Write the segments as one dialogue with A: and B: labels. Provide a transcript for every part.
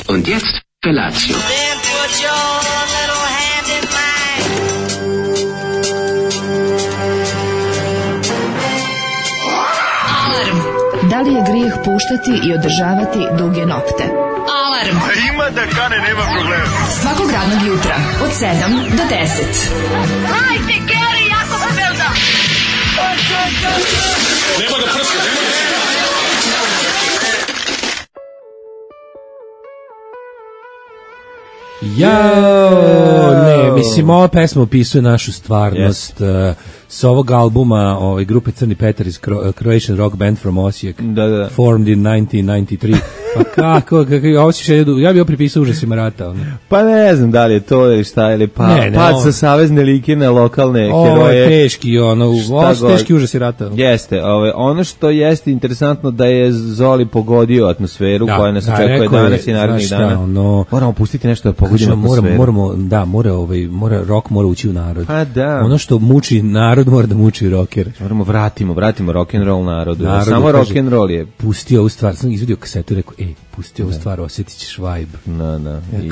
A: Und jetzt Felatio.
B: Then put your little hand in mine.
C: Alarm. Da li je grijeh puštati i održavati duge nokte? Alarm.
D: Ima da kane, nema problema.
C: Svakog radnog jutra od 7 do 10.
B: Hajde, Geri, jako se velda.
D: Nema da prska, nema da prska.
E: Ne, mislim, ova pesma opisuje našu stvarnost. S ovog albuma grupe Crni Petar iz Croatian rock band from Osijek, formed in 1993. Pa kako ja bih pripisao užasima rata.
F: Pa ne znam da li je to ili šta, ili pad sa savezne like na lokalne heroje.
E: Ovo je teški, ovo su teški užasi rata.
F: Jeste, ono što jeste interesantno da je Zoli pogodio atmosferu koja nas očekuje danas i narednih dana. Moramo pustiti nešto da pogodimo atmosferu.
E: Mora rock mora ući u narod.
F: Pa da.
E: Ono što muči narod mora da muči rocker.
F: Vratimo rock'n'roll narodu. Samo rock'n'roll je.
E: Pustio ovu stvar, sam izvidio kasetu i rekao, pustio ovu stvar, osjetit ćeš vibe.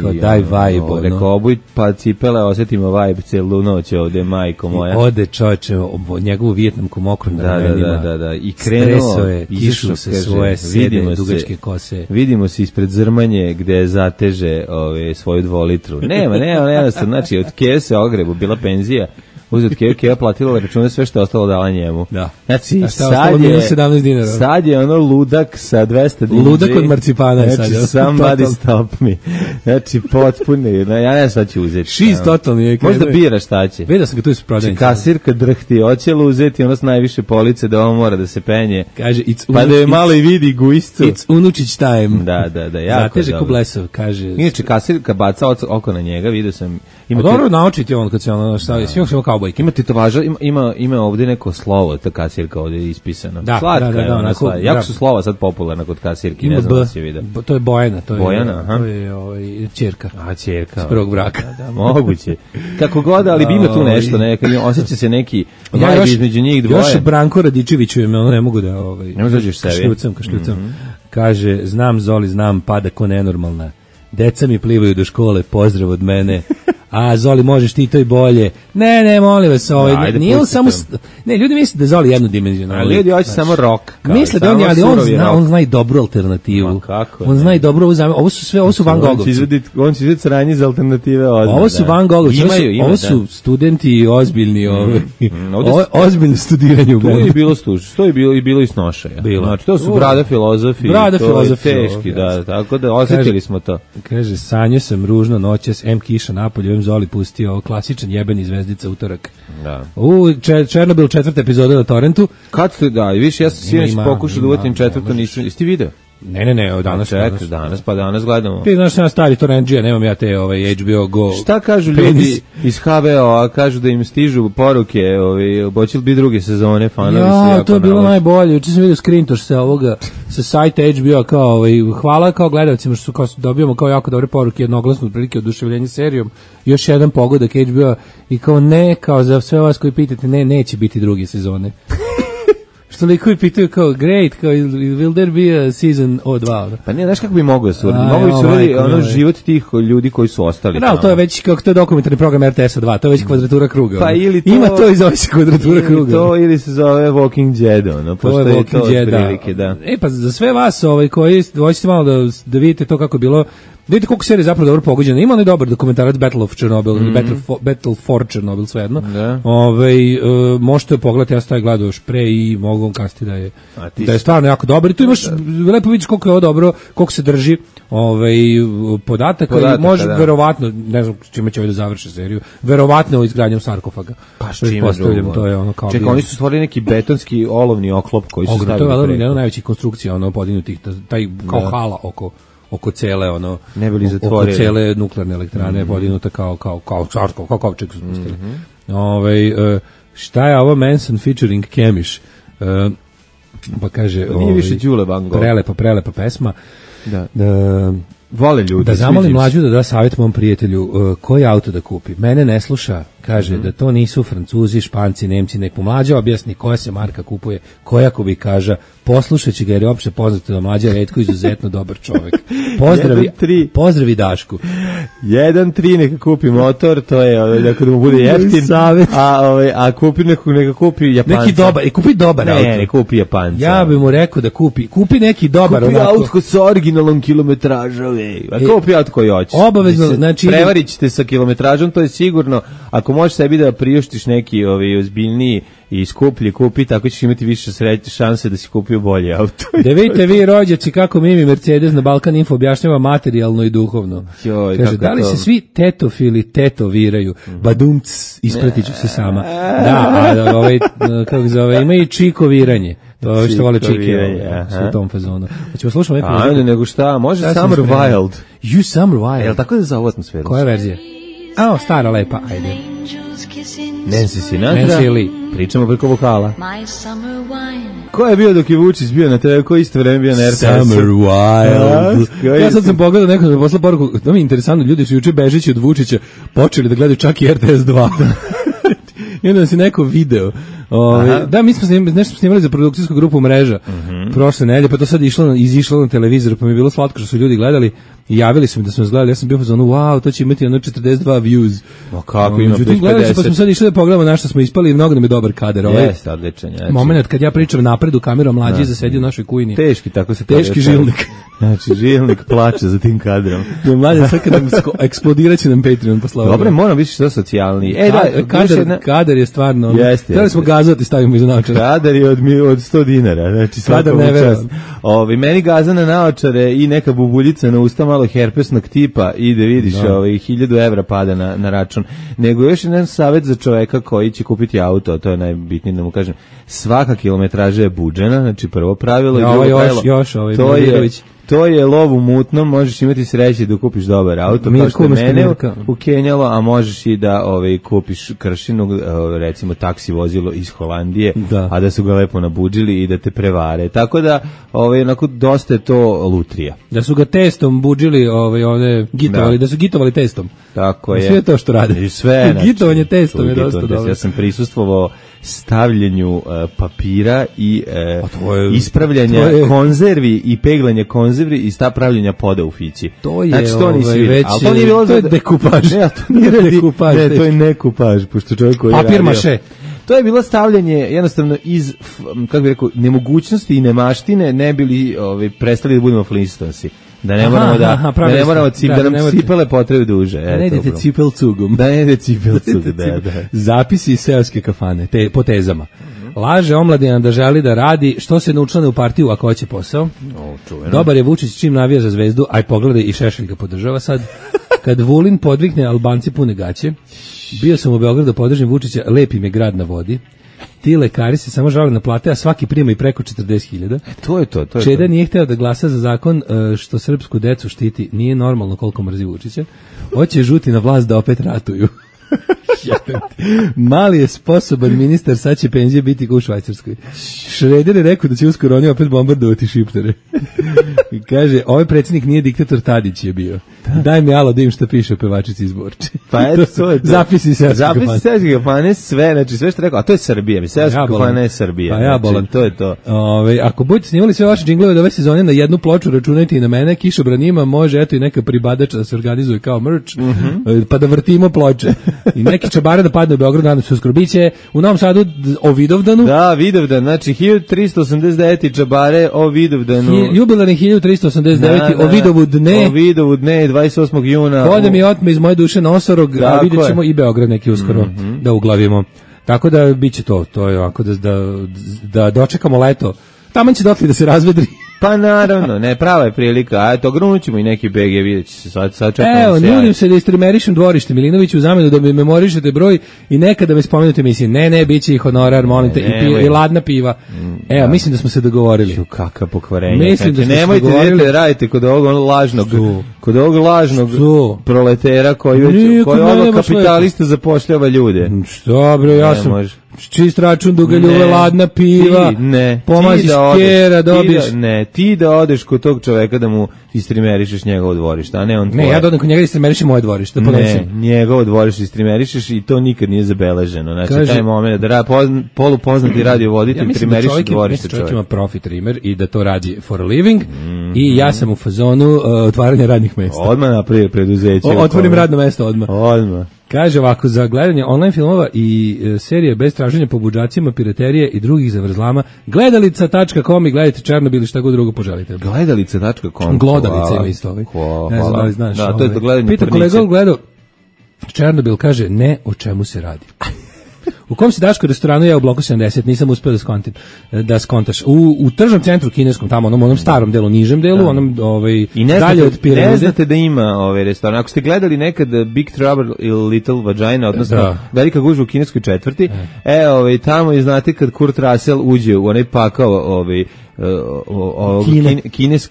F: Kao
E: daj vibe.
F: Rekao, obuj pa cipele, osjetimo vibe celu noć ovde, majko moja.
E: Ode čoveče, njegovu vijetnamku mokru na ramenima.
F: Da. I krenuo,
E: je, kišu se svoje sede, dugačke kose.
F: Vidimo se ispred Zrmanje gde zateže svoju 2 litru. Nema, znači od kese ogrebu, bila penzija. Uzet Keva platila račune, sve što je ostalo dala njemu.
E: Da.
F: Znači,
E: $17 dinara.
F: Sad je ono ludak sa 200 dinara.
E: Ludak od marcipana.
F: Znači, somebody stop me. Znači, potpuni. Ja ne sad ću uzeti.
E: She's totalni.
F: Možda biraš šta će.
E: Vidio sam ga tu iz prodavnice.
F: Kasirka drhti, hoće li uzeti ono s najviše police da on mora da se penje.
E: Kaže,
F: pa da je malo i vidi guiscu.
E: It's unučić time.
F: Da, jako.
E: Zateže ko blesov, kaže.
F: Inače, kasirka baca oko na njega, vidio sam.
E: Dobro naučiti on kad se ono stavio. Svi smo kao
F: ima tetovaža, ima ovdje neko slovo, ta kasirka ovdje ispisano.
E: Slatka je ona.
F: Jako su slova sad popularna kod kasirki, ne znam da si vidio.
E: To je Bojana.
F: Bojana,
E: to je ćerka.
F: Ćerka.
E: S prvog braka.
F: Da, moguće. Kako god, ali bi ima tu nešto, osjeća se neki vibe između njih dvoje.
E: Još Branko Radičeviću je, ne mogu da...
F: Ne možeš sebi.
E: Kašljucam. Kaže, znam Zoli, znam, pada ko nenormalna. Deca mi plivaju do škole, pozdrav od mene. A Zoli, možeš ti to i bolje. Ne, molim vas, nije on samo... Ne, ljudi misle da Zoli jednodimenzionalno.
F: Ljudi hoće samo rock.
E: Misle da on zna i dobru alternativu. On zna i dobro, ovo su Van Gogovci.
F: On će izvediti sranje za alternative odmah.
E: Ovo su Van Gogovci, ovo su studenti ozbiljni, ozbiljno studiranje u
F: bendu. To je bilo i snošaja. Znači, to su brada filozofi. Teški, da, tako da osjetili smo to.
E: Kaže, sanjao sam ružno noćas, kiša napolje, Zoli pustio klasičan jebeni zvezdica utorak.
F: Da.
E: Černobil 4. epizoda na torrentu.
F: Kad ste, i više, ja sam sinoć pokušao da uvatim 4. nisam. Jesi ti video?
E: Ne,
F: danas gledamo.
E: Ti znaš, sam stari torrentđija, nemam ja te HBO Go.
F: Šta kažu ljudi iz HBO-a, kažu da im stižu poruke, hoće li biti druge sezone, fanovi se jako
E: to je bilo najbolje, juče sam vidio screentoš sa sajta HBO-a, kao hvala kao gledalcima što dobijamo kao jako dobre poruke, jednoglasno otprilike oduševljenje serijom, još jedan pogodak HBO-a i kao kao za sve vas koji pitate, neće biti druge sezone. Što likovi pitaju kao, great, kao, will there be a season O2?
F: Pa nije, znaš kako bi mogo da se uradi? Mogu se uradi život tih ljudi koji su ostali.
E: Da, to je već, kako to je dokumentarni program RTS-a 2, to je već kvadratura kruga.
F: Pa ili to...
E: Ima to i zove se kvadratura kruga.
F: Ili se zove Walking Dead,
E: to je Walking Dead, da. Pa za sve vas koji hoćete malo da vidite to kako je bilo, vidite koliko serija zapravo dobro pogođena. Ima onaj dobar dokumentarac Battle of Chernobyl, Battle for Chernobyl, svejedno. Možete pogledati, ja sam taj gledao još pre i mogu vam kasti da je stvarno jako dobar. I tu imaš, lepo vidiš koliko je ovo dobro, koliko se drži podataka i može verovatno, ne znam čime će da završi seriju, verovatno izgradnjom sarkofaga.
F: Pa što to je ono kao... Čekaj, oni su stvorili neki betonski olovni oklop koji su stavili preko. To je jedna najvećih konstrukcija podignutih, taj kao hala oko cele oko cele nuklearne elektrane podignuta kao kovčeg su spustili. Šta je ovo Manson featuring Kemiš? Pa kaže, nije više Đule Van Gogh.
E: Prelepa pesma.
F: Da. Vole ljudi.
E: Da zamolim mlađu da savjet mom prijatelju koji auto da kupi. Mene ne sluša, Kaže da to nisu Francuzi, Španci, Nemci, nek mu Mlađa objasni koja se marka kupuje, koja kubikaža, poslušajući ga jer je opšte poznato da Mlađa Retko izuzetno dobar čovjek. Pozdravi Dašku.
F: 1-3 neka kupi motor, to je da mu bude jeftin, a kupi neka kupi Japanac.
E: Neki dobar, kupi dobar auto.
F: Ne kupi Japanca.
E: Ja bih mu rekao da kupi neki dobar
F: kupi auto sa originalnom kilometražom, kupi auto koji hoćeš.
E: Obavezno, znači
F: prevarit ćete sa kilometražom, to je sigurno. Ako možeš sebi da priuštiš neki ozbiljniji i skuplji kupi, tako ćeš imati više šanse da si kupio bolje auto.
E: Da vidite vi rođaci kako Mimi Mercedes na Balkan Info objašnjava materijalno i duhovno. Kaže, da li se svi tetofili tetoviraju? Badumc, ispratit ću se sama. Da, kako zove, ima i čikoviranje. To što vole čike u tom fazonu. Hoćemo slušati neku muziku?
F: Ajde, nego šta, može Summer Wild.
E: You Summer Wild.
F: Jel tako da za ovu atmosferu?
E: Koja verzija? Stara lepa, ajde.
F: Nancy Sinatra. Pričamo preko vokala. Ko je bio dok je Vučić bio na TV, ko isto vreme bio na RTS?
E: Summer Wild. Ja sad sam pogledao nekog da posla poruku, to mi je interesantno, ljudi su juče bežeći od Vučića počeli da gledaju čak i RTS 2. I onda si neko video. Da, mi smo nešto snimali za produkcijsku grupu Mreža prošle nedelje, pa to sad izišlo na televizor, pa mi je bilo slatko što su ljudi gledali i javili su mi da smo gledali. Ja sam bio fazonu, wow, to će imati 42 views.
F: Kako ima plus 50?
E: Pa smo sad išli da pogledamo na što smo ispali i mnogo nam je dobar kadar.
F: Jeste, odličan.
E: Moment kad ja pričam napred u kameru, Mlađi zasedio u našoj kujini.
F: Teški, tako se
E: teški žilnik.
F: Znači, žilnik plače za tim kadrom.
E: Mlađi, sad kad nam eksplodiraće nam Patreon posla.
F: Dobre, moram biti što socijalniji.
E: Kadar je stvarno. Trebali smo gazati, stavimo iza naočara.
F: Kadar je od 100 dinara. Znači,
E: kadar ne verujem.
F: Meni gaza na naočare i neka bubuljica na usta malo herpesnog tipa i da vidiš 1000 evra pada na račun. Nego još jedan savjet za čoveka koji će kupiti auto, to je najbitnije da mu kažem. Svaka kilometraža je buđena, znači prvo pravilo i drugo pravilo. To je lov u mutnom, možeš imati sreće da kupiš dobar auto, kao što je mene u Kenjalo, a možeš i da kupiš kršinu, recimo taksi vozilo iz Holandije, a da su ga lepo nabuđili i da te prevare. Tako da, onako, dosta je to lutrija.
E: Da su ga testom buđili, gitovali, da su gitovali testom.
F: Tako je.
E: Sve to što rade.
F: I sve.
E: Gitovanje testom je dosta dobro.
F: Ja sam prisustvovao stavljanju papira i ispravljanja konzervi i peglanja konzervi i pravljenja poda u fići.
E: To je već,
F: to je dekupaž.
E: Ne, to nije dekupaž.
F: Ne, to je nekupaž, pošto čovjek koji
E: papir maše.
F: To je bilo stavljanje jednostavno iz, kako bih rekao, nemogućnosti i nemaštine, ne bili prestali da budemo Flintstonesi. Da ne moramo da nam cipele potrebe duže.
E: Da ne idete cipelcugom.
F: Da.
E: Zapisi iz seoske kafane, po tezama. Laže omladina da želi da radi, što se ne učlane u partiju ako hoće posao. Dobar je Vučić čim navija za Zvezdu, aj pogledaj i Šešelj ga podržava sad. Kad Vulin podvikne, Albanci pune gaće. Bio sam u Beogradu, podržim Vučića, lepi mi grad na vodi. Ti lekari se samo žale na plate, a svaki prima i preko 40.000.
F: To je to.
E: Čeda nije hteo da glasa za zakon što srpsku decu štiti. Nije normalno koliko mrzi Vučića. Hoće žuti na vlast da opet ratuju. Mali je sposoban ministar, sad će penzije biti u Švajcarskoj. Šreder je rekao da će uskoro oni opet bombardovati šiptere. Kaže, ovaj predsjednik nije diktator, Tadić je bio. Daj mi alo da im što piše o pevačici iz Borče.
F: Pa eto, to je to.
E: Zapisi seoske
F: kafane, sve, znači sve što rekao, a to je Srbija, seoske kafane je Srbija.
E: Pa ja bolan.
F: To je to.
E: Ako budete snimali sve vaše džinglove od ove sezone na jednu ploču, računajte i na mene, Kišobran ima, može eto i neka pribadača da se organizuje kao merch, pa da vrtimo ploče. I neki čabare da padne u Beogradu, nadam se uskoro. Biće u Novom Sadu o Vidovdanu.
F: Da, Vidovdan, znači 1389 čabare o Vidovdanu.
E: Jubilarni 1389 o Vidovu dne.
F: O Vidovu dne, 28. juna.
E: Vode mi otme iz moje duše nosorog, a vidjet ćemo i Beograd neki uskoro da uglavimo. Tako da bit će to je ovako da dočekamo leto. Taman će dotle da se razvedri.
F: Pa naravno, ne, prava je prilika, a eto grunućemo i neki BG, vidjet će se sad čekamo.
E: Evo, nudim se da istrimerišem dvorište Milinoviću u zamenu da mi memorišete broj i nekada me spomenute mislim, ne, bit će i honorar, molim te, i ladna piva. Evo, mislim da smo se dogovorili.
F: Kakav pokvarenje.
E: Mislim da smo
F: se dogovorili. Radite kod ovog lažnog proletera koji ovo kapitalista zapošljava ljude.
E: Što bre, ja sam čist račun, dugaljuva, ladna piva, pomaziš kjera, dobiješ.
F: Ti da odeš kod tog čoveka da mu istrimerišeš njegovo dvorište, a ne on tvoje.
E: Ne, ja da odem kod njega da istrimerišem moje dvorište, da ponesem.
F: Ne, njegovo dvorište istrimerišeš i to nikad nije zabeleženo. Znači, kaže, taj moment da polupoznati radiovoditelj trimeriše dvorište čovjek.
E: Čovjek ima profit trimer i da to radi for a living i ja sam u fazonu otvaranja radnih mesta.
F: Odmah napravio preduzeće.
E: Otvorim radno mesto odmah.
F: Odmah.
E: Kaže ovako, za gledanje online filmova i serije bez traženja po budžacima, piraterije i drugih zavrzlama, gledalica.com i gledajte Černobil i šta god drugo poželite.
F: Gledalica.com.
E: Glodalica ima isto ovaj. Ne znam da li znaš.
F: Da, to je to gledanje
E: Pita kolega gledao Černobil, kaže ne o čemu se radi. U kom si Daško restoranu ja u bloku 70, nisam uspeo da skontaš. U tržnom centru kineskom, tamo onom starom delu, nižem delu, onom dalje od piramide.
F: Ne znate da ima restoran. Ako ste gledali nekad Big Trouble ili Little Vagina, odnosno Velika gužva u kineskoj četvrti, tamo je, znate, kad Kurt Russell uđe u onaj pakao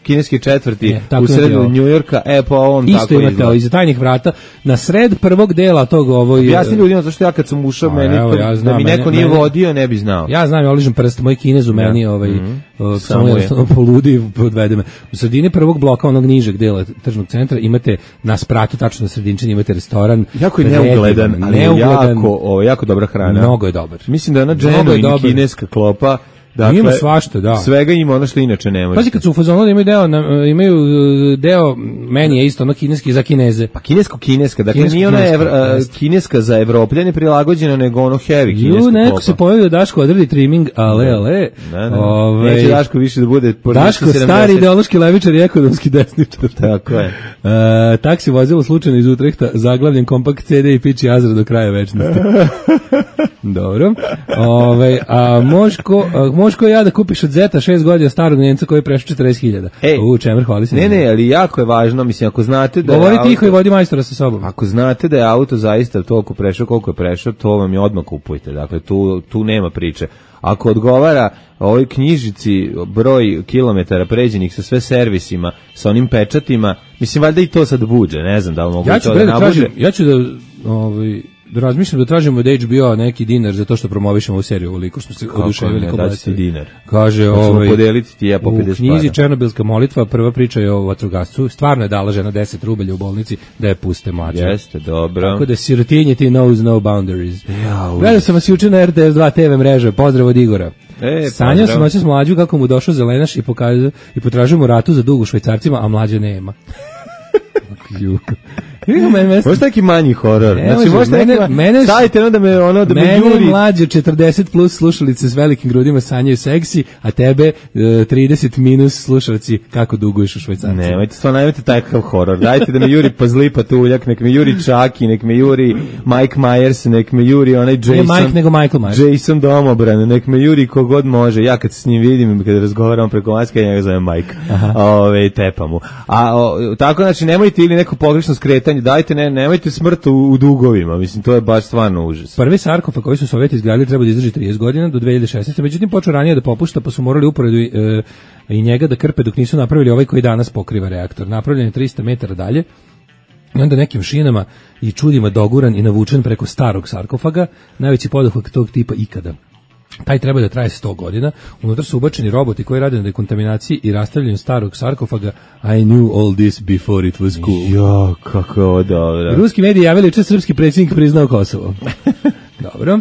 F: kineske četvrti u sredu Njujorka, pa on
E: isto
F: tako
E: imate iza tajnih vrata na sred prvog dela tog
F: objasni ljudima zašto ja kad sam ušao meni da mi neko nije vodio ne bi znao.
E: Ja znam, ja oližem prst, moj Kinez u meni samo jednostavno poludi i podvede me. U sredini prvog bloka onog nižeg dela tržnog centra imate na spratu, tačno na sredinčini imate restoran.
F: Jako je neugledan, ali jako dobra hrana.
E: Mnogo je dobar.
F: Mislim da je ona genuine kineska klopa. Dakle,
E: ima svašta, da.
F: Svega ima ono što inače ne može.
E: Pazi, kad su u fazonu da imaju deo meni je isto ono kineski za Kineze.
F: Pa kineska, dakle nije ona kineska za Evropljane prilagođena, nego ono heavy kinesko.
E: Neko se pojavio da Daško odredi trimming, ale.
F: Neće Daško više da bude
E: Daško stari ideološki levičar i ekonomski desničar.
F: Tako je.
E: Taksi vozilo slučajno iz Utrehta, zaglavljen kompakt CD i piči Azra do kraja večnosti. Dobro. A možko ja da kupiš od Zeta 6 godina starog Njemca koji je prešao 40.000. Čemer, hvali se.
F: Ne, ali jako je važno, mislim, ako znate da
E: govori tiho i vodi majstora sa sobom.
F: Ako znate da je auto zaista toliko prešao koliko je prešao, to vam je odmah kupujte. Dakle, tu nema priče. Ako odgovara ovoj knjižici broj kilometara pređenih sa sve servisima, sa onim pečatima, mislim, valjda i to sad buđe, ne znam da li mogu to da nabuđe.
E: Ja ću da razmišljam da tražimo od HBO neki dinar za to što promovišemo ovu seriju, ovoliko što se oduševili ko bacili
F: dinar.
E: Kaže,
F: podeliti ti ja po 50
E: u knjizi Černobilska molitva, prva priča je o vatrogascu, stvarno je dala žena 10 rubalja u bolnici da je puste mlađe.
F: Jeste, dobro.
E: Tako da sirotinje ti knows no boundaries. Gledao sam vas juče na RTS 2 TV mreže, pozdrav od Igora. Sanjao sam noćas mlađu kako mu došao zelenaš i potražio mu ratu za dug u Švajcarcima, a mlađe nema.
F: Možda neki manji horor. Znači, stavite da me juri.
E: Mlađe 40 plus slušalice s velikim grudima sanjaju seksi, a tebe 30 minus slušalci kako duguješ u Švajcarcima.
F: Nemojte takav horor. Dajte da me juri Pazli Patuljak, nek me juri Čaki, nek me juri Mike Myers, nek me juri onaj Jason.
E: Nije Mike nego Michael Myers.
F: Jason Domobran, nek me juri kogod može. Ja kad se s njim vidim, kada razgovaram preko maske, ja ga zovem Mike. Tepa mu. Tako, znači, nemojte ili neko pogrešno skretanje, dajte, nemojte smrt u dugovima, mislim, to je baš stvarno užas.
E: Prvi sarkofag koji su Sovjeti izgradili treba da izdrži 30 godina do 2016. Međutim, počeo ranije da popušta, pa su morali uporedu i njega da krpe dok nisu napravili ovaj koji danas pokriva reaktor. Napravljen je 300 metara dalje i onda nekim šinama i čudima doguran i navučen preko starog sarkofaga, najveći poduhvat tog tipa ikada. Taj treba da traje 100 godina. Unutra su ubačeni roboti koji rade na dekontaminaciji i rastavljanju starog sarkofaga. I knew all this before it was cool.
F: Jo, kako ovo dobro.
E: Ruski mediji javili juče srpski predsjednik priznao Kosovo. Dobro.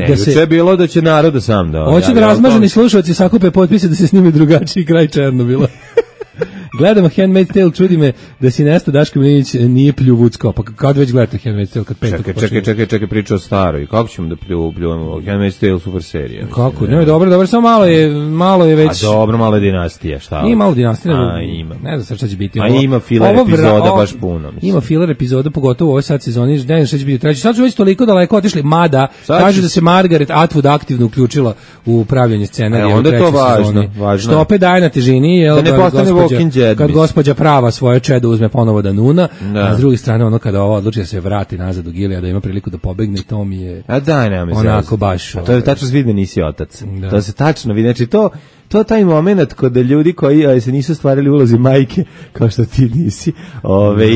F: Juče je bilo da će narod sam da...
E: Hoće da razmaženi slušalci sakupe potpise da se snimi drugačiji kraj Černobila. Gledamo Handmaid's Tale, čudi me da si Nesta Daško Milinić nije pljuvucko. Pa kad već gledate Handmaid's Tale? Kad
F: čekaj, priča o staroj. Kako ćemo da pljuvamo? Handmaid's Tale, super serija.
E: Kako? Ne, dobro, samo malo je već...
F: A dobro, malo je dinastija, šta?
E: Nije malo dinastija.
F: Ima.
E: Ne znam šta će biti.
F: A ima filler epizoda baš puno.
E: Ima filler epizoda, pogotovo u ovoj sad sezoni. Ne znam šta će biti treći. Sad su već toliko daleko otišli. Mada, kaže da se Margaret Atwood aktivno uključila u pravljanje scenarija u trećoj sezoni. Što opet daje na težini.
F: Da ne postane Walking
E: kad gospođa prava svoje čedo uzme ponovo da nuna, a s druge strane ono kada ovo odluči da se vrati nazad u Gilead, da ima priliku da pobegne, to mi je onako baš...
F: To je tačno vidi da nisi otac. To se tačno vidi. Znači to taj moment kod ljudi koji se nisu stvarili ulozi majke, kao što ti nisi,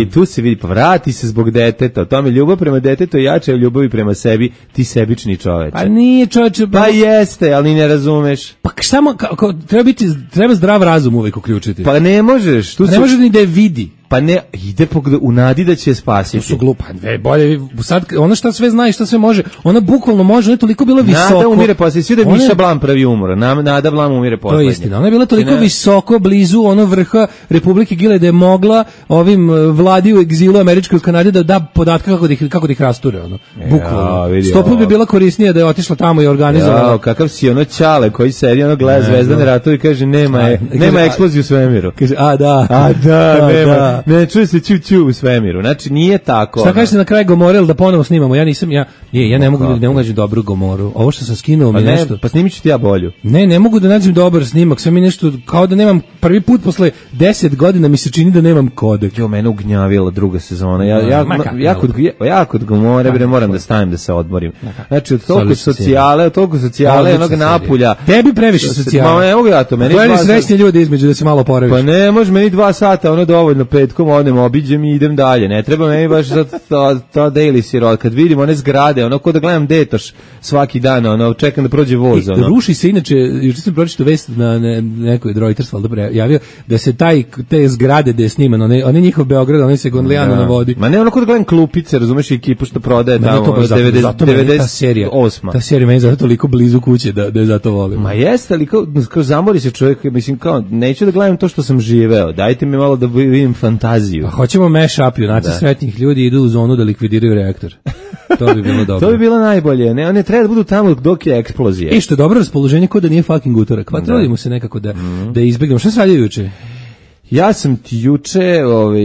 F: i tu se vidi, pa vrati se zbog deteta, o tome ljubav prema detetu je jača od ljubavi prema sebi, ti sebični čoveče.
E: Pa nije čoveče.
F: Pa jeste, ali ne razumeš.
E: Pa samo, treba zdrav razum uvijek uključiti.
F: Pa ne možeš.
E: Ne može ni da je vidi.
F: Pa ne, ide u nadi da će je spasiti.
E: To su glupa. Bolje, sad, ona šta sve zna i šta sve može, ona bukvalno može, ona je toliko bila visoko.
F: Nada umire poslednje, svi da je Miša Blam pravi umor, Nada Blam umire poslednje.
E: To je istina, ona je bila toliko visoko, blizu vrha Republike Gile da je mogla ovim vladi u egzilu američkoj u Kanadi da da podatke kako da ih rasture, bukvalno. Stopno bi bila korisnija da je otišla tamo i organizovala.
F: Kakav si Ćale koji sedi, gleda Zvezdane ratove i kaže nema eksploziju u svemiru.
E: Kaže,
F: nema. Ne čuje se ću u svemiru. Znači nije tako.
E: Šta kažete na kraj Gomorel da ponovo snimamo? Ja ne mogu da nađem dobru Gomoru. Ovo što sam skinuo mi nešto.
F: Pa snimit ću ti ja bolju.
E: Ne mogu da nađem dobar snimak. Sve mi nešto kao da nemam prvi put posle 10 godina mi se čini da nemam kodek.
F: Mene ugnjavila druga sezona. Ja kod Gomore moram da stavim da se odmorim. Znači od toliko socijale, onog napulja.
E: Tebi previše socijale.
F: Ma ne mogu ja to. Meni
E: to je srećni ljudi između da se malo oporaviš.
F: Pa ne može meni 2 sata, dovoljno petkom odem, obiđem i idem dalje. Ne treba meni baš to daily sirot. Kad vidim one zgrade, ko da gledam Detoš svaki dan, čekam da prođe voz.
E: Ruši se inače, juče sam pročitao vest na nekoj Reuters javio da se te zgrade gde je sniman, one njihov Beograd, one se Gondlijano na vodi.
F: Ma ne, ko da gledam Klupice, razumeš, ekipu što prodaje tamo 98.
E: Ta serija meni zato toliko blizu kuće da je zato volim.
F: Ma jeste, ali kao zamori se čovjek, mislim kao, neću da gledam to što sam živeo, dajte mi malo da vidim fantaziju.
E: A hoćemo mash-up, junaci sretnih ljudi idu u zonu da likvidiraju reaktor. To bi bilo dobro.
F: To bi bilo najbolje. Ne treba da budu tamo dok je eksplozija.
E: I što je dobro raspoloženje kod da nije fucking utorak. Pa trudimo se nekako da izbegnemo. Šta se radio juče?
F: Ja sam ti juče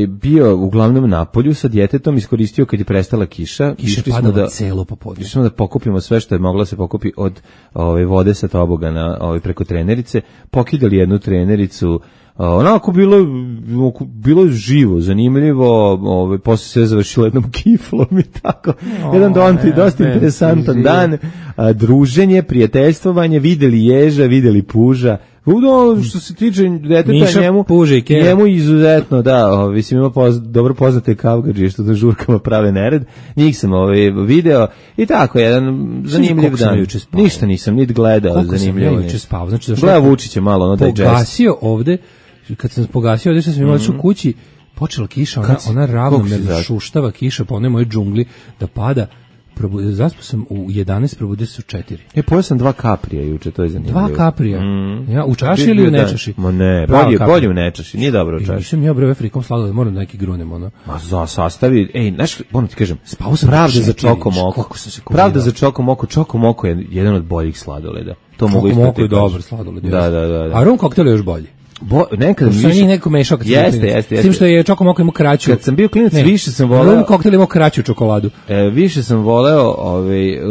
F: bio uglavnom na polju sa djetetom, iskoristio kad je prestala kiša.
E: Kiša je padala celo popodne.
F: Išli smo da pokupimo sve što je mogla se pokupi od vode sa tobogana preko trenerice. Pokidali jednu trenericu. Onako bilo živo, zanimljivo, posle se završilo jednom kiflom i tako. Jedan dosta interesantan dan, druženje, prijateljstvovanje, videli ježa, videli puža. Što se tiče deteta, njemu izuzetno, mislim ima dobro poznate kavgadžije što da žurkama prave nered, njih sam video i tako, jedan zanimljiv dan. Ništa nisam niti gledao, zanimljivo.
E: Koliko sam juče spao?
F: Gleda Vučića malo, da je džest.
E: Pogasio ovde, kad sam pogasio ovde što sam imao u kući, počela kiša, ona ravnomerno šuštava kiša po onoj mojoj džungli da pada. Zaspao sam u 11, probudio se u 4.
F: Pojeo sam 2 kaprija juče, to je zanimljivo.
E: 2 kaprija? Ja, u čaši ili u nečaši?
F: Ma ne, bolje u nečaši, nije dobro u čaši.
E: Nisam ja breve frikom sladoled, moram da neki grunem,
F: Ma za sastavi, znaš, moram ti kažem,
E: spao sam
F: pravda za Čokomoko. Pravda za Čokomoko, Čokomoko je jedan od boljih sladoleda. To mogu ispratiti.
E: Čokomoko je dobar sladoled.
F: Da.
E: A rum koktel je još bolji.
F: Nekad
E: više neko mešao kad
F: jeste.
E: S tim što je Čokomoko imao kraću.
F: Kad sam bio klinac više sam voleo.
E: Rum koktel imao kraću čokoladu.
F: Više sam voleo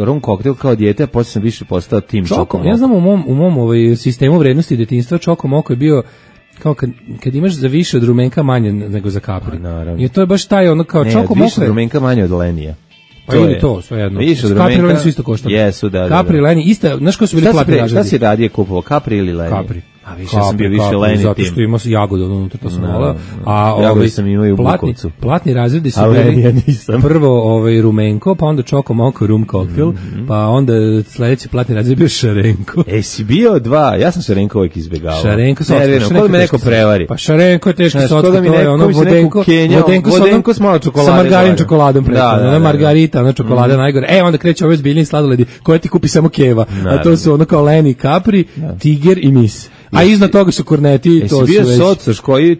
F: rum koktel kao dijete, a posle sam više postao tim Čokomoko.
E: Ja znam u mom sistemu vrednosti detinjstva Čokomoko je bio kao kad imaš za više od rumenka manje nego za kapri. I to je baš taj kao Čokomoko.
F: Više od rumenka manje od lenija.
E: Pa ili to, sve jedno. Kapri i Leni su isto koštali.
F: Jesu, da.
E: Kapri i Leni, isto, znaš ko su bili platni razredi?
F: Šta si radije kupovao, Kapri ili Leni?
E: Kapri.
F: A više sam bio više Leni tim.
E: Zato što ima jagodu unutra, to sam volao.
F: A jagode sam imao i u Bukovcu.
E: Platni razredi su bili prvo rumenko, pa onda Čokomoko rum koktel, pa onda sledeći platni razred je bio šarenko.
F: Si bio 2, ja sam šarenko uvijek izbjegavao.
E: Šarenko sa
F: otkako. Kod me neko prevari.
E: Pa šarenko je teški sotka, to je ono vodenko s malo čokolade. Sa margarin čokoladom preko, ona margarita, ona čokolada najgore. Onda kreće ove zbiljni sladoledi koje ti kupi samo Keva, a to su ono kao Leni, Kapri, Tiger i Mis. A iznad toga su korneti, to su već...
F: Jesi bio socoš koji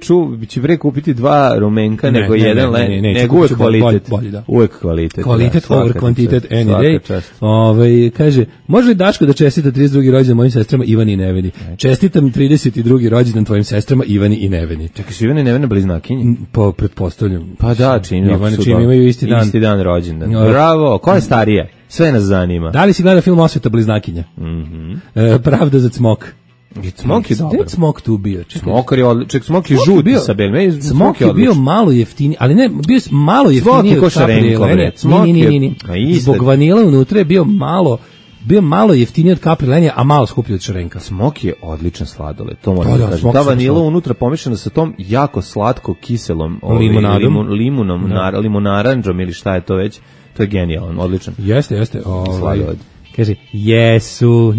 F: će bre kupiti 2 rumenka nego jedan Leni, nego uvek kvalitet. Uvek kvalitet.
E: Kvalitet over kvantitet, any day. Kaže, može li Daško da čestita 32. rođendan mojim sestrama Ivani i Neveni? Čestitam 32. rođendan tvojim sestrama Ivani i Neveni.
F: Čekaj, su Ivani i Nevena bliznakinje?
E: Pa, pretpostavljam.
F: Pa da, čim
E: imaju isti dan.
F: Isti dan rođendan. Bravo, ko je starija? Sve nas zanima.
E: Da li si gleda film Osveta bliznakinja? Pravda za cmok.
F: Cmok je dobar.
E: Gde Cmok tu bio?
F: Cmok je žuti sa belim.
E: Cmok je bio malo jeftiniji, ali ne, bio je malo jeftiniji
F: od Kapri.
E: Ni. Zbog vanila unutra je bio malo bio malo jeftiniji od Capri Lenija, a malo skuplji od Šarenka.
F: Smok je odličan sladoled, to moram da kažem. Ta vanila unutra pomešana sa tom jako slatko kiselom limonaranđom ili šta je to već, to je genijalno, odličan.
E: Jeste.
F: Sladoled.
E: Kaže, jesu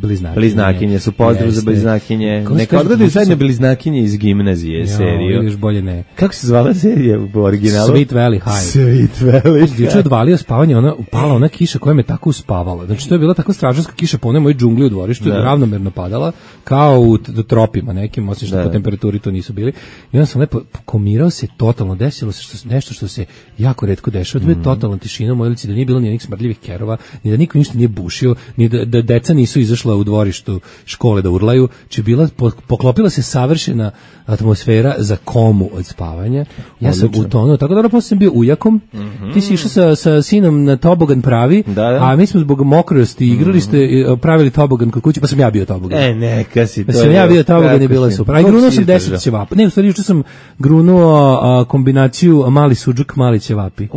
E: bliznakinje.
F: Bliznakinje su, pozdrav za bliznakinje. Neka odgledaju zajedno bliznakinje iz gimnazije seriju.
E: Još bolje ne.
F: Kako se zvala serija u originalu?
E: Sweet Valley High. Juče odvalio spavanje, upala ona kiša koja me tako uspavala. Znači, to je bila tako stražarska kiša po onoj mojoj džungli u dvorištu, ravnomerno padala, kao u tropima nekim, osim što po temperaturi to nisu bili. I onda sam lepo komirao se totalno, desilo se nešto što se jako retko dešava. To je totalna tišina u mojoj ulici, da nije bilo nijednih smrdljivih kerova, ni da niko ništa nije bušio, ni da deca nisu izašla u dvorištu škole da urlaju, či bila, poklopila se savršena atmosfera za komu od spavanja. Ja sam utonuo, tako dobro, posle sam bio ujakom, ti si išao sa sinom na tobogan pravi, a mi smo zbog mokrosti igrali ste, pravili tobogan kod kuće, pa sam ja bio tobogan.
F: Neka si to.
E: Sam ja bio tobogan i bila super. A grunuo sam 10 ćevapa. Ne, u stvari, juče sam grunuo kombinaciju mali suđuk, mali ćevapi.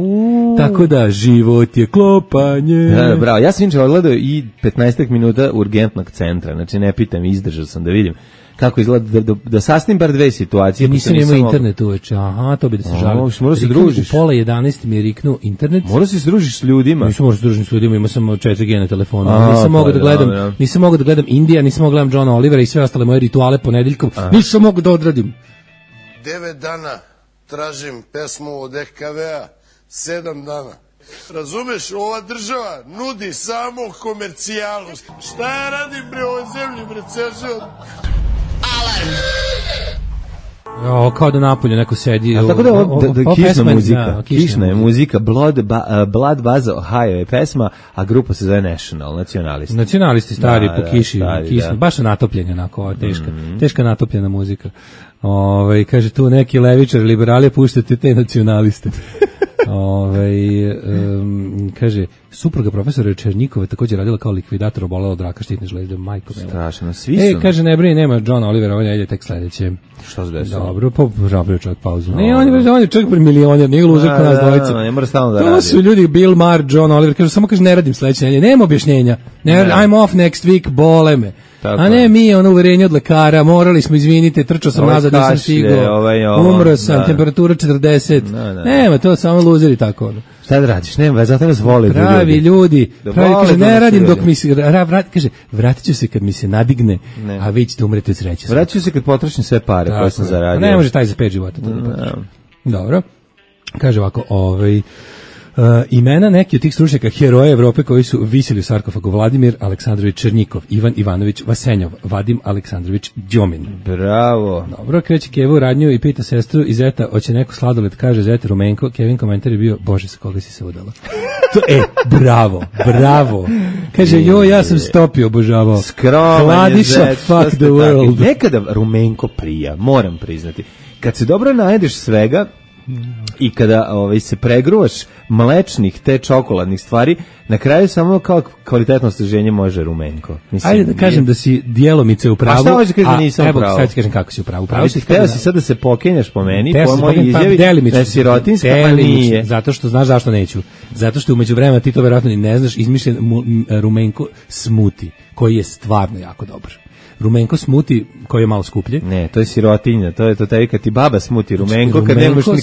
E: Tako da, život je klopanje.
F: Da, bravo. Ja sam inče odgledao i 15 minuta urgentnog centra, znači ne pitam, izdržao sam da vidim kako izgleda, da sasnim bar dve situacije.
E: Nisam imao internet uveče, to bi da se žalim.
F: Mora se družiš.
E: U pola 11 mi je riknuo internet.
F: Mora se družiš s ljudima.
E: Nisam morao se družiti s ljudima, imao sam 4G na telefonu. Nisam mogao da gledam Indija, nisam mogao da gledam Johna Olivera i sve ostale moje rituale ponedeljkom. Nisam mogao da odradim.
A: 9 dana tražim pesmu od EKV-a, 7 dana. Razumeš, ova država nudi samo komercijalu. Šta ja radim bre ovoj zemlji, bre, Cežel?
B: Alarm!
E: Kao da napolju neko sedi.
F: A tako da kišna muzika. Kišna je muzika, Blood Baza Ohio je pesma, a grupa se zove National, nacionalisti.
E: Nacionalisti stari po kiši, baš natopljenja, onako, teška natopljena muzika. Kaže tu neki levičar, liberali, puštate te nacionaliste. Kaže, supruga profesora Černjikova također radila kao likvidator, obolela od raka štitne žlezde, majko mila.
F: Strašno, svi su.
E: Kaže, ne brini, nema John Oliver, ovo je tek sledeće.
F: Što se desilo?
E: Dobro, napravio čovjek pauzu. Ne, on je čovjek milioner, nije luzer ko nas dvojica.
F: Ne mora stalno da radi.
E: To su ljudi, Bill Maher, John Oliver, kaže, samo ne radim sledeće nedelje, nema objašnjenja. I'm off next week, bole me. A ne, mi uverenje od lekara, morali smo, izvinite, trčao sam nazad, nisam stigao, umro sam, temperatura 40, nema, to samo luzeri tako.
F: Šta da radiš, nema, zato nas vole
E: pravi ljudi, kaže, ne radim dok mi se, kaže, vratit ću se kad mi se nadigne, a vi ćete umreti od sreće.
F: Vratit ću se kad potrošim sve pare koje sam zaradio.
E: Ne može taj za 5 života. Dobro, kaže ovako, imena neki od tih stručnjaka heroja Evrope koji su visili u sarkofagu: Vladimir Aleksandrović Černjikov, Ivan Ivanović Vasenjov, Vadim Aleksandrović Đomin.
F: Bravo.
E: Dobro, kreće Keva u radnju i pita sestru i zeta, hoće neko sladoled, kaže zeta Rumenko. Kevin komentar je bio: Bože, sa koga si se udala? Bravo. Kaže, ja sam stopio, obožavao.
F: Hladiša,
E: fuck the world.
F: Nekada Rumenko prija, moram priznati. Kad se dobro najedeš svega, i kada se pregruvaš mlečnih te čokoladnih stvari, na kraju samo kao kvalitetno osveženje može Rumenko. Mislim,
E: ajde da kažem da si djelomice u pravu.
F: A šta hoće kažem da nisam u pravu?
E: Sad ti kažem kako si u pravu.
F: Hteo si sad da se pokenjaš po meni, po mojoj izjavi, da si rotinska, pa nije.
E: Zato što znaš zašto neću. Zato što umeđu vremena ti to verovatno ni ne znaš, izmišljen Rumenko smuti, koji je stvarno jako dobar. Rumenko smuti, koji je malo skuplji.
F: Ne, to je sirotinja, to je tebi kad ti baba smuti Rumenko,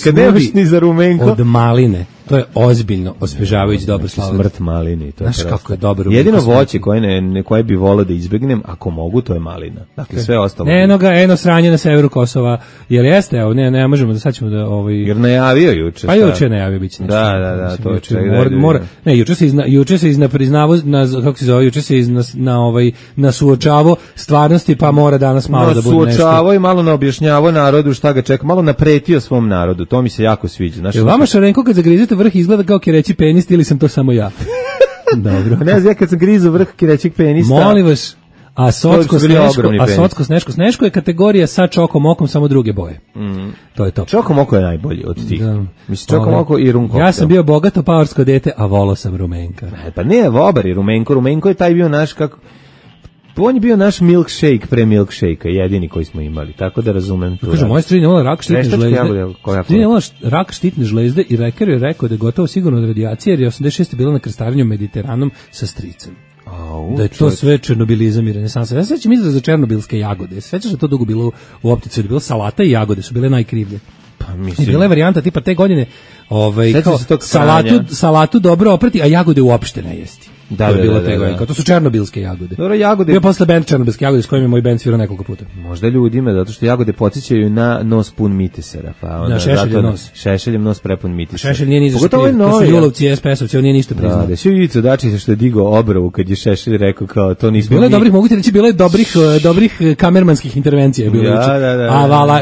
F: kad nemaš ni za Rumenko.
E: Od maline, to je ozbiljno osvežavajući dobar sladoled.
F: Smrt malini, to je
E: znaš kako je dobar Rumenko.
F: Jedino voće koje bi voleo da izbegnem, ako mogu, to je malina. Dakle, sve ostalo.
E: Eno sranje na severu Kosova, jer jeste, evo, ne možemo da sad ćemo da
F: jer najavio juče.
E: Pa juče najavio biće nešto.
F: Da, to je
E: ne, juče se priznavao, kako se zove, juče se na suočavo stvarnosti, pa mora danas malo da bude nešto.
F: Suočavao i malo na objašnjavao narodu šta ga čeka, malo napretio svom narodu, to mi se jako sviđa.
E: Jel vama Šarenko kad zagrizete vrh izgleda kao kireći penis ili sam to samo ja? Dobro.
F: Ne znam, ja kad sam grizu vrh kirećeg penista.
E: Molim vas, a socko sneško je kategorija sa čokom okom, samo druge boje. To je to.
F: Čokom oko je najbolji od tih. Mislim, čokom oko i rum koktel.
E: Ja sam bio bogato paorsko dete, a volao sam Rumenka.
F: Pa ne, vobar je Rumenko je taj bio naš kako... On je bio naš milkshake pre milkshake-a, jedini koji smo imali, tako da razumem to.
E: Kaže, moja strina imala rak štitne žlezde. Strina imala rak štitne žlezde i lekar je rekao da je gotovo sigurno od radijacije, jer je 86. bila na krstarenju Mediteranom sa stricem. Da je to sve černobilizam i renesansa. Ja se sećam izraz za černobilske jagode. Sećaš da to dugo bilo u optici, da je bilo salata i jagode, su bile najkrivlje.
F: Pa mislim.
E: I bila je varijanta tipa te godine, kao salatu dobro oprati, a jagode uopšte ne jesti. Da. To su černobilske jagode.
F: Dobro, jagode.
E: Bio posle bend černobilske jagode s kojim je moj bend svirao nekoliko puta.
F: Možda ljudima, zato što jagode podsjećaju na nos pun mitisera, pa onda
E: šešeljem nos.
F: Šešeljem nos prepun mitisera.
E: Šešelj nije ni zašto kriv. To su Julovci i SPS-ovci, on nije ništa priznao.
F: Da, svi Ivica Dačić što je digao obravu kad je Šešelj rekao kao to nismo.
E: Bilo je dobrih, mogu ti reći, bilo je dobrih kamermanskih intervencija bilo juče. A vala,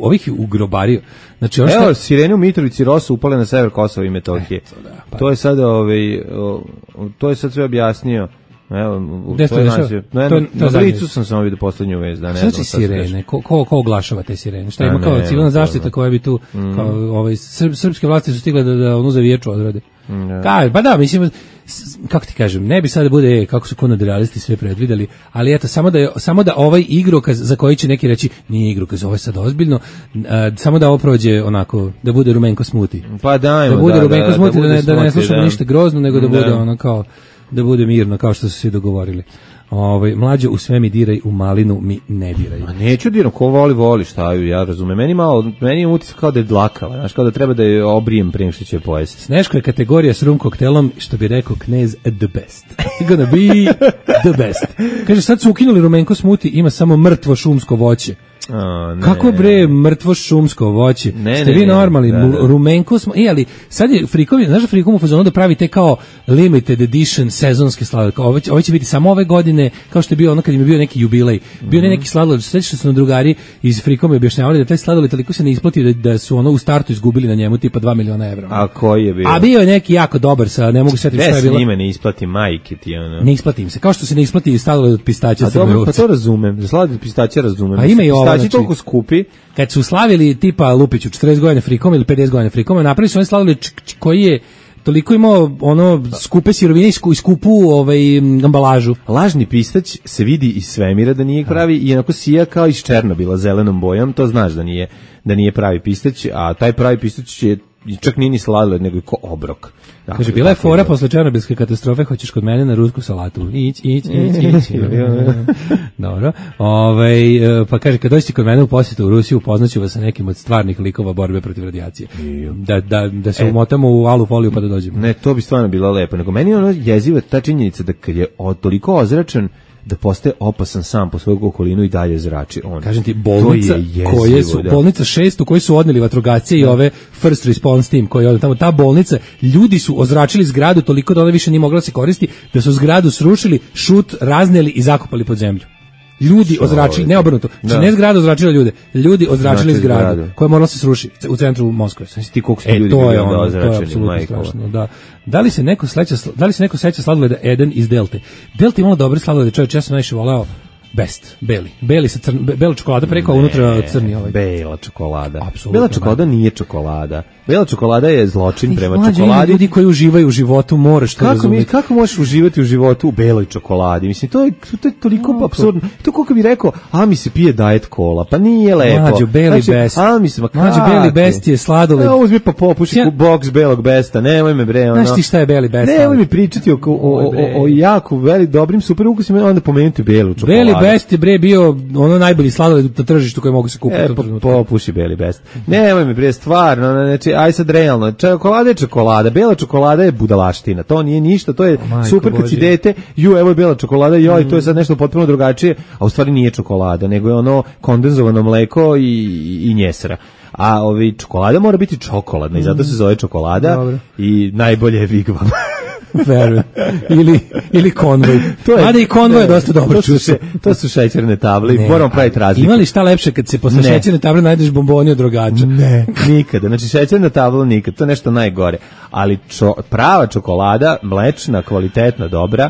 E: ovih je ugrobario. Znači,
F: evo, sirene u Mitrovici Rosa upale na sever Kosova i Metohije. To je sad to je sad sve objasnio. Evo, na Blicu sam samo vidio poslednju vest. Da,
E: znači sirene? Ko oglašava te sirene? Šta ima kao civilna zaštita koja bi tu, srpske vlasti su stigle da onu zaviječu odrade. Pa da, mislim, kako ti kažem, ne bi sada bude kako su konadrealisti sve predvideli, ali eto, samo da ovaj igrokaz za koji će neki reći nije igrokaz, ovo je sad ozbiljno, samo da ovo prođe onako, da bude rumenko smuti.
F: Pa dajmo,
E: da bude rumenko smuti, da ne slušamo ništa grozno, nego da bude ono kao, da bude mirno, kao što su svi dogovorili. Mlađo, u sve mi diraj, u malinu mi ne diraj.
F: Ma neću diram, ko voli, šta ju, ja razumem. Meni je utisak kao da je dlakava, znaš, kao da treba da je obrijem prije što će pojesti.
E: Sneško je kategorija s rum koktelom, što bi rekao knez, the best. Gonna be the best. Kaže, sad su ukinuli rumenko smuti, ima samo mrtvo šumsko voće. Kako bre mrtvo šumsko voće? Ste vi normalni? Rumenko smo, ali sad je frikovi, znaš da frikom u fazonu da pravi te kao limited edition sezonske sladolede. Ovo će biti samo ove godine, kao što je bio ono kad im je bio neki jubilej. Bio neki sladoled, sećaš se na drugari iz frikom je objašnjavali da taj sladoled toliko se ne isplati da su ono u startu izgubili na njemu tipa 2 miliona evra.
F: A koji je bio?
E: A bio je neki jako dobar, sa ne mogu setiti šta je bilo.
F: Njima ne isplati majke ti ono.
E: Ne isplati im se, kao što se ne isplati sladoled od pistaća.
F: Pa to razumem, za sladoled od pistaća razumem.
E: A ima i ovo.
F: Znači, toliko skupi.
E: Kad su slavili tipa Lupiću 40 godina frikom ili 50 godina frikom, napravili su oni sladoled koji je toliko imao ono skupe sirovine i skupu ambalažu.
F: Lažni pistać se vidi iz svemira da nije pravi i onako sija kao iz Černobila zelenom bojom, to znaš da nije pravi pistać, a taj pravi pistać je čak nije ni sladoled, nego je ko obrok.
E: Dakle, kaže, bila je fora posle černobilske katastrofe, hoćeš kod mene na rusku salatu. Ić. Dobro. Pa kaže, kad dođete kod mene u posjetu u Rusiju, upoznaću vas sa nekim od stvarnih likova borbe protiv radijacije. Da se umotamo u alu foliju pa da dođemo.
F: Ne, to bi stvarno bilo lepo. Nego meni je ono jeziva ta činjenica da kad je toliko ozračen, da postaje opasan sam po svoju okolinu i dalje zrači on.
E: Kažem ti, bolnica bolnica 6 u kojoj su odneli vatrogasce i ove first response team koji je tamo, ta bolnica, ljudi su ozračili zgradu toliko da ona više nije mogla se koristiti, da su zgradu srušili, šut razneli i zakopali pod zemlju. Ljudi ozračili, ne obrnuto. Znači ne zgrada ozračila ljude, ljudi ozračili zgradu koja morala se srušiti u centru Moskve.
F: Znači ti koliko su ljudi bili onda ozračeni,
E: da. Da li se neko seća sladoleda Eden iz Delte? Delta imala dobre sladolede, čovječ, ja sam najviše voleo Best, beli sa bela čokolada preko, a unutra crni ovaj.
F: Bela čokolada. Absolutno. Bela čokolada nije čokolada. Bela čokolada je zločin prema čokoladi.
E: Ljudi koji uživaju u životu, moraš to razumjeti.
F: Kako možeš uživati u životu u beloj čokoladi? Mislim, to je toliko apsurdno. To kako bi rekao, a mi se pije diet cola, pa nije lepo.
E: Mlađo, Beli Best. Mlađo, Beli Best je sladoled.
F: Uzmi pa popuši box belog Besta, nemoj me bre.
E: Znaš ti šta je Beli Best?
F: Nemoj mi pričati o jako dobrim super ukusima, onda pomenuti belu čokoladu.
E: Best je bre bio ono najbolji sladoled na tržištu koji mogu se kupiti.
F: Popuši Beli Best. Nemoj mi bre, stvarno, znači, aj sad realno, čokolada je čokolada, bela čokolada je budalaština, to nije ništa, to je super kad si dete, evo je bela čokolada, to je sad nešto potpuno drugačije, a u stvari nije čokolada, nego je ono kondenzovano mleko i njesra. A čokolada mora biti čokoladna i zato se zove čokolada. Dobro. I najbolje je Vigvam.
E: Verujem. Ili konvoj. Mada i konvoj je dosta dobro čuše.
F: To su šećerne table i moramo praviti razliku.
E: Ima li šta lepše kad se posle šećerne table najdeš bomboni od rogača?
F: Ne, nikada. Znači šećerna tabla nikad, to je nešto najgore. Ali prava čokolada, mlečna, kvalitetna, dobra,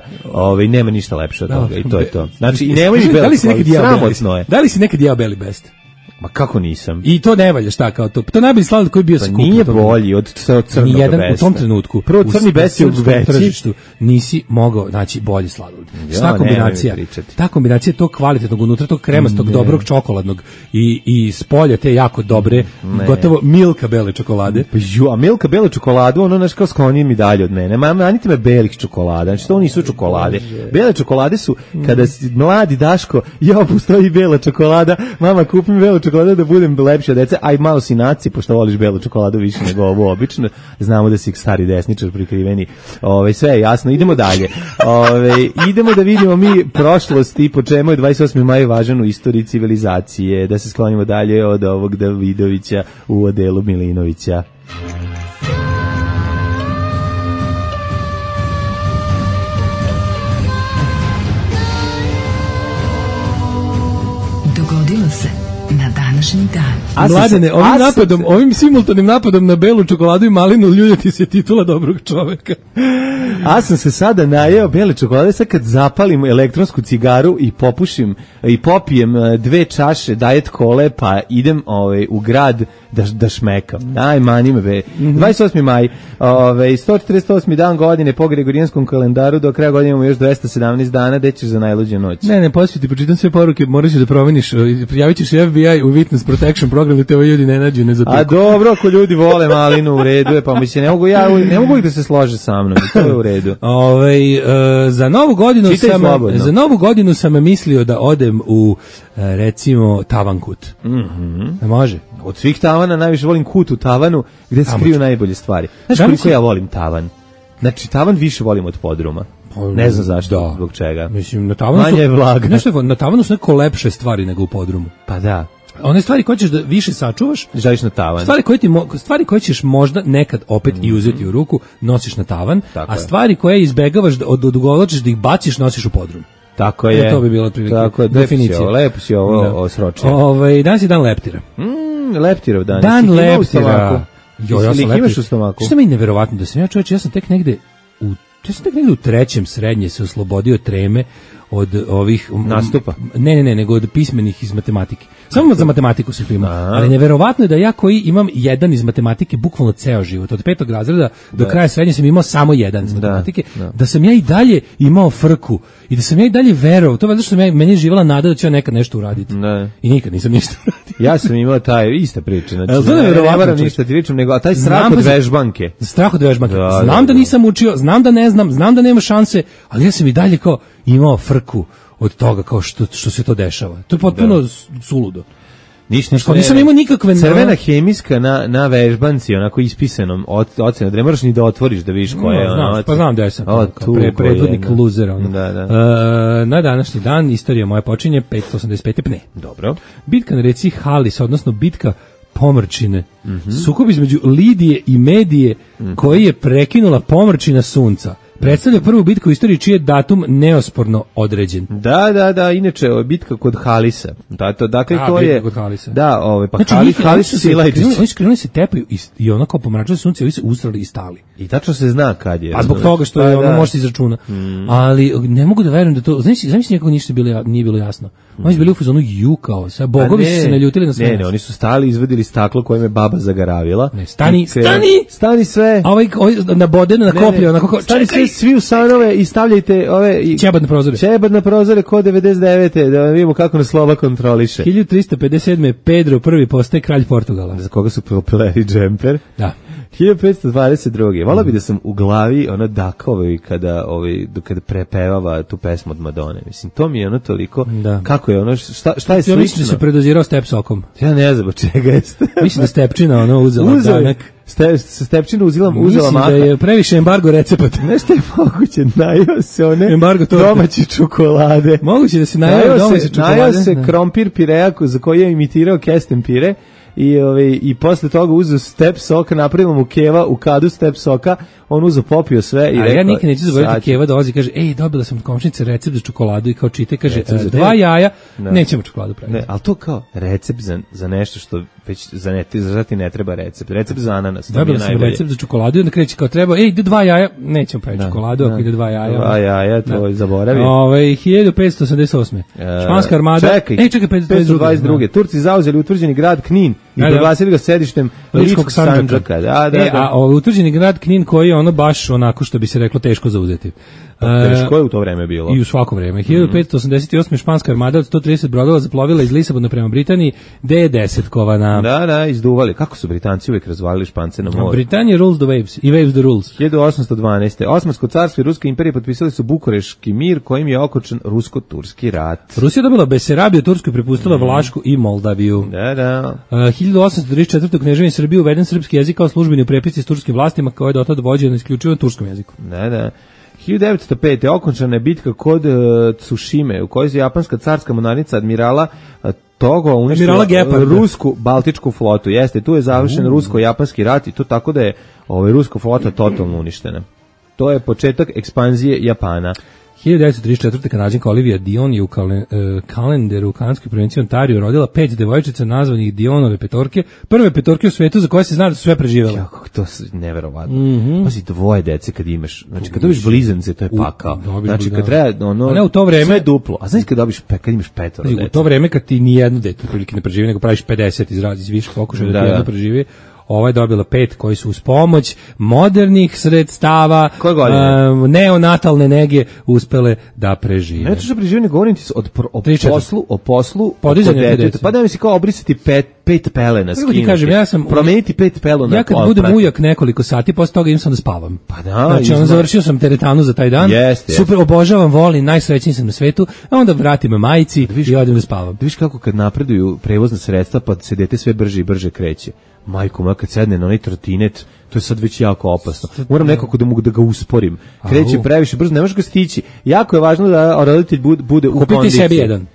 F: nema ništa lepše od toga i to je to. Znači, i nemoj mi bela čokolada, sramotno je.
E: Da li si nekad jeo Beli Best?
F: Ma kako nisam?
E: I to ne valja, šta kao to? To najbolji sladoled koji bio skup.
F: Nije bolji od crnog
E: nijedan besta. U tom trenutku.
F: Prvo crni best je veći.
E: Nisi mogao naći bolji sladoled. Šta kombinacija? Ta kombinacija tog kvalitetnog unutra, tog kremastog, dobrog čokoladnog i s polja te jako dobre, gotovo Milka bele čokolade.
F: A Milka bele čokoladu, ono znaš kao skloni mi dalje od mene. Manite me belih čokolada. Znači to nisu čokolade. Bele čokolade su kada si mladi Daško, postoji bela čokolada, mama kupi mi belu čokoladu da budem lepši od dece, aj malo si naci, pošto voliš belu čokoladu više nego ovo obično, znamo da si stari desničar prikriveni, sve je jasno, idemo dalje. Idemo da vidimo mi prošlost i po čemu je 28. maj važan u istoriji civilizacije, da se sklonimo dalje od ovog Davidovića u odelu Milinovića.
C: Dogodilo se na današnji dan.
E: Mladene, ovim simultanim napadom na belu čokoladu i malinu ljuljati se titula dobrog čoveka.
F: A sam se sada najeo bele čokolade, sad kad zapalim elektronsku cigaru i popušim i popijem 2 čaše Diet Kole, pa idem u grad da šmekam. Mani me be. 28. maj, 148. dan godine po Gregorijanskom kalendaru, do kraja godine imamo još 217 dana, gde ćeš za najluđe noć.
E: Ne, poslije ti pročitam sve poruke, moraš da promeniš, prijavit ćeš FBI u Witness Protection program da te ovi ljudi ne nađu, ne zapiku.
F: A dobro, ako ljudi vole malinu, u redu je, pa mislim, ne mogu da se slože sa mnom, to je u redu.
E: Za novu godinu sam mislio da odem u, recimo, Tavankut. Može?
F: Od svih tavana najviše volim kut u tavanu gde se kriju najbolje stvari. Znaš koliko ja volim tavan? Znači, tavan više volim od podruma. Ne znam zašto, zbog čega.
E: Mislim, na tavanu
F: manje je vlaga.
E: Na tavanu su neko lepše stvari nego u podrumu.
F: Pa da.
E: One stvari koje ćeš da više sačuvaš,
F: želiš na tavan.
E: Stvari koje ćeš možda nekad opet i uzeti u ruku, nosiš na tavan,
F: tako
E: a stvari koje izbegavaš da odugovlačiš da ih baciš, nosiš u podrum.
F: Tako je.
E: To bi bila prilike.
F: Tako je, definicija. Lepo si ovo osročio.
E: Danas je dan leptira.
F: Leptirov dan.
E: Dan leptira.
F: Ja sam leptir. Imaš u stomaku?
E: Što mi je neverovatno da sam ja čovječ, ja sam tek negde u 3. srednje se oslobodio treme od ovih
F: nastupa.
E: Ne, nego od pismenih iz matematike. Samo za matematiku se prima. Ali neverovatno je da ja koji imam jedan iz matematike bukvalno ceo život, od 5. razreda do kraja srednje sam imao samo jedan iz matematike, da sam ja i dalje imao frku i da sam ja i dalje verovao. To je zato što meni je živjela nada da ću ja nekad nešto uraditi. I nikad nisam ništa uradio.
F: Ja sam imao taj ista priča. Znači, ne moram ništa ti pričam, nego taj strah od vežbanke.
E: Strah od vežbanke. Znam da nisam učio, znam da ne znam, znam da nema šanse, ali ja sam i dalje kao imao frku od toga kao što se to dešava. To je potpuno suludo. Nisam imao nikakve
F: crvena hemijska na vežbanci, onako ispisanom ocenu, da ne moraš ni da otvoriš da vidiš koja je ona.
E: Pa znam da ja sam predvodnik luzera. Na današnji dan istorija moja počinje 585. pne.
F: Dobro.
E: Bitka na reci Halis, odnosno bitka Pomrčine. Sukob između Lidije i Medije koji je prekinula Pomrčina sunca. Predstavlja prvu bitku u istoriji čiji je datum neosporno određen.
F: Da, inače bitka kod Halisa. Dakle to je
E: kod Halisa.
F: Da, pa
E: znači, Halis su Silajčići. Oni su krenuli se tepaju i ono kao pomračilo sunce, oni se usrali i stali.
F: I tačno se zna kad je.
E: A zbog toga što je ono može se izračuna. Ali ne mogu da verujem da to, znači nekako ništa nije bilo jasno. Oni su bili u fazonu kao, sad bogovi su se naljutili na sve.
F: Ne, oni su stali, izvadili staklo koje me baba zagaravila.
E: Stani
F: sve.
E: A ovaj nabodeno na koplje, onako
F: stani sve, svi u stanove i stavljajte ove ćebad na prozore kod 99. da vidimo kako nas slova kontroliše.
E: 1357. Pedro I postaje kralj Portugala.
F: Za koga su propeleri džemper?
E: Da.
F: 1522. Volao bi da sam u glavi dakao kada prepevava tu pesmu od Madone. Mislim, to mi je toliko, kako je šta je slično?
E: Ja mislim da se predozirao step sokom.
F: Ja ne znam čega jeste.
E: Mislim da Stepčina uzela danak.
F: Stepčina uzela maha.
E: Mislim da je previše embargo recepata.
F: Nešto je moguće, najao se one domaće čokolade.
E: Moguće da se najao domaće čokolade.
F: Najao se krompir pirejaku za koji je imitirao kesten pire. I posle toga uzeo step soka, napravimo mu Keva u kadu step soka, on uzeo popio sve i rekao...
E: Ja nikad neću zaboraviti, Keva dolazi i kaže, dobila sam od komšnice recept za čokoladu i kao čite, kaže, 2 jaja, nećemo čokoladu praviti.
F: Ne, ali to kao recept za nešto što već za ti ne treba recept. Recept za ananas.
E: Dobila sam recept za čokoladu i onda kreće kao treba, ide 2 jaja, nećemo praviti čokoladu ako ide 2 jaja.
F: 2 jaja, to zaboravi.
E: 1588. Španska armada.
F: Čekaj, 522. Turci zauzeli utvrđeni grad Knin i proglasili ga sedištem Ličkog Sandžaka.
E: A utvrđeni grad Knin koji je ono baš onako što bi se reklo teško zauzeti.
F: Teško je u to vreme bilo.
E: I u svako vreme. 1588. španska armada od 130 brodova zaplovila iz Lisabona prema Britaniji, gde je 10 kovana.
F: Da, izduvali. Kako su Britanci uvijek razvalili Špance na moru?
E: Britanija rules the waves i waves the rules.
F: 1812. Osmansko carstvo i Ruska imperija potpisali su Bukureški mir kojim je okončan rusko-turski rat.
E: Rusija dobila Besarabiju, Tursku prepustila Vlašku i Moldaviju.
F: Da.
E: 1834. Kneževin Srbije uveden srpski jezik kao službeni u prepisci s turskim vlastima koji je dotad vođen isključivo na turskom jeziku.
F: Da. 1905. okončana je bitka kod Tsushime u kojoj je japanska carska mornarica admirala Togo uništila rusku baltičku flotu. Jeste, tu je završen rusko-japanski rat i to tako da je ruska flota totalno uništena. To je početak ekspanzije Japana.
E: 1934. Kanadžanka Olivia Dion je u kalendaru u kanadskoj provinciji Ontario rodila 5 devojčica nazvanih Dionove petorke, prve petorke u svetu za koje se zna da su sve preživjele.
F: Kako to je neverovatno. Pazi, 2 dece kad imaš, znači kad dobiš blizance, to je pakao. Znači kad treba
E: ne u to vreme
F: sve duplo. A znaš kad dobiš kad imaš 5 dece.
E: U to vreme kad ti ni jedno dete prilike ne preživi, nego praviš 50 iz više pokušaja da ti jedno preživi. Ova je dobila 5 koji su uz pomoć modernih sredstava, neonatalne nege uspele da prežive.
F: Ne to što prežive, ne govorim ti o poslu,
E: podizanje dece.
F: Pa da mi se kao obrisati 5 pelena, skinuti.
E: Kažem,
F: promeniti 5 pelena.
E: Ja kad budem ujak nekoliko sati, posle toga im sam da spavam.
F: Pa da.
E: Znači, završio sam teretanu za taj dan, super, obožavam, volim, najsrećniji sam na svetu, a onda vratim me majici i odem da spavam.
F: Da viš kako kad napreduju prevozna sredstva, pa se dete sve brže i brže kreće. Majko moja, kad sedne na onaj trotinet, to je sad već jako opasno. Moram nekako da mogu da ga usporim. Kreće previše brzo, ne možeš ga stići. Jako je važno da roditelj bude u kondiciji.
E: Kupiti sebi jedan.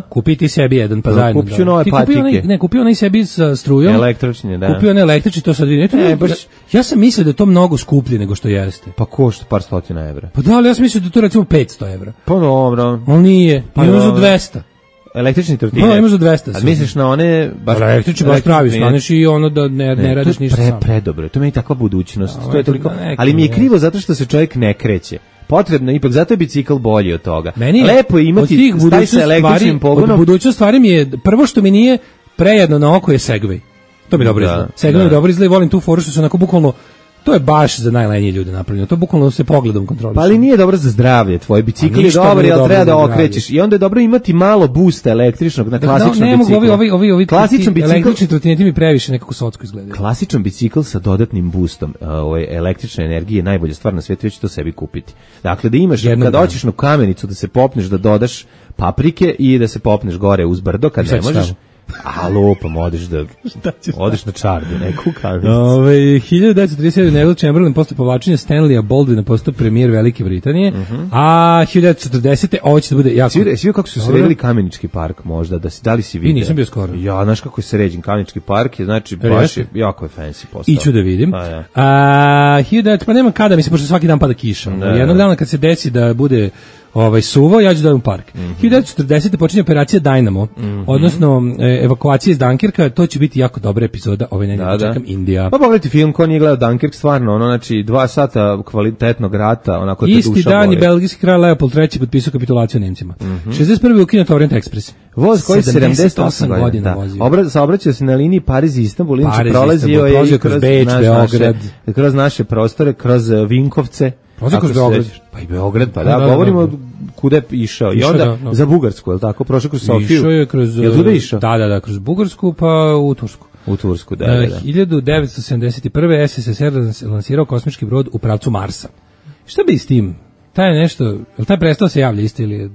E: Kupiti sebi jedan, pa zajedno.
F: Kupio nove patike.
E: Kupio onaj sebi sa strujom.
F: Električni, da.
E: Kupio onaj električni, to sad vidim. Ja sam mislio da je to mnogo skuplje nego što jeste.
F: Pa košta par stotina evra.
E: Pa da, ali ja sam mislio da je to recimo 500 evra.
F: Pa dobro.
E: Ali nije, imamo za 200.
F: Električni trotinet.
E: No, imaš za 200.
F: A misliš na one
E: baš električni baš pravi, staneš i ono da ne radiš ništa sam.
F: Predobro. To mi je takva budućnost. To je toliko. Ali mi je krivo zato što se čovjek ne kreće. Potrebno ipak, zato je bicikl bolji od toga. Lepo je imati taj sa električnim pogonom.
E: Od budućnost stvari mi je prvo što mi nije prejedno na oko je Segway. To mi dobro izgleda. Segway mi dobro izgleda i volim tu foru što se onako bukvalno. To je baš za najlenije ljude napravljeno. To bukvalno se pogledom kontroliše.
F: Pa ali nije dobro za zdravlje. Tvoj bicikl je dobar, ali treba da okrećeš. I onda je dobro imati malo boosta električnog na klasičnom biciklu.
E: Ovi električni trotineti mi previše nekako socko izgledaju.
F: Klasičan bicikl sa dodatnim boostom električne energije je najbolja stvar na svijetu, već to sebi kupiti. Dakle, da imaš, kad hoćeš na Kamenicu da se popneš, da dodaš paprike i da se popneš gore uz brdo, kad ne možeš. A lupam, odeš na čardu, neku Kamenicu.
E: 1937. Neville Chamberlain posle povlačenja Stanleya Baldwina postao premijer Velike Britanije, a 1940. ovo će da bude jako...
F: Svi kako su sredili Kamenički park možda, da li si vidio?
E: I nisam bio skoro.
F: Ja, znaš kako je sređen Kamenički park, je, znači baš je jako je fancy postao.
E: Iću da vidim. Pa nema kada, mislim, pošto svaki dan pada kiša. Jednog dana kad se desi da bude suvo, ja ću da u park. 1940. počinje operacija Dynamo, odnosno evakuacija iz Dunkirka, to će biti jako dobra epizoda ove nedelje, čekam Indija.
F: Pa pogledajte film, ko nije gledao Dunkirk, stvarno, znači 2 sata kvalitetnog rata, onako te duša boli.
E: Isti dan i belgijski kralj Leopold III potpisao kapitulaciju Nemcima. 61. ukinut Orient Express.
F: Voz koji 78 godina vozio. Saobraćao se na liniji Pariz-Istanbul, inače prolazio je
E: kroz Beč, Beograd,
F: kroz naše prostore, kroz Vinkovce.
E: Kroz Beograd.
F: Pa i Beograd, pa da, govorimo kuda je išao. I onda za Bugarsku, je li tako? Prošao kroz Sofiju.
E: Išao je kroz...
F: Je li tuda išao?
E: Da, kroz Bugarsku, pa u Tursku.
F: U Tursku, da.
E: 1971. SSSR lansirao kosmički brod u pravcu Marsa. Šta bi s tim? Taj je nešto... Je li taj prestao se javlja isto ili...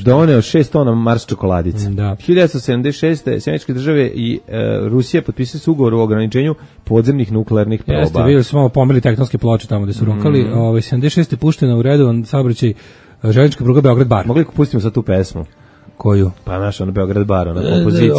F: Doneo 6 tona Mars čokoladice. 1976. Sjemeničke države i Rusija potpisali su ugovor o ograničenju podzemnih nuklearnih proba.
E: Jeste, bili su malo pomerili tektonske ploče tamo gde su rokali. 76. puštena u redovan saobraćaj železnička pruga Beograd-Bar.
F: Mogli pustimo sad tu pesmu?
E: Koju?
F: Pa naš, ono Beograd bar, ona kompozicija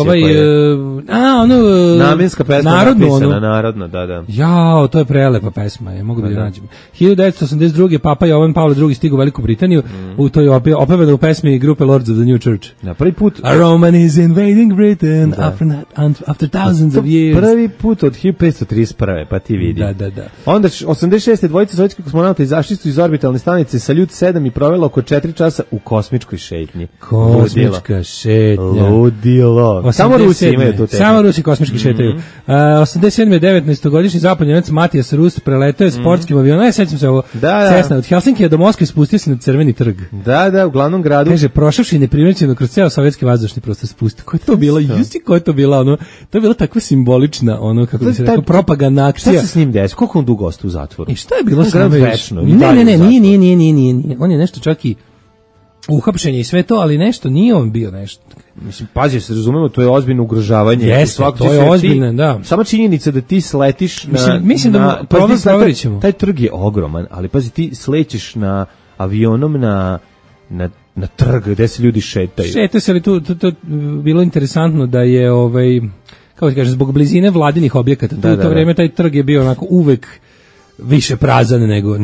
F: namenska pesma napisana, narodna, da.
E: Jao, to je prelepa pesma, mogu da je nađem. 1982. Papa Jovan Pavle II stigao u Veliku Britaniju, to je opevano u pesmi grupe Lords of the New Church.
F: Na prvi put.
E: A Roman is invading Britain after thousands of years.
F: Prvi put od 1531. pa ti vidi.
E: Da.
F: Onda 86. dvojica sovjetskih kosmonauta izašli su iz orbitalne stanice Saljut 7 i provela oko 4 časa u kosmičkoj šetnji.
E: Kosmička šetnja.
F: Ludilo. Samo Rusi imaju tu tehniku.
E: Samo Rusi kosmički šetaju. 87. 19-godišnji zapadni Njemac Matijas Rus preletao je sportskim avionom. Sećam se ovo. Cessna od Helsinkija do Moskve spustio se na Crveni trg.
F: Da, u glavnom gradu.
E: Kaže, prošavši neprimećeno kroz ceo sovjetski vazdušni prostor spustio. Ko je to bilo? Ko je to bila? Ono, to je bila takva simbolična, ono, kako bi se rekao, propagandna akcija.
F: Šta se s njim desilo? Koliko on dugo ostao u zatvoru?
E: I šta je bilo
F: s njim?
E: Ne, nije. On je nešto čak i uhapšenje i sve to, ali nešto, nije on bio nešto.
F: Mislim, pazi, se razumemo, to je ozbiljno ugrožavanje.
E: Jeste, to je ozbiljno, da.
F: Sama činjenica da ti sletiš
E: mislim da proverit ćemo.
F: Taj trg je ogroman, ali pazi, ti slećeš na avionom na trg gde se ljudi šetaju.
E: Šetaju se, ali to bilo interesantno da je, kako ti kažem, zbog blizine vladinih objekata, u to vreme taj trg je bio onako uvek više prazan nego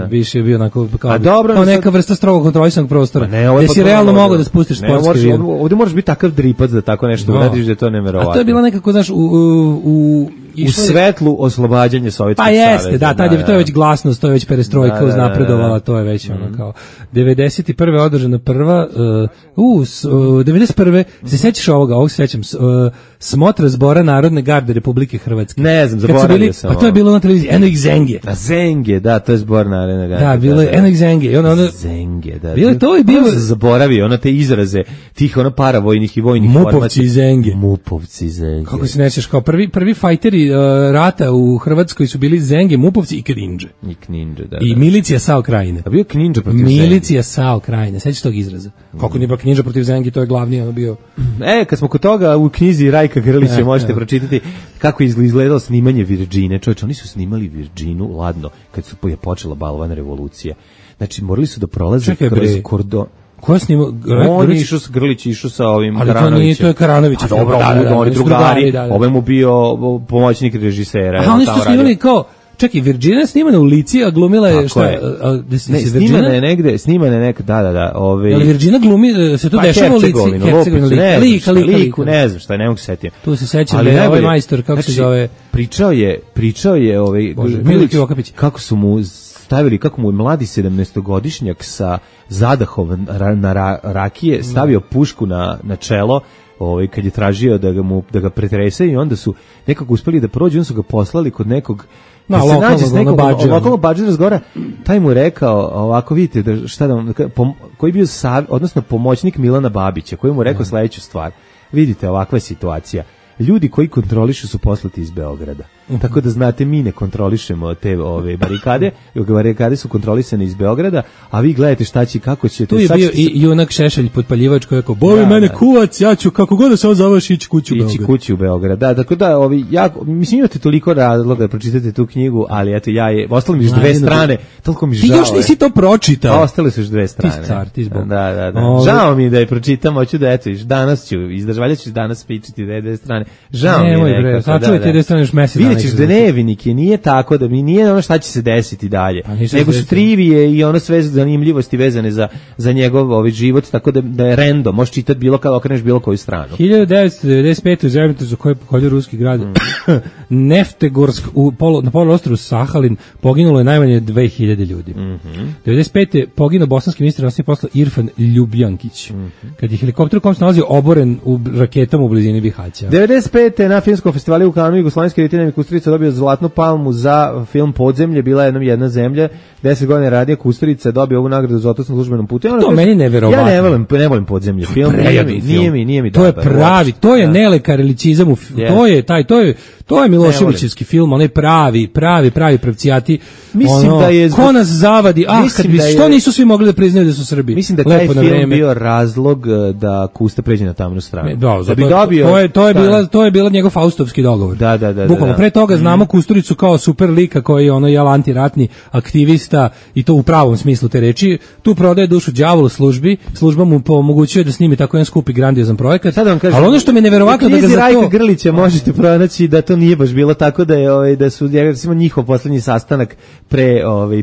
E: više je bio onako kao neka vrsta strogo kontrolisanog prostora. Gde si realno mogao da spustiš sportski avion.
F: Ovdje moraš biti takav dripac da tako nešto uradiš, da je to neverovatno.
E: A to je bilo nekako, znaš,
F: u svetlu oslobađanje Sovjetskog saveza.
E: Pa jeste, to je već glasnost, to je već perestrojka uznapredovala, to je već ono kao 91. održana prva 91. se sećaš ovog se sećam, smotra zbora Narodne garde Republike Hrvatske.
F: Ne znam, zaboravio sam.
E: Pa to je bilo na televiziji, Eno ih Zenge.
F: A Zenge, da, to je zbor Narodne garde.
E: Da, bilo je Eno ih Zenge.
F: Zenge, da.
E: Bilo je to i bilo.
F: Zaboravio, ono te izraze tih paravojnih i vojnih
E: Mupovci i Zenge.
F: Mupovci Zenge.
E: Kako se nećeš, kao prvi fajteri rata u Hrvatskoj su bili Zenge, Mupovci i Kninđe.
F: Da.
E: I milicija Sao Krajine.
F: A bio Kninđa protiv Zenge.
E: Milicija Sao Krajine, sećaš tog izraza? Kako nije bio Kninđa protiv Zenge, to je glavni ono bio.
F: Kad smo kod toga, u knjizi Rajka Grlića možete pročitati kako je izgledalo snimanje Virđine. Čovječe, oni su snimali Virđinu ladno kad je počela balvana revolucija. Znači, morali su da prolaze kroz kordon.
E: Ko je snimao?
F: On je išao s Grlić, išao sa ovim Karanovićem.
E: Ali to je Karanović.
F: A dobro, oni drugari. Ovaj mu bio pomoćnik režisera.
E: A oni su snimali kao, čekaj, Virđina je snimana u Lici, a glumila je šta?
F: Ne, snimana je negde, da.
E: Ali Virđina glumi, se to dešava u Lici, Hercegovina,
F: Liku, ne znam šta, ne mogu se setiti.
E: Tu se sećam da je ovaj majstor, kako se zove.
F: Pričao je Milić, kako su mu stavili, kako mu je mladi 17-godišnjak sa zadahom na rakije stavio pušku na čelo, kad je tražio da ga pretrese, i onda su nekako uspeli da prođu, onda su ga poslali kod nekog lokalnog badžera razgovara, taj mu je rekao, ovako vidite, koji je bio odnosno pomoćnik Milana Babića, koji mu je rekao sledeću stvar: vidite, ovakva je situacija, ljudi koji kontrolišu su poslati iz Beograda. Tako da znate, mi ne kontrolišemo te barikade, barikade su kontrolisane iz Beograda, a vi gledajte šta će, kako ćete.
E: Tu je bio i junak Šešelj podpaljivač koji je rekao: bovi mene kuvac, ja ću kako god da se ovo zoveš ići kući u Beograd.
F: Da, tako da mislim, imate toliko razloga da pročitate tu knjigu, ali eto, ostalo mi još dve strane, toliko mi žao.
E: Ti još nisi to pročitao.
F: Ostale su još dve strane.
E: Ti car, ti zbog.
F: Da. Žao mi da je pročitam, hoću da eto, danas ću izdržvaljaću danas pričati dve strane. Žao mi je nekako.
E: Sačuvajte dve strane još mesec dana.
F: Vidiš, dnevnike, nije tako da mi nije ono šta će se desiti dalje, nego su trivije i ono sve zanimljivosti vezane za njegov život, tako da je random, možeš čitati bilo kada okreneš bilo koju stranu.
E: 1995. u zemljotresu koji je pogodio ruski grad Neftegorsk na poluostrvu Sahalin poginulo je najmanje 2000 ljudi. 95. poginuo bosanski ministar inostranih poslova Irfan Ljubljankić, kad je helikopter u kom se nalazio oboren u raketama u blizini Bihaća.
F: 95. na filmskom festivalu u Kanu Jugoslovenski reditelj Kusturica dobio Zlatnu palmu za film Podzemlje, bila je jedna zemlja, 10 godina radio Kusturica, dobio ovu nagradu za otos na službenom putu.
E: To meni neverovatno.
F: Ja ne volim Podzemlje film, nije mi
E: to je pravi, to je Nele Karelićizam, To je Miloševićevski film, onaj pravi pravcijati.
F: Mislim da je
E: ko nas zavadi, što nisu svi mogli da priznaju da su Srbi.
F: Mislim da taj film bio razlog da Kusta pređe na tamnu stranu.
E: Da bi dobio. To je bila njegov faustovski dogovor.
F: Da.
E: Bukvalno pre toga znamo Kusturicu kao super lika koji je antiratni aktivista i to u pravom smislu te reči. Tu prodaje dušu đavolu služba mu omogućuje da snimi tako jedan skupi grandiozan projekat. Ali ono što mi je neverovatno da ga za
F: to Grlića možete pronaći da to nije baš bilo tako da su recimo njihov poslednji sastanak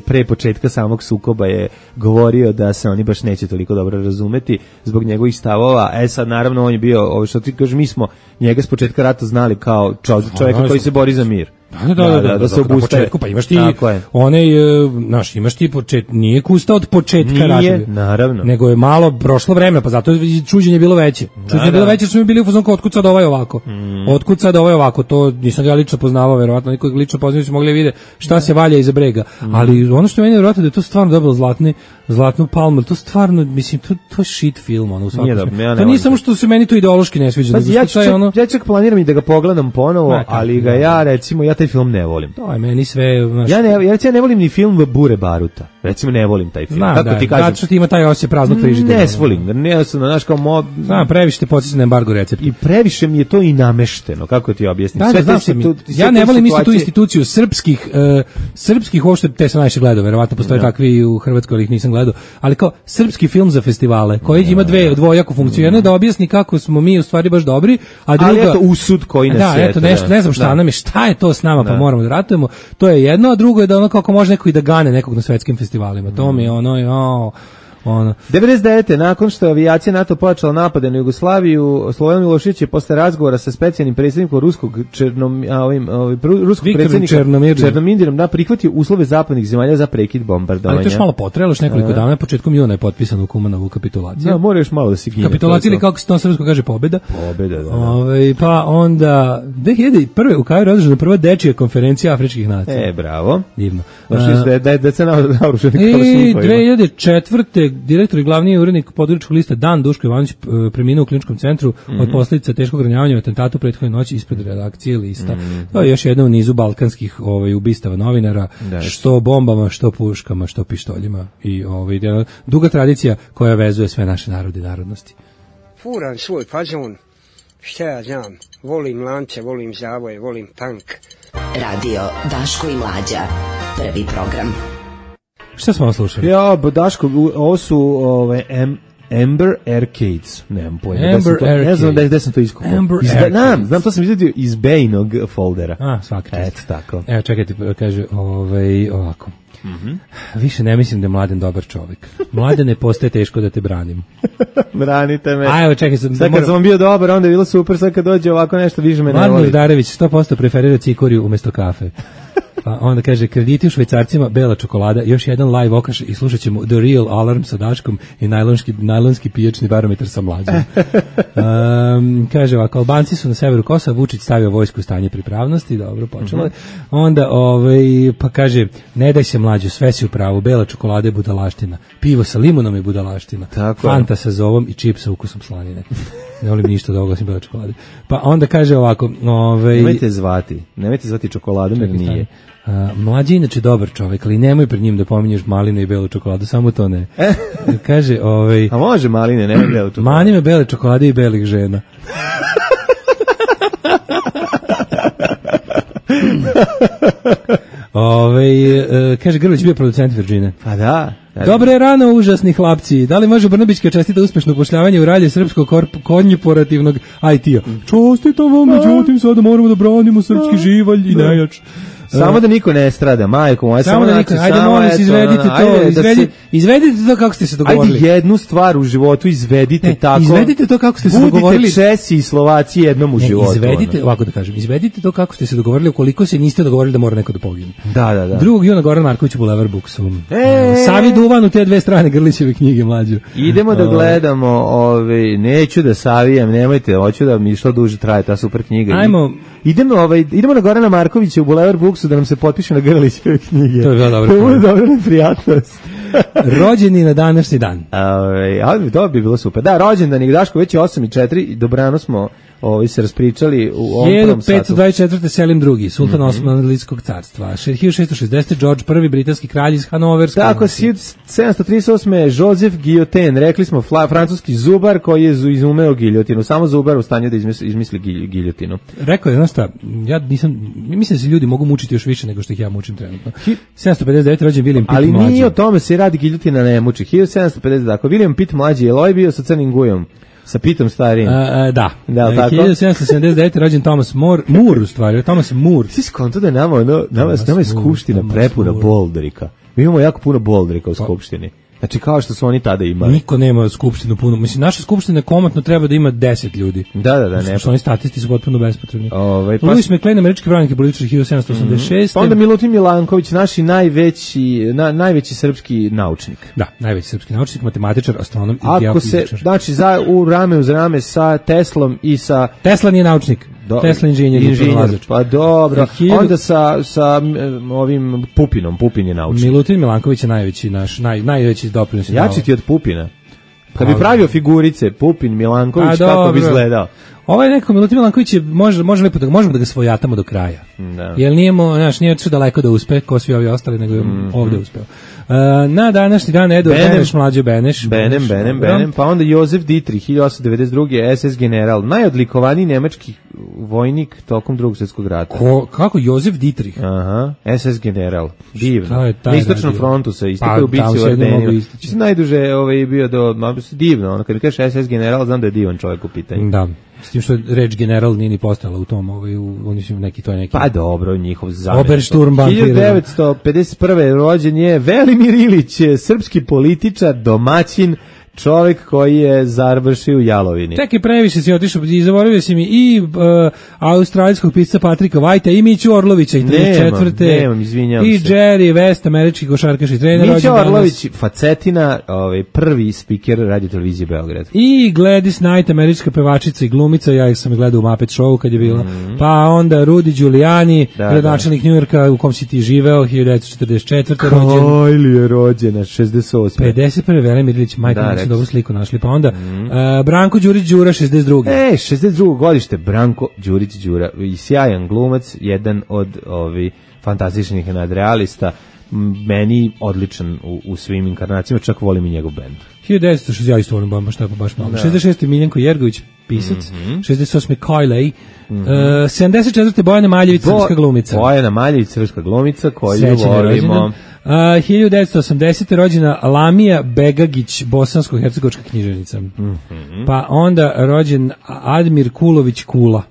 F: pre početka samog sukoba je govorio da se oni baš neće toliko dobro razumeti zbog njegovih stavova. Sad naravno on je bio, što ti kažeš, mi smo njega s početka rata znali kao čovjeka koji se bori za mir. Da se obustaje.
E: Pa imaš ti imaš ti nije Kusta od početka rata.
F: Nije, naravno.
E: Nego je malo prošlo vreme, pa zato čuđenje bilo veće. Čuđenje bilo veće, su mi bili u fazonu otkud sad ovaj ovako. Otkud sad ovaj ovako, to nisam ga lično poznavao, verovatno niko lično poznao su mogli vidjeti šta se valja iza brega. Ali ono što meni je verovatno da je to stvarno dobilo zlatnu palmu, to stvarno, mislim, to je shit film, u svakom smislu. To nije samo što se meni to ideološki ne sviđa.
F: Ja čak planiram i da ga pogledam ponovo, ali ga ja taj film ne volim.
E: To je meni sve...
F: Ja ne volim ni film Bure Baruta. Recimo ne volim taj film.
E: Kako ti kažem? Zato što ima taj osjećaj praznog frižidera.
F: Ne volim.
E: Previše te podsjeća na embargo recept.
F: I previše mi je to i namešteno. Kako ti objasnim?
E: Ja ne volim isto tu instituciju srpskih uopšte, te sam najviše gledao, verovatno postoje takvi u Hrvatskoj, ali ih nisam gledao, ali kao srpski film za festivale, koji ima dvojaku funkciju. Jedno je da objasni kako smo mi u stvari baš dobri, a druga...
F: Ali eto usud koji nas
E: je. Nešto, ne znam šta je to s nama, pa moramo da ratujemo. To je jedno, a drugo je da kako može neko i da gane nekog na svetskim festivalima. To mi je
F: 99. nakon što je avijacija NATO počela napade na Jugoslaviju, Slobodan Milošević je posle razgovora sa specijalnim predsjednikom ruskog predsjednika Černomirdom prihvatio uslove zapadnih zemalja za prekid bombardovanja.
E: Ali to još malo potrajalo, još nekoliko dana, početkom juna je potpisana u Kumanovu kapitulaciju.
F: Da, mora još malo da se gine.
E: Kapitulacija ili kako se to srpsko kaže pobjeda.
F: Pobjeda, da.
E: Pa onda 2001. u Kairu je održana prva dečija konferencija afričkih nacija.
F: Bravo.
E: Divno.
F: Da se naoruženi
E: kao 2004. direktor i glavni urednik Podgoričkog lista Dan Duško Ivanović preminuo u kliničkom centru od posljedica teškog ranjavanja u atentatu prethodne noći ispred redakcije lista. To je još jedna u nizu balkanskih ubistava novinara, što bombama, što puškama, što pištoljima i duga tradicija koja vezuje sve naše narode i narodnosti.
G: Furam svoj fazon, šta ja znam, volim lance, volim zavoje, volim tank.
B: Radio Daško i Mlađa, prvi program.
E: Šta smo slušali?
F: Ja, Daško, ovo su Amber Arcades. Nemam pojma. Ne znam da sam to iskupao. Znam, to sam izvedio iz Bejnog foldera.
E: Svaki čast.
F: Eto tako.
E: Evo, čekajte, kaže ovako. Više ne mislim da je Mladen dobar čovjek. Mladene, postaje teško da te branim.
F: Branite me.
E: Evo, čekaj, sad
F: kad sam bio dobar, onda je bilo super, sad kad dođe ovako nešto, više me ne voli.
E: Mladen Udarević 100% preferira cikoriju umjesto kafe. Pa onda kaže, krediti u švajcarcima, bela čokolada, još jedan live okaš i slušat ćemo The Real Alarm sa Daškom i najlonski pijačni barometar sa Mlađom. Kaže ovako, Albanci su na severu Kosova, Vučić stavio vojsku u stanje pripravnosti, dobro, počelo je. Onda, pa kaže, ne daj se Mlađo, sve si u pravu, bela čokolada je budalaština, pivo sa limunom je budalaština, Fanta sa zovom i čip sa ukusom slanine. Ne volim ništa da oglasim bela čokolade. Pa onda kaže ovako,
F: nemojte zvati čokoladom jer nije.
E: Mlađi inače dobar čovjek, ali nemoj pred njim da pominješ maline i belu čokoladu, samo to ne. Kaže,
F: a može maline, nemoj belu čokoladu.
E: Mani me bele čokolade i belih žena. Kaže, Grlić bio producent Virgine.
F: Pa da.
E: Dobre rano, užasni hlapci. Da li može Brnabićka čestita uspešno upošljavanje u ralje srpskog konjuperativnog IT-a? Čestitam vam, međutim, sada moramo da branimo srpski živalj i nejač.
F: Samo da niko ne strada, majko moja, samo da niko,
E: ajde molim se, izvedite to, izvedite to kako ste se dogovorili.
F: Ajde jednu stvar u životu izvedite tako.
E: Izvedite to kako ste se dogovorili.
F: Budite Česi i Slovaci jednom u životu.
E: Izvedite, ovako da kažem, izvedite to kako ste se dogovorili, ukoliko se niste dogovorili da mora neko da pogine.
F: Da.
E: 2. juna Goran Marković u Bulevar Buksu. Savi Duvan u te dve strane Grlićeve knjige, Mlađu.
F: Idemo da gledamo, neću da savijem, nemojte, hoću da mi što duže traje ta super knjiga. Idemo na Gorana Markovića u Bulevar Buksu da nam se potpiše na Grlićeve knjige.
E: To je bilo dobro.
F: To je dobra neprijatnost.
E: Rođeni na današnji dan.
F: To bi bilo super. Da, rođendan je Daško, već je 8:04, dobrano smo se raspričali u ovom prvom satu.
E: 1524. Selim II, sultan Osmanlijskog carstva. 1660. George I, britanski kralj iz Hanoverske.
F: Tako, 1738. Joseph Guillotin, rekli smo francuski zubar koji je izumeo giljotinu. Samo zubar u stanju da izmisli giljotinu.
E: Rekao je, znaš šta, ja mislim da se ljudi mogu mučiti još više nego što ih ja mučim trenutno. 759. rođen William Pitt mlađi.
F: Ali nije o tome se radi, giljotina ne muči. 1750. Dakle, William Pitt mlađi, je li bio sa crnim gujom? Sa Pitom starijim.
E: Da.
F: 1779.
E: rođen Thomas More, u stvari, Thomas More.
F: Svi skonto da je nama je skupština prepuna boldrika. Mi imamo jako puno boldrika u skupštini. Znači kao što su oni tada imali.
E: Niko nema skupštinu puno. Mislim, naša skupština komotno treba da ima 10 ljudi.
F: Da, ne.
E: Što oni statisti su potpuno bespotrebni. Louis McLean, američki pravnik i političar 1786.
F: Pa onda Milutin Milanković, naši najveći srpski naučnik.
E: Da, najveći srpski naučnik, matematičar, astronom i geofizičar.
F: Znači, rame uz rame sa Teslom i sa...
E: Tesla nije naučnik. Tesla inženjer.
F: Pa dobro. Onda sa ovim Pupinom. Pupin je naučnik.
E: Milutin Milanković je najveći doprinos.
F: Jači ti od Pupina. Kad bi pravio figurice, Pupin, Milanković, kako bi izgledao?
E: Ovaj neko Milutin Milanković je može lepo možemo da ga svojatamo do kraja.
F: Da.
E: Jer nije otišao daleko da uspe, ko svi ovi ostali, nego je ovde uspeo. Na današnji dan Edward Beneš, mlađo Beneš.
F: Benem, pa onda Josef Dietrich, 1892. SS general, najodlikovaniji nemački vojnik tokom Drugog svjetskog rata.
E: Kako Josef Dietrich?
F: Aha, SS general, divno. Na istočnom frontu se istakao u bici u Ardenima. Najduže bio divno, ono kad mi kažeš SS general, znam da je divan čovjek u pitanju.
E: Da. S tim što reč general nije ni postala u tom, oni su neki.
F: Pa dobro, njihov zamjenik.
E: Obersturmbannführer.
F: 1951. rođen je Velimir Ilić, srpski političar, domaćin, čovjek koji je završio u Jalovini.
E: Čekaj, previše si otišao i zaboravio si mi i australijskog pisca Patrika Whitea i Miću Orlovića i 34.
F: Nemam, izvinjavam se.
E: I Jerry West, američki košarkaš i trener.
F: Mića Orlović, Facetina, prvi spiker radio televizije Beograd.
E: I Gladys Knight, američka pevačica i glumica, ja ih sam gledao u Muppet Show kad je bila. Pa onda Rudy Giuliani, gradonačelnik Njujorka u kom si ti živeo, 1944. rođen.
F: Kajli je rođena, 68.
E: 51. Velimir Ilić, majka, dobru sliku našli, pa onda Branko Đurić Đura, 62.
F: 62. godište, Branko Đurić Đura, i sjajan glumac, jedan od fantastičnih nadrealista, meni odličan u svim inkarnacijama, čak volim i njegov bend.
E: 1960, ja isto volim baš malo. 66. Miljenko Jergović, pisac, 68. Kajlej, 74. Bojana Maljević, srpska glumica.
F: Bojana Maljević, srpska glumica, koju volimo.
E: 1980. rođena Lamija Begagić, bosansko-hercegovačka književnica. Pa onda rođen Admir Kulović Kula.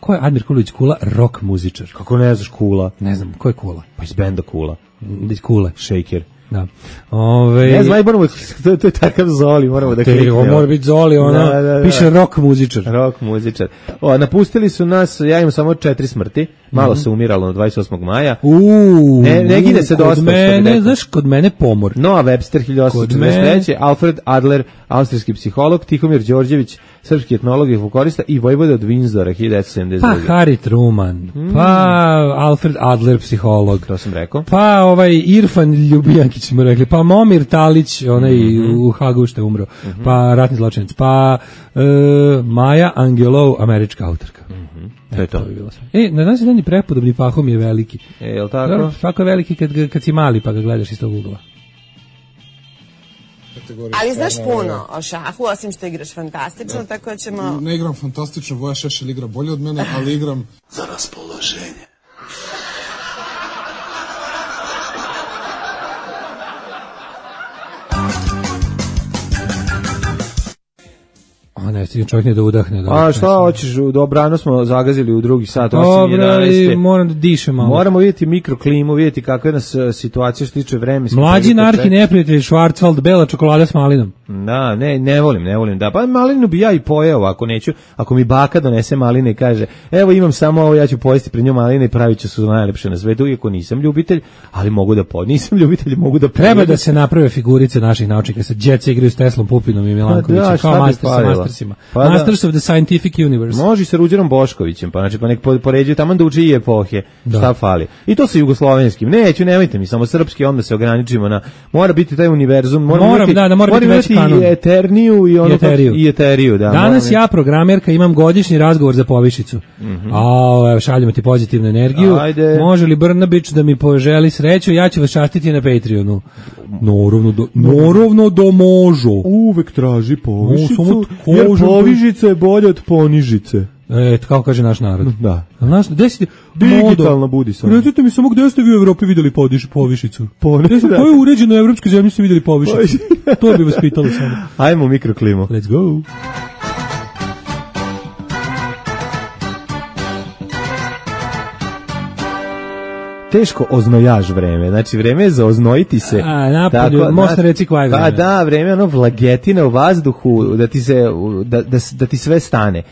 E: Ko je Admir Kulović Kula? Rock muzičar.
F: Kako ne znaš Kula?
E: Ne znam, ko je Kula?
F: Pa iz benda Kula.
E: Kule.
F: Shaker.
E: Da.
F: Ne znam, moramo, to je takav Zoli, moramo da kliknemo.
E: Ovo mora biti Zoli, piše rock muzičar.
F: Rock muzičar. Napustili su nas, ja imam samo 4 smrti, malo se umiralo na 28. maja. Ne gide se dosta.
E: Znaš, kod mene pomor.
F: Noah Webster, 1843. Alfred Adler, austrijski psiholog, Tihomir Đorđević, srpski etnolog i folklorista i vojvoda od Windsora, 1972.
E: Pa Harry Truman, pa Alfred Adler, psiholog.
F: To sam rekao.
E: Pa Irfan Ljubijankić smo rekli, pa Momir Talić, onaj u Hagu što je umro, pa ratni zločinac, pa Maja Angelou, američka autorka.
F: To je to.
E: Na danas je dan i prepodobni Pahom je veliki.
F: Je li tako?
E: Svako je veliki kad si mali pa ga gledaš iz tog ugla.
H: Ali znaš puno o šahu, osim što igraš fantastično, tako da ćemo...
I: Ne igram fantastično, Voja Šešelj igra bolje od mene, ali igram...
A: za raspoloženje.
E: Ne, stigam čovjek ne da udahne.
F: A šta hoćeš, dobrano smo zagazili u drugi sat,
E: Dobro, i moram da dišem malo.
F: Moramo vidjeti mikroklimu, vidjeti kakva je nas situacija što tiče vremenske.
E: Mlađi narki neprijatelj, Schwarzwald, bela čokolada s malinom.
F: Da, ne volim, da. Pa malinu bi ja i pojeo, ako mi baka donese maline i kaže, evo imam samo ovo, ja ću pojesti pred njom maline i pravit ću su najlepše na svetu, iako nisam ljubitelj, ali mogu da nisam ljubitelj, mogu da pojedem.
E: Treba da se naprave figurice naših naučnika, sa djeca igraju s Teslom, Pupinom i Milankovićem, kao master sa mastersima. Pa Masters of the Scientific Universe.
F: Može sa Ruđerom Boškovićem, pa znači pa nek poređuju tamo da uči i epohe. Šta fali? I to sa jugoslovenskim. Nemojte mi samo srpski, onda se ograničimo na mora biti taj univerzum, mora biti veći kanon. I Eterniju i ono i Eteriju, da.
E: Danas ja programerka imam godišnji razgovor za povišicu. Šaljemo ti pozitivnu energiju. Ajde. Može li Brnabić da mi poželi sreću? Ja ću vas častiti na Patreonu. Naravno da može.
F: Uvek traži povišicu, jer povišica je bolja od ponižice.
E: Kako kaže naš narod.
F: Da.
E: Digitalna
F: budi sam.
E: Recite mi samo gde ste vi u Evropi videli povišicu? Koje uređeno evropskoj zemlji ste videli povišicu? To bi vas pitalo samo.
F: Ajmo u mikroklimu.
E: Let's go.
F: Teško oznojaž vreme, znači vreme je za oznojiti se.
E: Napolju, možda reci koja je vreme.
F: Pa da, vreme ono vlagetina u vazduhu, da ti sve stane.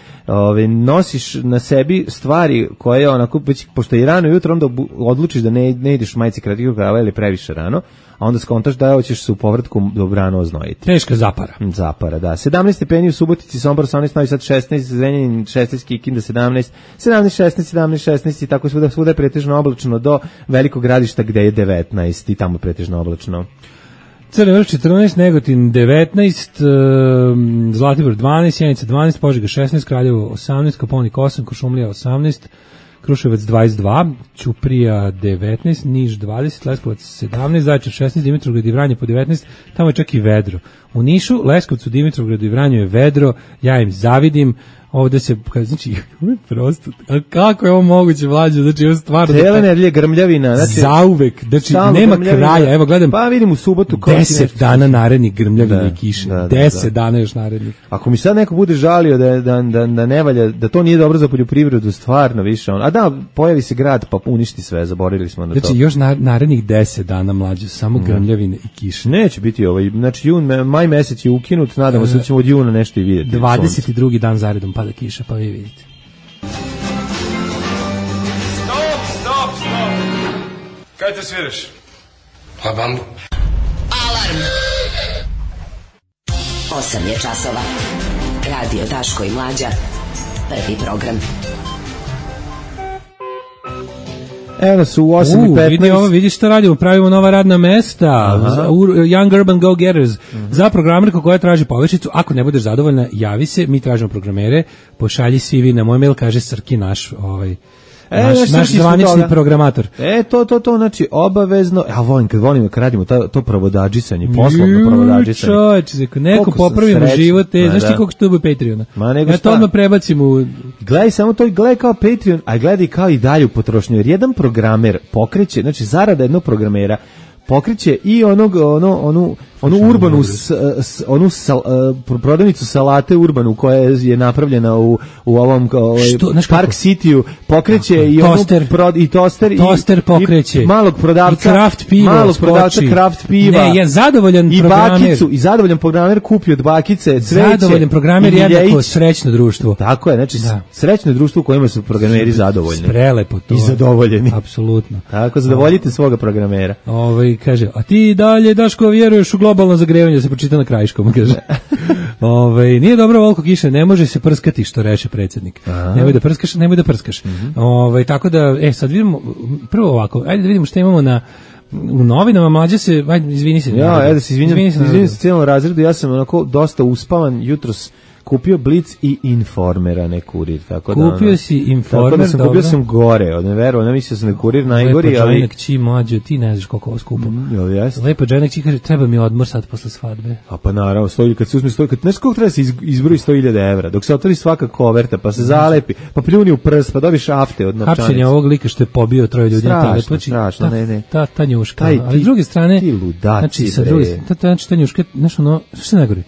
F: Nosiš na sebi stvari koje onako, pošto je rano jutro, onda odlučiš da ne ideš u majici kratkog rukava ili previše rano, a onda skontaš da hoćeš se u povratku dobrano oznojiti.
E: Teška zapara.
F: Zapara, da. 17 stepeni u Subotici, Sombor 18, Novi Sad 16, Zrenjanin 16, Kikinda 17, 17, 16, 17, 16 i tako svuda je pretežno oblačno do Velikog Gradišta gde je 19 i tamo je pretežno oblačno.
E: Crni Vrh 14, Negotin 19, Zlatibor 12, Sjenica 12, Požega 16, Kraljevo 18, Kopaonik 8, Kuršumlija 18, Kruševac 22, Ćuprija 19, Niš 20, Leskovac 17, Zaječar 16, Dimitrovgrad i Vranje po 19, tamo je čak i vedro. U Nišu, Leskovcu, Dimitrovgradu i Vranju je vedro, ja im zavidim. Ovde se, znači, prosto, kako je ovo moguće, Mlađe, znači, ovo stvarno...
F: Cijela nedelje grmljavina, znači...
E: Zauvek, znači, nema kraja, evo, gledam...
F: Pa vidim u subotu...
E: 10 dana narednih grmljavine i kiše, 10 dana još narednih.
F: Ako mi sad neko bude žalio da ne valja, da to nije dobro za poljoprivredu, stvarno više on... A da, pojavi se grad, pa uništi sve, zaboravili smo na to.
E: Znači, još narednih 10 dana, Mlađe, samo grmljavine i kiše.
F: Neće biti znači, maj mesec je ukinut, nadamo se da ćemo od juna nešto i vidjeti.
E: 22. dan zaredom pada kiša, pa vi vidite.
D: Stop! Kaj te sviraš? Pa bambu.
B: Alarm! 8 je časova. Radio Daško i Mlađa. Prvi program.
F: Evo nas u 8:15.
E: Vidiš što radimo, pravimo nova radna mesta, Young Urban Go-Getters, za programerku koja traži povišicu. Ako ne budeš zadovoljna, javi se, mi tražimo programere, pošalji CV na moj mail, kaže Srki naš naš zvanični programator.
F: To znači obavezno. Ja volim kad radimo to provodadžisanje, poslovno provodadžisanje.
E: Čovječe, neko popravimo život, znaš ti koliko što bude Patreona. Ja to odmah prebacim u...
F: Gledaj samo to, gledaj kao Patreon, a gledaj kao i dalju potrošnju. Jer jedan programer pokreće, znači zarada jednog programera pokreće i onu urbanu prodavnicu salate urbanu koja je napravljena u ovom Park City-u, pokreće i
E: toster pokreće
F: i malog prodavca kraft piva.
E: Ne, je zadovoljan programer.
F: I zadovoljan programer kupi od bakice cveće.
E: Zadovoljan programer jednako srećno društvo.
F: Tako je, znači srećno društvo u kojima su programeri zadovoljni.
E: Prelepo to.
F: I zadovoljeni.
E: Apsolutno.
F: Tako, zadovoljite svoga programera.
E: Kaže, a ti dalje, Daško, vjeruješ u globalno zagrevanje, se pročita na krajiškom, kaže. Nije dobro volko kiše, ne može se prskati, što reče predsjednik. Nemoj da prskaš. Tako da, sad vidimo, prvo ovako, ajde da vidimo što imamo u novinama. Mlađe se, izvini se.
F: Izvini se cijelom razredu, ja sam onako dosta uspavan jutros. Kupio Blic i Informera, ne Kurir, tako da...
E: Kupio si Informer,
F: tako da kupio sam gore, od nevero, ne mislio sam da Kurir najgori, ali...
E: Lepo džajnak Mlađo, ti ne znaš koliko ovo skupo.
F: Jel jeste?
E: Lepo džajnak kaže, treba mi odmor sad posle svadbe.
F: A pa naravno, kad se uzme znaš koliko treba se izbroji 100.000 evra, dok se otvori svaka koverta, pa se zalepi, pa pljuni u prst, pa dobiš afte od novčanice.
E: Hapšenje ovog lika što je pobio 3 ljudi na telepoči.
F: Strašno, ne.
E: Ta njuška, ali s druge strane...
F: Ti ludaci,
E: ta njuška, znaš ono, što ne gori?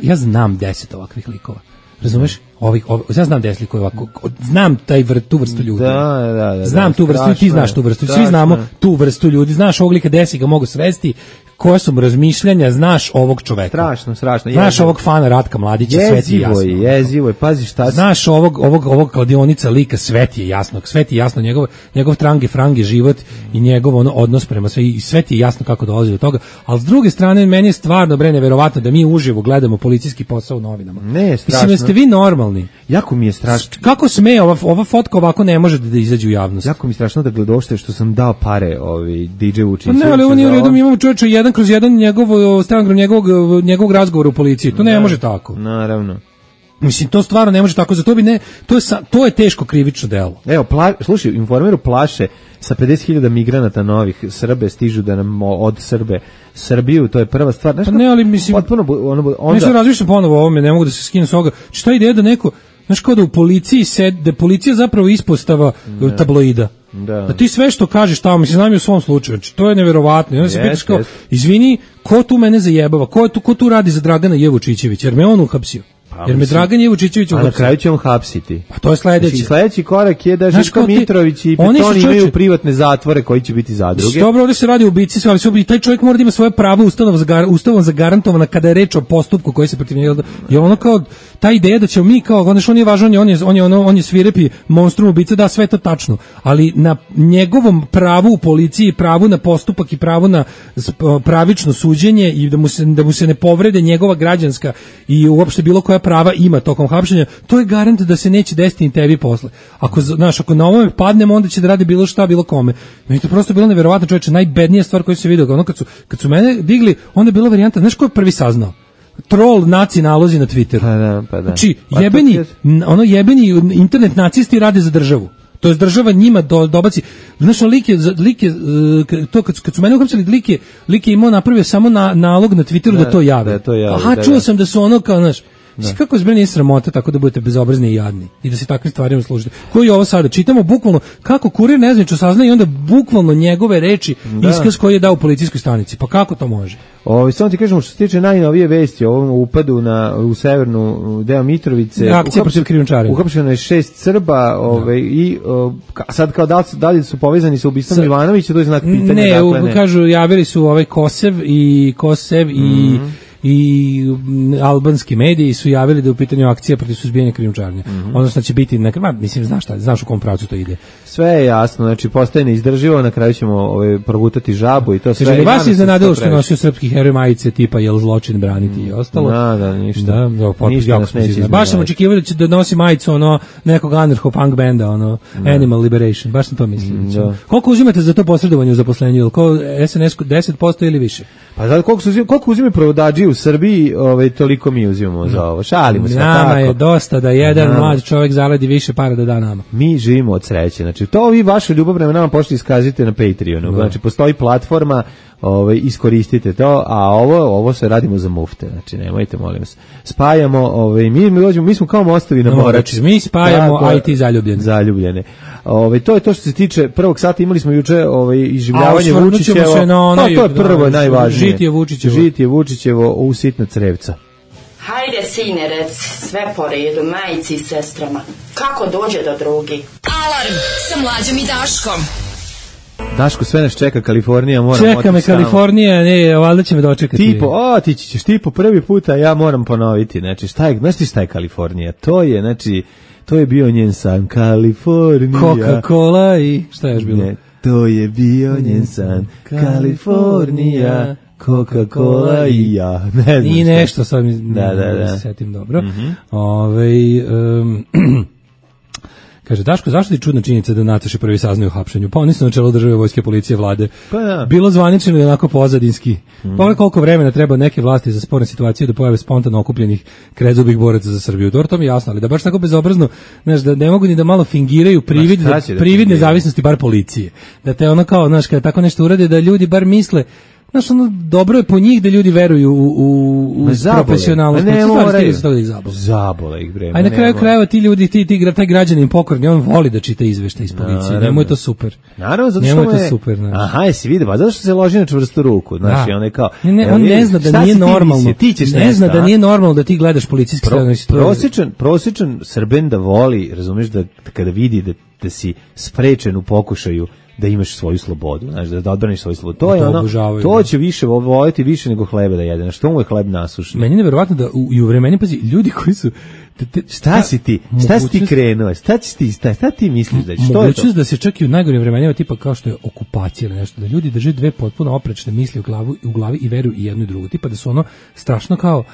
E: Ja znam 10 ovakvih likova. Razumeš? Ja znam 10 likova ovako. Znam tu vrstu ljudi.
F: Da.
E: Znam tu vrstu, ti znaš tu vrstu. Svi znamo tu vrstu ljudi. Znaš ovog lika, 10 ga mogu svesti. koja su mu razmišljanja, znaš ovog čoveka.
F: Strašno.
E: Znaš ovog fana Ratka Mladića, sve ti je jasno.
F: Jezivo je, pazi šta si.
E: Znaš ovog kladionica lika, sve ti je jasno, njegov trange, frange život i njegov odnos prema sve, i sve ti je jasno kako dolazi do toga, ali s druge strane, meni je stvarno, neverovatno da mi uživo gledamo policijski posao u novinama.
F: Ne, strašno.
E: Mislim, jeste vi normalni?
F: Jako mi je strašno.
E: Kako sme, ova fotka ovako ne može da izađe u javnost?
F: Jako mi je strašno da gledošte što sam dao pare DJ Vučiću.
E: Pa ne, ali on je u redu, mi imamo čovječe 1/1 stenogram njegovog razgovora u policiji. To ne može tako.
F: Naravno.
E: Mislim, to stvarno ne može tako, zato bi ne, to je teško krivično delo.
F: Evo, slušaj, Informeru plaše sa 50.000 migranata novih, Srbe stižu da nam od Srbiju, to je prva stvar. Znaš,
E: ne, ali mislim,
F: potpuno, onda...
E: Nešto razmišljam ponovo o ovome, ne mogu da se skinem s ovoga. Šta ideja da neko, znaš, kao da u policiji da je policija zapravo ispostava tabloida. Da ti sve što kažeš tamo, mislim, znam i u svom slučaju, znači, to je neverovatno. I onda se pitaš kao, izvini, ko tu mene zajebava, ko tu radi za Dragana Jevučićevića, jer me on uhapsio. Jer me Dragan Jevučićević uhapsio.
F: A na kraju će on hapsiti.
E: Pa to je sledeće.
F: Znači, sledeći korak je da Željko Mitrović i Petoni imaju privatne zatvore koji će biti zadruge.
E: Dobro, ovdje se radi o ubici, ali taj čovjek mora da ima svoje pravo ustavom zagarantovano kada je reč o postupku koji se protiv njega. Je ono kao ta ideja da ćemo mi kao, on je važan, on je svirepi monstrum ubica, da, sve to tačno, ali na njegovom pravu u policiji, pravu na postupak i pravu na pravično suđenje i da mu se ne povrede njegova građanska i uopšte bilo koja prava ima tokom hapšenja, to je garant da se neće desiti ni tebi posle. Ako na ovome padnemo, onda će da radi bilo šta, bilo kome. Meni to prosto bilo neverovatno, čoveče, najbednija stvar koju se vidio, ono kad su mene digli, onda je bila varijanta, znaš ko je prvi saznao? Troll naci nalozi na Twitteru.
F: Pa da.
E: Znači, jebeni internet nacisti rade za državu. To je država njima dobaci. Znaš, lik je to kad su mene uhapsili, lik je imao napravio samo nalog na Twitteru da to jave. Aha, čuo sam da su ono kao, znaš, kako zbog nije sramota tako da budete bezobrazni i jadni i da se takvim stvarima služite. Koji je ovo sada? Čitamo bukvalno kako Kurir nezvanično saznaje i onda bukvalno njegove reči iskaz koji je dao u policijskoj stanici. Pa kako to može?
F: Samo ti kažemo što se tiče najnovije vesti o ovom upadu u severnu deo Mitrovice.
E: Akcija protiv krijumčarenja.
F: Uhapšeno je 6 Srba i sad kao da li su povezani sa ubistvom Milanovića, to je znak pitanja.
E: Ne, kažu javili su Kosev i albanski mediji su javili da je u pitanju akcija protiv suzbijanja krijumčarenja. Odnosno će biti, mislim, znaš u kom pravcu to ide.
F: Sve je jasno, znači postaje neizdrživo, na kraju ćemo progutati žabu i to sve.
E: Kaže, vas iznenadilo što nosio srpski heroj majice tipa jel zločin braniti i ostalo.
F: Da, ništa.
E: Ništa nas neće izmenjavati. Baš sam očekivao da nosi majicu nekog anarcho-punk benda, Animal Liberation, baš sam to mislio. Koliko uzimate za to posredovanje u zaposlenju? Ko SNS 10% ili više?
F: Pa zato koliko uzimaju provodači u Srbiji, toliko mi uzimamo za ovo. Šalimo se tako.
E: Nama je dosta da jedan mlad čovjek zaradi više para da da nama.
F: Mi živimo od sreće. Znači, to vi vašu ljubav prema nama početi iskazite na Patreonu. Znači, postoji platforma, iskoristite to, a ovo se radimo za mufte. Znači, nemojte, molim vas. Spajamo, mi smo kao mostovi na Morači.
E: Mi spajamo IT
F: zaljubljene. To je to što se tiče prvog sata. Imali smo juče iživljavanje Vučićevo. To je prvo najvažnije. Žitije Vučićevo u sitna crevca.
J: Hajde, sine, rec, sve po redu, majici i sestrama. Kako dođe do drugi?
B: Alarm sa Mlađom i Daškom.
F: Daško, sve nas čeka Kalifornija,
E: čeka me Kalifornija, ne, valjda će me dočekati.
F: Ti ćeš po prvi puta, ja moram ponoviti. Znači, šta je Kalifornija? To je bio njen san, Kalifornija.
E: Coca-Cola i šta je još bilo?
F: Ne, to je bio njen san, Kalifornija. Coca-Cola i ja. Ne znam.
E: I nešto sad da se setim dobro. Kaže, Daško, zašto ti čudna činjenica da Nataša prvi saznaju o hapšenju? Pa oni su na čelu države, vojske, policije, vlade. Bilo zvanično i onako pozadinski. Pa koliko vremena treba neke vlasti za sporne situacije da pojave spontano okupljenih krezubih boraca za Srbiju. Dobro, to mi je jasno, ali da baš tako bezobrazno, znaš, da ne mogu ni da malo fingiraju privid nezavisnosti bar policije. Da te ono kao, znaš, kada tako nešto urade, da ljudi bar misle, znaš, dobro je po njih da ljudi veruju u profesionalnost.
F: Ne moraju. Zabole ih, bre.
E: A na kraju krajeva ti ljudi, taj građanin pokorni, on voli da čita izveštaj iz policije. Njemu je to super.
F: Naravno, zato što je super. Aha, jesi vidio, pa zato što se loži na čvrstu ruku. Znaš, on je kao...
E: On ne zna da nije normalno. Ne zna da nije normalno da ti gledaš policijski
F: prosječan Srben da voli, razumiješ, da kada vidi da si sprečen u pokušaju da imaš svoju slobodu, znaš, da odbraniš svoju slobodu. To je ono, to će više voljeti više nego hleba da jede. Što mu je hleb nasušen?
E: Meni je neverovatno da i u vremenu, pazi, ljudi koji su
F: šta si ti krenuo? Šta ti misliš da će?
E: Mogućnost da se čak i u najgorim vremenima, tipa kao što je okupacija ili nešto, da ljudi drže dve potpuno oprečne misli u glavi i veruju i jedno i drugo. Tipa da su ono strašno kao,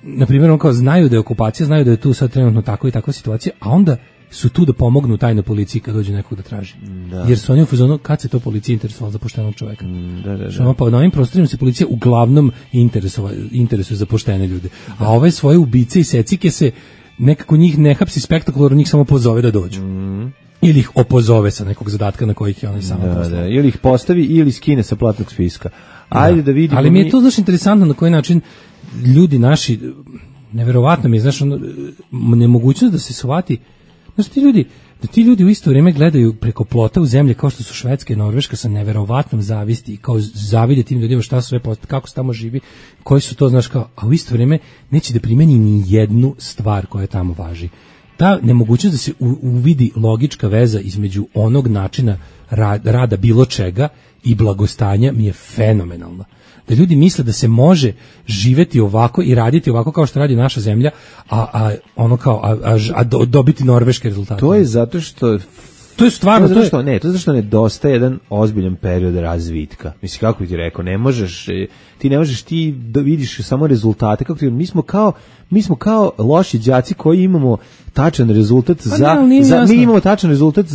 E: na primjer, on kao znaju da je okupacija, znaju da je tu sad trenutno tako i takva situacija, a onda su tu da pomognu tajnoj policiji kad dođe nekog da traži. Da. Jer su oni u fazonu, kad se to policija interesovala za poštenog čoveka. Da. Pa na ovim prostorima se policija uglavnom interesuje za poštene ljude. A ove svoje ubice i secike se nekako njih ne hapsi spektakularno, njih samo pozove da dođu. Ili ih opozove sa nekog zadatka na kojih je on samo poslao.
F: Ili ih postavi ili skine sa platnog spiska. Ajde da vidimo.
E: Ali mi je to znaš interesantno na koji način ljudi neverovatno mi je, znaš, nemogućnost da se shvati. Znaš, ti ljudi u isto vrijeme gledaju preko plota u zemlje kao što su Švedska i Norveška sa neverovatnom zavisti i kao zavide tim ljudima šta su sve postoje, kako se tamo živi, koji su to, znaš, kao, a u isto vrijeme neće da primeni ni jednu stvar koja tamo važi. Ta nemogućnost da se uvidi logička veza između onog načina rada bilo čega i blagostanja mi je fenomenalna. Da ljudi misle da se može živeti ovako i raditi ovako kao što radi naša zemlja, a dobiti norveške rezultate.
F: To je zato što
E: to je stvarno
F: to je zato što nedostaje jedan ozbiljan period razvitka. Mislim, kako bi ti rekao, ti ne možeš da vidiš samo rezultate, kako ti, mi smo kao loši đaci koji imamo tačan rezultat mi imamo tačan rezultat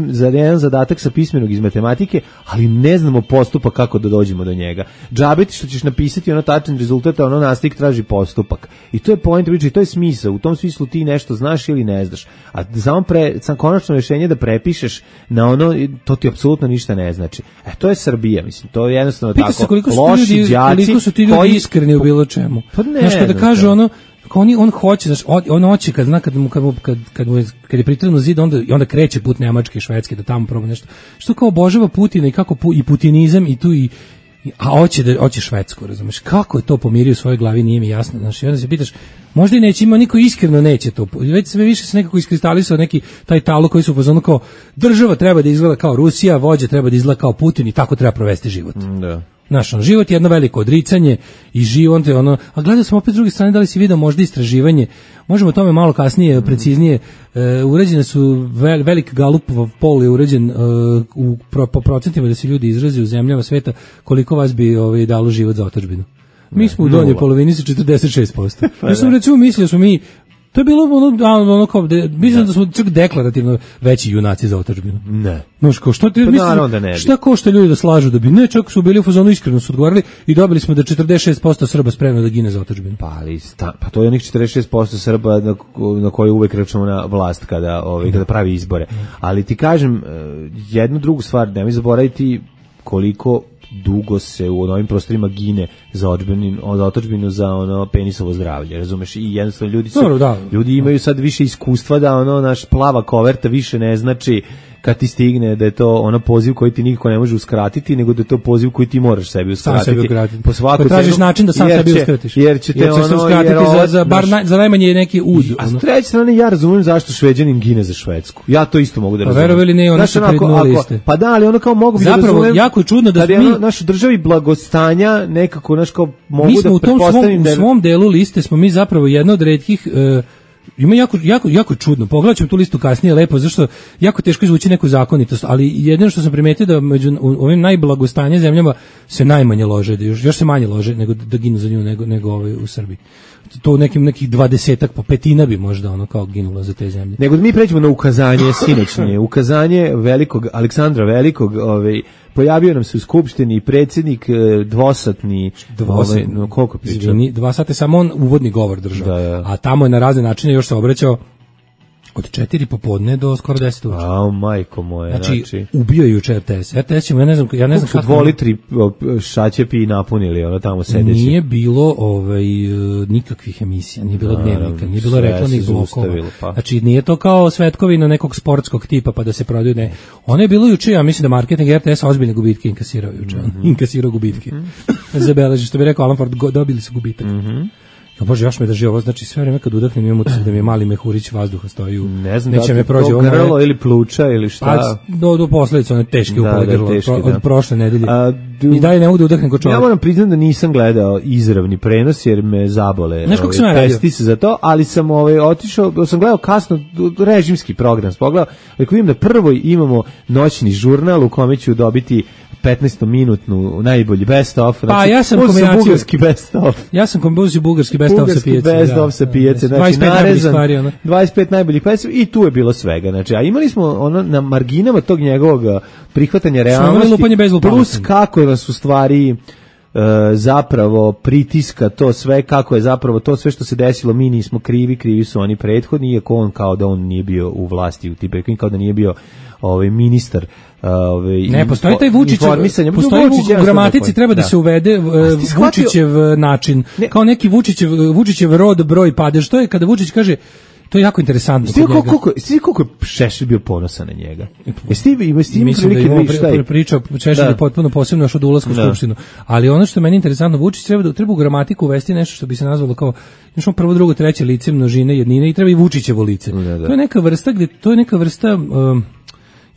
F: za jedan zadatak sa pismenog iz matematike, ali ne znamo postupak kako da dođemo do njega. Džabe ti što ćeš napisati ono tačan rezultat, a ono nastavnik traži postupak. I to je point priče i to je smisao. U tom smislu ti nešto znaš ili ne znaš. A samo konačno rješenje da prepišeš na ono, to ti apsolutno ništa ne znači. To je Srbija, mislim. To je jednostavno
E: tako.
F: Loši đaci
E: koliko su ti ljudi iskreni u bilo čemu.
F: Pa ne,
E: znaš, kada kaže ono, on hoće, znaš, on hoće kad zna kad je pritrano zid, onda kreće put Nemačke i Švedske da tamo proba nešto. Što kao obožava Putina i kako i putinizam i tu a hoće Švedsku, razumeš? Kako je to pomirio u svojoj glavi, nije mi jasno. Znaš, i onda se pitaš, možda i neće, ima niko iskreno neće to. Već sve više se nekako iskristalisao neki taj talo koji su u fazonu kao država treba da izgleda kao Rusija, vođa treba da izgleda kao Putin i tako treba provesti život.
F: Da.
E: Znaš, život je jedno veliko odricanje i život je ono, a gledao sam opet s druge strane da li si vidio možda istraživanje, možemo o tome malo kasnije, preciznije, urađene su velik Galupov poll je urađen po procentima da se ljudi izrazi u zemljama sveta, koliko vas bi dalo život za otadžbinu. Mi smo u donjoj polovini sa 46%. Ja sam recimo mislio smo mi, to je bilo ono kao, mislim da smo čak deklarativno veći junaci za otadžbinu.
F: Ne.
E: Znaš, kao što ti misliš, šta košta ljudi da slažu da bi, ne, čak su bili u fazonu, iskreno su odgovarali i dobili smo da 46% Srba spremno da gine za otadžbinu.
F: Pa to je onih 46% Srba na koje uvek računa na vlast kada pravi izbore. Ali ti kažem, jednu drugu stvar, nemoj zaboraviti koliko dugo se u ovim prostorima gine za otadžbinu za ono penisovo zdravlje, razumeš? I jednostavno ljudi imaju sad više iskustva da ono naš plava koverta više ne znači kad ti stigne da je to ono poziv koji ti niko ne može uskratiti, nego da je to poziv koji ti moraš sebi uskratiti.
E: Po svaku cenu. Tražiš način da sam sebi uskratiš.
F: Jer će te
E: ono uskratiti za najmanje neki ud.
F: A s treće strane ja razumijem zašto Šveđanin gine za Švedsku. Ja to isto mogu da razumijem.
E: Verovali ne, oni su pridnuli liste.
F: Pa da, ali ono kao mogu bi da razumijem.
E: Zapravo jako je čudno da mi
F: našu državi blagostanja nekako naš kao mogu da
E: pretpostavim da u svom delu liste smo mi zapravo jedna od retkih. Ima jako čudno. Pogledat ćemo tu listu kasnije lepo, zašto jako teško izvući neku zakonitost, ali jedino što sam primetio da među ovim najblagostanje zemljama se najmanje lože, još se manje lože nego da ginu za nju nego u Srbiji. To nekih 20-ak, po petina bi možda ono kao ginulo za te zemlje.
F: Nego da mi pređemo na ukazanje sinoćnje, ukazanje velikog Aleksandra Velikog, pojavio nam se u skupštini predsjednik dvosatni, koliko priča?
E: Izvini, 2 sata samo on uvodni govor držao, a tamo je na razne načine još se obraćao od 4 popodne do skoro 10 uveče.
F: A, majko moje,
E: znači ubio je juče RTS. RTS ćemo, ja ne znam
F: kako 2 litri šaćepi napunili, ono tamo sedeći.
E: Nije bilo nikakvih emisija, nije bilo dnevnika, nije bilo reklamnih blokova. Znači nije to kao svetkovina nekog sportskog tipa pa da se prodaju, ne. Ono je bilo juče, ja mislim da marketing RTS ozbiljne gubitke inkasirao juče. Inkasirao gubitke. Zabeleži, što bi rekao Alan Ford, dobili su gubitak. Ja bože, još me drži ovo, znači sve vreme kad udahnem imam utisak da mi je mali mehurić vazduha stoji u...
F: Ne znam da li to grlo ili pluća ili šta.
E: Pa, do posledica one teške upale grlo od prošle nedelje. I dalje ne mogu da udahnem ko čovjek.
F: Ja moram priznati da nisam gledao izravni prenos jer me zabole pestice za to, ali sam otišao, sam gledao kasno režimski program, pogledao, ako vidim da prvo imamo noćni žurnal u kome ću dobiti 15-minutnu najbolji best of.
E: Znači, pa ja sam kombinaciju
F: bugarski best of.
E: Ja sam kombinaciju bugarski best of sa pijace.
F: Best of sa pijace. Znači, 25 najboljih stvari. 25 najboljih pesama i tu je bilo svega. Znači, a imali smo na marginama tog njegovog prihvatanja realnosti, plus kako nas u stvari zapravo pritiska to sve, kako je zapravo to sve što se desilo, mi nismo krivi su oni prethodni, iako on kao da on nije bio u vlasti u Tibeku, kao da nije bio ministar.
E: Ne, postoji taj Vučićev, postoji u gramatici treba da se uvede Vučićev način, kao neki Vučićev rod, broj, padež. To je kada Vučić kaže, to je jako interesantno.
F: Sti koliko je Šešelj bio ponosan na njega? Mislim
E: da je pričao Šešelj potpuno posebno još od ulaska u skupštinu. Ali ono što je meni interesantno, Vučić treba u gramatiku uvesti nešto što bi se nazvalo kao prvo, drugo, treće lice, množine, jednine i treba i Vučićevo lice. To je neka vrsta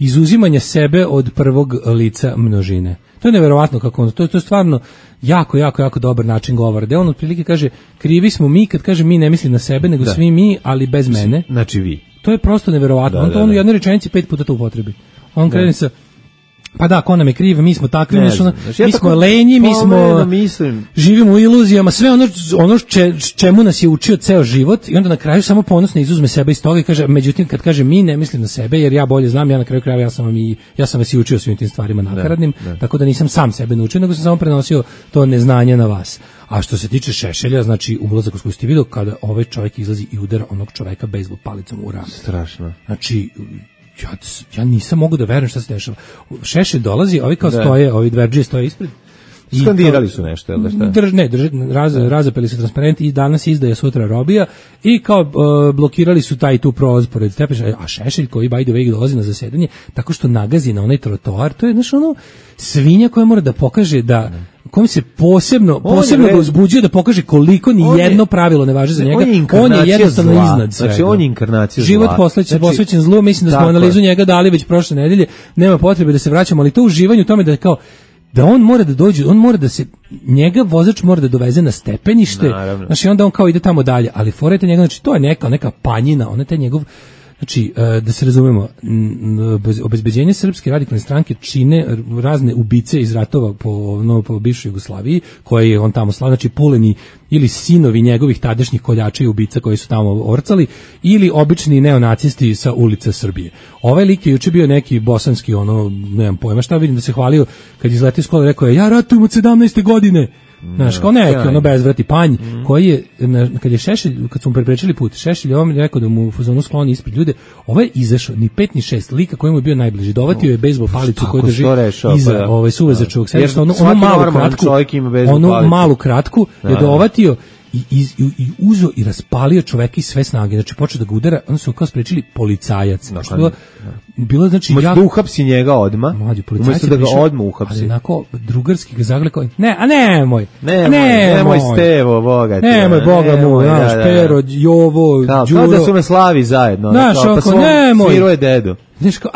E: izuzimanja sebe od prvog lica množine. To je neverovatno kako on, to je stvarno jako dobar način govora. Da on otprilike kaže, krivi smo mi, kad kaže mi ne misli na sebe, nego svi mi, ali bez mene.
F: Znači vi.
E: To je prosto neverovatno. On u jednoj rečenici 5 puta to upotrebi. On krene sa, pa da, ko nam je kriv, mi smo takvi, mi smo lenji, mi smo živimo u iluzijama, sve ono čemu nas je učio ceo život, i onda na kraju samo ponosno izuzme sebe iz toga i kaže, međutim kad kaže mi ne mislim na sebe, jer ja bolje znam, ja na kraju krajeva ja sam vas i učio svim tim stvarima nakaradnim, tako da nisam sam sebe naučio, nego sam samo prenosio to neznanje na vas. A što se tiče Šešelja, znači ulazak u skupštinu, video kada ovaj čovjek izlazi i udara onog čoveka bejzbol palicom u rame.
F: Strašno.
E: Znači, ja nisam mogu da verujem šta se dešava. Šešelj dolazi, ovi kao stoje, ovi dverđije stoje ispred.
F: Skandirali su nešto, jel da šta?
E: Razapeli su transparenti i danas izdaje, sutra robija i kao blokirali su taj tu prolaz pored Stepeša, a Šešelj koji by the way dolazi na zasedanje tako što nagazi na onaj trotoar, to je svinja koja mora da pokaže da kom se posebno ga uzbuđuje da pokaže koliko ni jedno pravilo ne važi za njega. On je jednostavno iznad svega.
F: Znači on je inkarnacija zla.
E: Život posvećen zlu, mislim da smo analizu njega dali već prošle nedelje, nema potrebe da se vraćamo, ali to uživanje u tome da je kao da on mora da dođe, njega vozač mora da doveze na stepenište, znači onda on kao ide tamo dalje, ali forete njega, znači to je neka panjina, on je taj njegov. Znači, da se razumemo, obezbeđenje Srpske radikalne stranke čine razne ubice iz ratova po bivšoj Jugoslaviji, koje je on tamo slav, znači puleni ili sinovi njegovih tadašnjih koljača i ubica koji su tamo orcali, ili obični neonacisti sa ulica Srbije. Ovaj lik je juče bio neki bosanski, nemam pojma šta, vidim da se hvalio kad izletio iz škole, rekao je, ja ratujem od 17. godine. Znaš, kao neki bezvrati panj koji je, kad je Šešelj, kad su mu preprečili put, Šešelj je ovom rekao da mu u fazonu skloni ispred ljude, ovaj je izašao, ni 5 ni 6, lika koji mu je bio najbliži, dovatio je bejzbol palicu koju drži iza suvezačevog sedišta, onu malu kratku je dovatio i uzo i raspalio čoveka iz sve snage, znači počeo da ga udara, onda su kao sprečili policajac. Bilo znači
F: ja da uhapsi njega odma. Umesto da ga odma uhapsi.
E: Ali onako drugarski ga zaglekao. Nemoj
F: Stevo, Boga.
E: Nemoj Boga mu, znaš, Pero, Jovo, Đuro.
F: Kao da su me slavi zajedno.
E: Pa nemoj.
F: Sviruje dedu.
E: Znaš kao,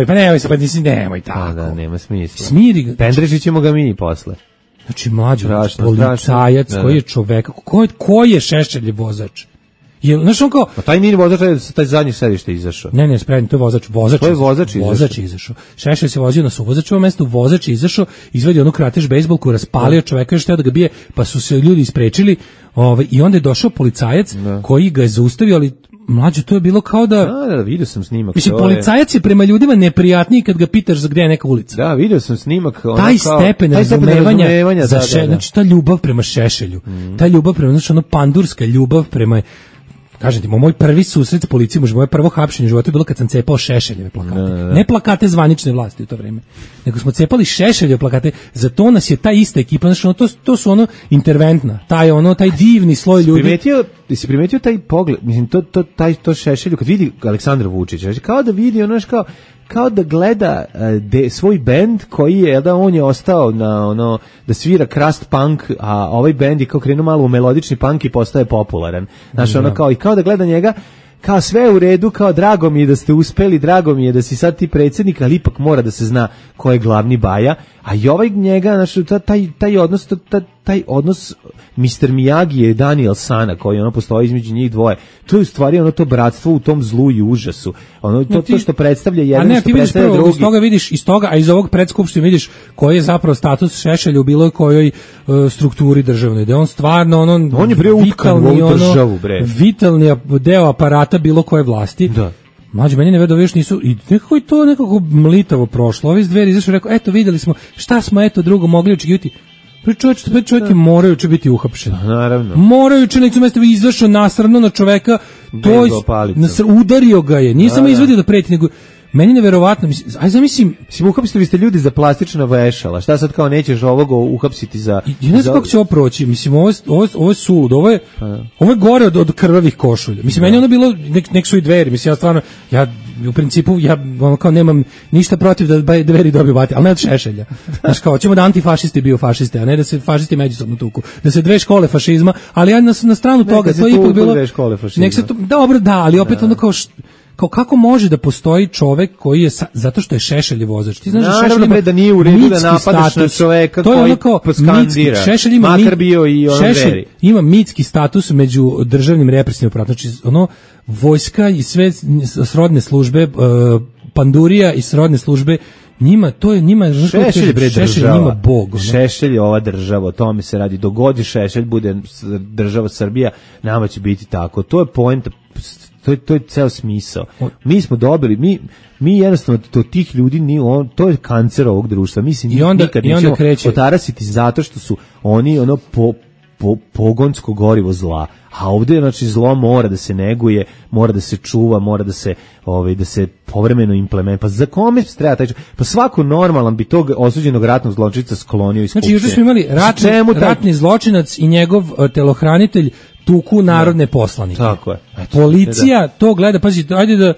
E: nemoj se, pa nisi, nemoj tako.
F: Da, nema smisla.
E: Smiri ga.
F: Pendrežit ćemo ga mi posle.
E: Znači mlađo, policajac koji je čovek, ko je Šešeljev vozač? Znaš on kao...
F: Pa taj nije vozač, taj zadnji sedište izašao.
E: Ne, spremni, to je vozač. Vozač izašao. Šešelj se vozio na suvozačevom mestu, vozač izašao, izvedio onu kratež bejzbolku, raspalio čoveka, još teo da ga bije, pa su se ljudi isprečili, i onda je došao policajac koji ga je zaustavio, ali mlađo, to je bilo kao da...
F: Da, vidio sam snimak.
E: Mislim, policajac je prema ljudima neprijatniji kad ga pitaš za gdje je neka ulica.
F: Da, vidio sam snimak.
E: Taj stepen razumevanja za znači ta ljubav prema Šešelju, ta ljubav prema, znači ono pandurska ljubav prema... Kažem ti, moj prvi susret s policijom, moje prvo hapšenje u životu je bilo kad sam cepao Šešeljeve plakate. Ne plakate zvanične vlasti u to vrijeme, nego smo cepali Šešeljeve plakate, za to nas je ta ista ekipa, znači to su interventna, taj divni sloj ljudi.
F: Si primetio taj pogled, mislim, to Šešelju, kad vidi Aleksandra Vučića, kao da vidi kao da gleda svoj bend koji je, da on je ostao na da svira crust punk, a ovaj bend je kao krenuo malo u melodični punk i postaje popularan. Znaš, kao i kao da gleda njega, kao sve u redu, kao drago mi je da ste uspeli, drago mi je da si sad ti predsjednik, ali ipak mora da se zna ko je glavni baja, a i ovaj njega, znaš, taj odnos Mr. Miyagi i Daniel Sana koji postoji između njih dvoje, to je u stvari to bratstvo u tom zlu i užasu, to što predstavlja jedan, što predstavlja drugi.
E: Iz toga vidiš, a iz ovog predskupštine vidiš koji je zapravo status Šešelja u bilo kojoj strukturi državnoj, da on stvarno
F: on je bre utkan u ovu državu, bre.
E: Vitalni deo aparata bilo koje vlasti.
F: Da.
E: Mlađe, meni ne još nisu, i nekako je to nekako mlitavo prošlo. Ovi iz Dveri izašli i rekao, eto vidjeli smo šta smo drugo mogli očekivati. Čovjek je morajuće biti uhapšen.
F: Naravno.
E: Morajuće na licu mesta izašao nasravno na čoveka, udario ga je. Nije samo izvadio da preti, nego meni neverovatno, zamislim,
F: uhapsili ste ljudi za plastična vešala. Šta sad kao nećeš ovoga uhapsiti za?
E: Ja ne znam kako će ovo proći. Mislim, ovo je sulud, ovo je gore od krvavih košulja. Mislim, meni ono bilo nek su i Dveri. Mislim, u principu kao nemam ništa protiv da Dveri dobiju bati, ali ne od Šešelja. Znaš, kao ćemo da antifašisti bio fašiste, a ne da se fašisti međusobno tuku. Da se dve škole fašizma, ali ja na stranu toga, to je ipak bilo
F: dve škole fašizma.
E: Nek se to, dobro, da, ali opet kao kako može da postoji čovek koji je zato što je Šešelj vozač. Ti znaš da Šešelj ima
F: da nije u redu da napadaš na čoveka koji poskandira.
E: Šešelj ima
F: makar bio i Dveri.
E: Ima mitski status među državnim represivnim aparatom. Znači vojska i sve srodne službe, pandurija i srodne službe, njima Šešelj njima bog.
F: Šešelj je ova država, o tome se radi. Dogodi Šešelj bude država Srbija, nama će biti tako. To je poenta. To je ceo smisao. Mi smo dobili, mi jednostavno to tih ljudi, to je kancer ovog društva. Mi se nikad nećemo otarasiti zato što su oni pogonsko gorivo zla. A ovdje, znači, zlo mora da se neguje, mora da se čuva, mora da se povremeno implementira. Pa za kome treba taj? Pa svako normalan bi tog osuđenog ratnog zločinca sklonio iz skupštine.
E: Znači, još smo imali ratni zločinac i njegov telohranitelj tuku narodne poslanike.
F: Tako je.
E: Policija to gleda, pazi, ajde da...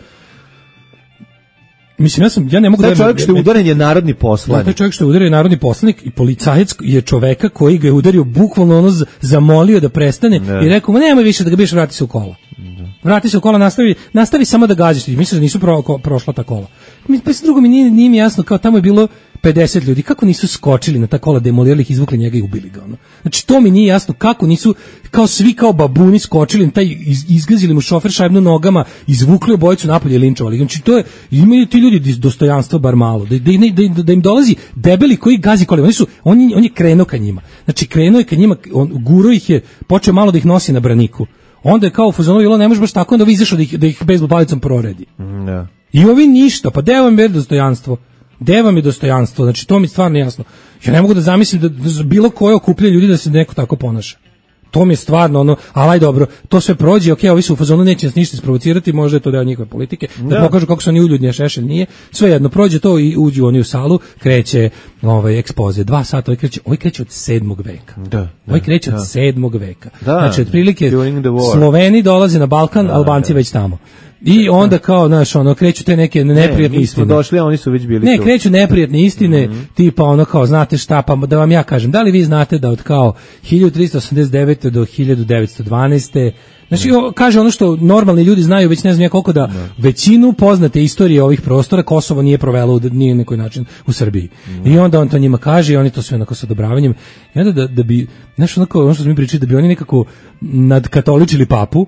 E: Mislim, ja ne mogu da...
F: Taj čovjek što je udaren je narodni poslanik.
E: Taj čovjek što je udaren je narodni poslanik i policajac je čoveka koji ga je udario, bukvalno zamolio da prestane i rekao, nemoj više da ga biješ, vrati se u kola. Vrati se u kola, nastavi samo da gađaš. Misliš da nisu prošla ta kola. Pa drugo nije mi jasno, kao tamo je bilo 50 ljudi, kako nisu skočili na ta kola, demolirali ih, izvukli njega i ubili ga. Znači, to mi nije jasno, kako nisu, kao svi kao babuni skočili na taj, izgazili mu šofer šajbno nogama, izvukli obojicu napolje i linčovali. Znači, to je, imaju ti ljudi dostojanstva bar malo, da im dolazi debeli koji gazi kolima. On je krenuo ka njima. Znači, krenuo je ka njima, guro ih je, počeo malo da ih nosi na braniku. Onda je kao u fazonu bilo, ne može baš tako, onda vi izašao da ih bejzbol palicom proredi. I ovi ništa, pa gde vam je dostojanstvo? Gde vam je dostojanstvo? Znači, to mi stvarno jasno. Ja ne mogu da zamislim da bilo koje okupljanje ljudi da se neko tako ponaša. To mi je stvarno ali dobro, to sve prođe, okej, ovi su u fazonu, neće nas ništa isprovocirati, možda je to deo njihove politike, da pokažu kako su oni uljudni, a Šešelj nije. Svejedno, prođe to i uđu oni u salu, kreće ekspoze, 2 sata, ovaj kreće od 7. veka. Ovaj kreće od 7. veka. Znači, otprilike, Sloveni dolaze na Balkan, Albanci već tamo. I onda kao, kreću te neke neprijatne istine.
F: Došli, a oni su već bili tu.
E: Kreću neprijatne istine, tipa kao, znate šta, pa da vam ja kažem, da li vi znate da od kao 1389. do 1912. Znači, kaže ono što normalni ljudi znaju, već ne znam ja koliko, da većinu poznate istorije ovih prostora Kosovo nije provelo nije nekoj način u Srbiji. I onda on to njima kaže i oni to sve onako sa odobravanjem. I onda da bi, znaš, ono što smo mi pričali, da bi oni nekako nadkatoličili papu,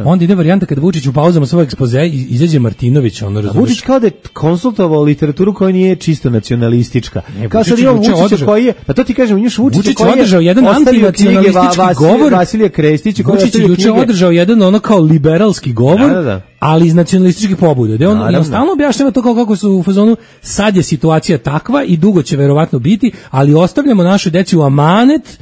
E: onda ide varijanta kada Vučić u pauzama svoj ekspoze izađe Martinović, razumiješ.
F: Vučić kao da je konsultovao literaturu koja nije čisto nacionalistička. Kao sad imamo Vučića koji je, pa to ti kažem, imaš Vučića koji je
E: održao jedan antinacionalistički govor.
F: Vasilija Krestić koji
E: je održao jedan kao liberalski govor, ali iz nacionalističkih pobuda. Da on stalno objašnjava to kako su u fazonu, sad je situacija takva i dugo će verovatno biti, ali ostavljamo našoj deci u amanet,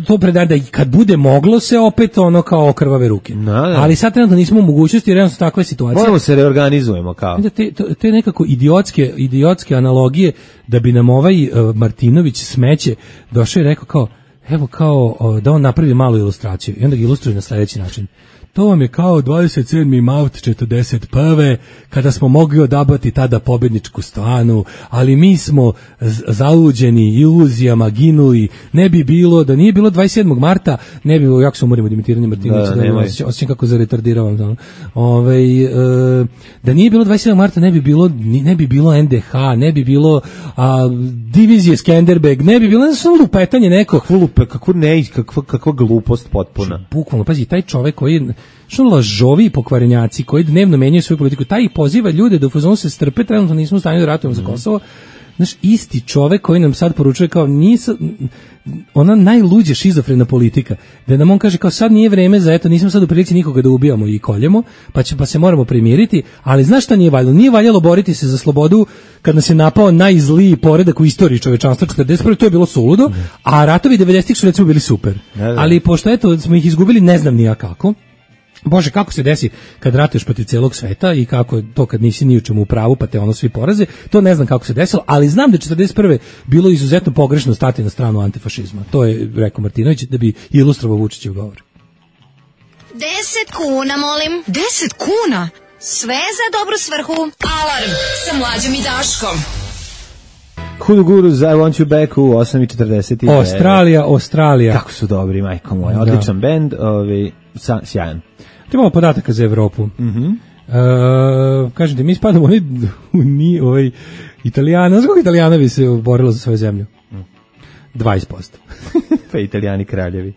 E: to predaj da kad bude moglo se opet kao okrvave ruke. Ali sad trenutno nismo u mogućnosti, jer jednostavno takva je situacija.
F: Moramo se reorganizujemo kao.
E: Te nekako idiotske analogije da bi nam ovaj Martinović smeće došao i rekao kao, evo kao da on napravi malu ilustraciju i onda ga ilustruje na sljedeći način. to vam je kao 27. maut 41. kada smo mogli odabrati tada pobedničku stranu, ali mi smo zaluđeni iluzijama ginuli, ne bi bilo, da nije bilo 27. marta, ne bi bilo, jako se umorimo Dimitiranje Martinovića, osjećam kako zaretardirao, da nije bilo 27. marta, ne bi bilo NDH, ne bi bilo divizije Skenderbeg, ne bi bilo, samo lupetanje neko.
F: Kakva glupost potpuna.
E: Bukvalno, pazi, taj čovek koji što lažovi i pokvarenjaci koji dnevno menjaju svoju politiku, taj ih poziva ljude da u fazonu se strpe, trenutno nismo u stanju da ratujemo za Kosovo. Znaš, isti čovek koji nam sad poručuje kao ona najluđa šizofrena politika, da nam on kaže kao sad nije vreme za eto, nismo sad u prilici nikoga da ubijamo i koljemo, pa se moramo primiriti, ali znaš šta nije valjalo? Nije valjalo boriti se za slobodu kad nas je napao najzliji poredak u istoriji čovečanstva 41. To je bilo suludo, a ratovi 90-ih su recimo bili super. Ali pošto eto smo ih izgubili, ne znam ni ja kako. Bože, kako se desi kad ratuješ protiv celog sveta i kako to kad nisi ni u čemu u pravu pa te ono svi poraze, to ne znam kako se desilo, ali znam da je 41. bilo izuzetno pogrešno stati na stranu antifašizma. To je rekao Martinović da bi ilustrovao Vučićev govor.
K: 10 kuna, molim.
C: 10 kuna?
K: Sve za dobru svrhu.
B: Alarm sa Mlađom i Daškom.
F: Hudu Guru, I Want You Back u 8:49.
E: Australija.
F: Kako su dobri, majko moja. Odličan bend, sjajan.
E: Imamo podataka za Evropu. Kažete, mi spadamo u Italijana. Znaš koliko Italijana bi se borilo za svoju zemlju? 20%.
F: Pa Italijani kraljevi.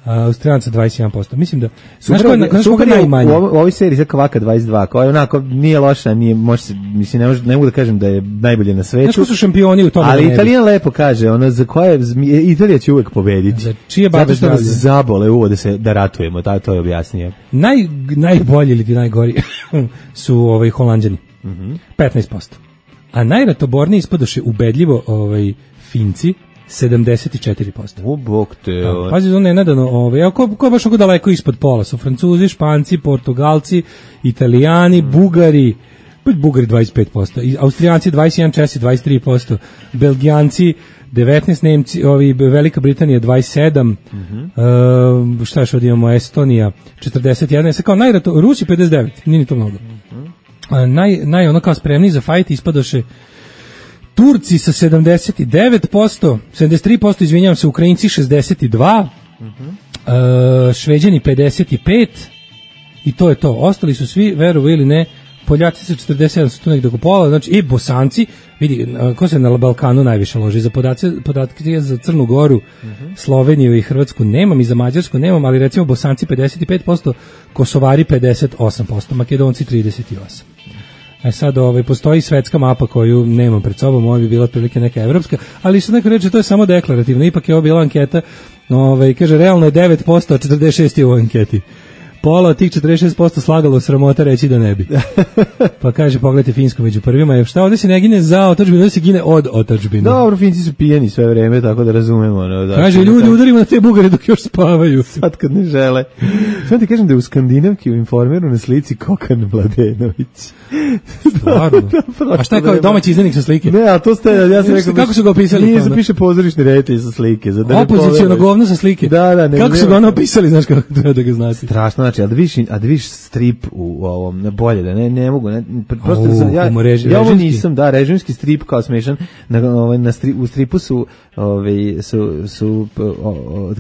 E: Australijanca 21%. Mislim da znaš koga najmanje.
F: U ovoj seriji za Kvaka 22, koja je onako nije loša, nije može se, mislim ne mogu da kažem da je najbolje na svetu.
E: Znaš ko su šampioni u tome?
F: Ali Italijan lepo kaže, ono za koje Italija će uvek pobediti. Zato što nas zabole uvode se da ratujemo, to je objasnije.
E: Najbolji ili najgori su Holanđani. 15%. A najratoborniji ispadoše ubedljivo Finci 74%.
F: U bok te.
E: Pazi, on je nedano, ko je baš oko daleko ispod pola, su Francuzi, Španci, Portugalci, Italijani, Bugari 25%, Austrijanci 21%, Česi 23%, Belgijanci 19%, Nemci, Velika Britanija 27%, šta još imamo, Estonija 41%, kao Rusi 59%, nije ni to mnogo. Ono kao spremni za fajt ispadoše Turci sa 79%, 73%, izvinjavam se, Ukrajinci 62%, Šveđani 55% i to je to. Ostali su svi, verovo ili ne, Poljaci sa 47%, su tu nekde oko pola, znači i Bosanci, vidi, ko se na Balkanu najviše loži, za podatke za Crnu Goru, Sloveniju i Hrvatsku nemam i za Mađarsku nemam, ali recimo Bosanci 55%, Kosovari 58%, Makedonci 38%. Sad postoji svetska mapa koju nemam pred sobom, ovo bi bila otprilike neka evropska, ali što neko reče, to je samo deklarativno, ipak je ovo bila anketa, kaže, realno je 9%, a 46% je u anketi. Pola od tih 46% slagalo sramota reći da ne bi. Pa kaže, pogledajte Finsku među prvima, šta ovdje se ne gine za otadžbinu, ovdje se gine od otadžbine.
F: Dobro, Finci su pijeni sve vreme, tako da razumemo.
E: Kaže, ljudi, udarimo na te Bugare dok još spavaju.
F: Sad kad ne žele. Sad ti kažem da je u Skandinavki u Informeru na slici Kokan Mladenović.
E: Stvarno? A šta je kao domaći izdanik sa slike?
F: Ne, a to ste, ja sam rekao...
E: Kako su ga opisali?
F: Nije se piše pozorišni reditelj sa slike.
E: Opozicijono govno sa slike?
F: Da.
E: Kako su ga ono opisali, znaš kako treba da ga znati?
F: Strašno, znači, a da vidiš strip u ovom, bolje, da ne mogu, prosto ja ovo nisam, režimski strip kao smešan, u stripu su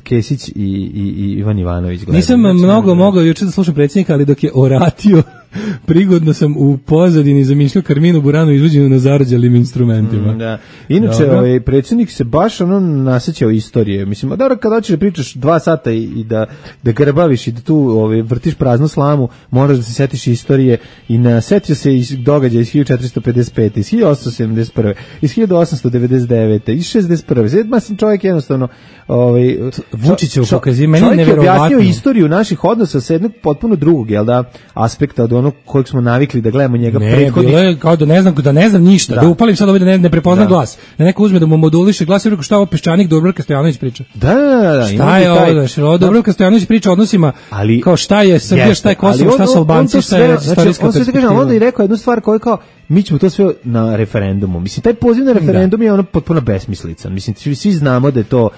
F: Kesić i Ivan Ivanović.
E: Nisam mnogo mogao juče da slušam predsjednika, ali dok je oratio, prigodno sam u pozadini zamišljao Karminu Buranu izvođenu na zarađalim instrumentima.
F: Da. Inače, predsjednik se baš nasećao istorije. Mislim, dobro, kada hoćeš da pričaš 2 sata i da grbaviš i da tu vrtiš praznu slamu, moraš da se setiš istorije i nasetio se iz događaja iz 1455, iz 1871, iz 1899, iz 61. Mislim, čovjek jednostavno
E: Vučićev pokazuje, meni je
F: nevjerovatno. Čovjek je objasnio istoriju naših odnosa sa jednog potpuno drugog, jel da, aspekta od onog kojeg smo navikli da gledamo njega prethodnih.
E: Ne, kao da ne znam ništa, da upalim sad da ne prepoznam glas. Da neko uzme da mu moduliše glas i rekao šta ovo Peščanik Dubravka Stojanović priča.
F: Da.
E: Šta je ovo, Dubravka Stojanović priča o odnosima, kao šta je Srbija, šta je Kosovo, šta su Albanci, šta je istorijska perspektiva.
F: Onda i rekao jednu stvar koju kao, mi ćemo to sve na referendumu. Mislim, taj poziv na referendum je ono potpuno besmislican. Mislim, svi znamo da je to,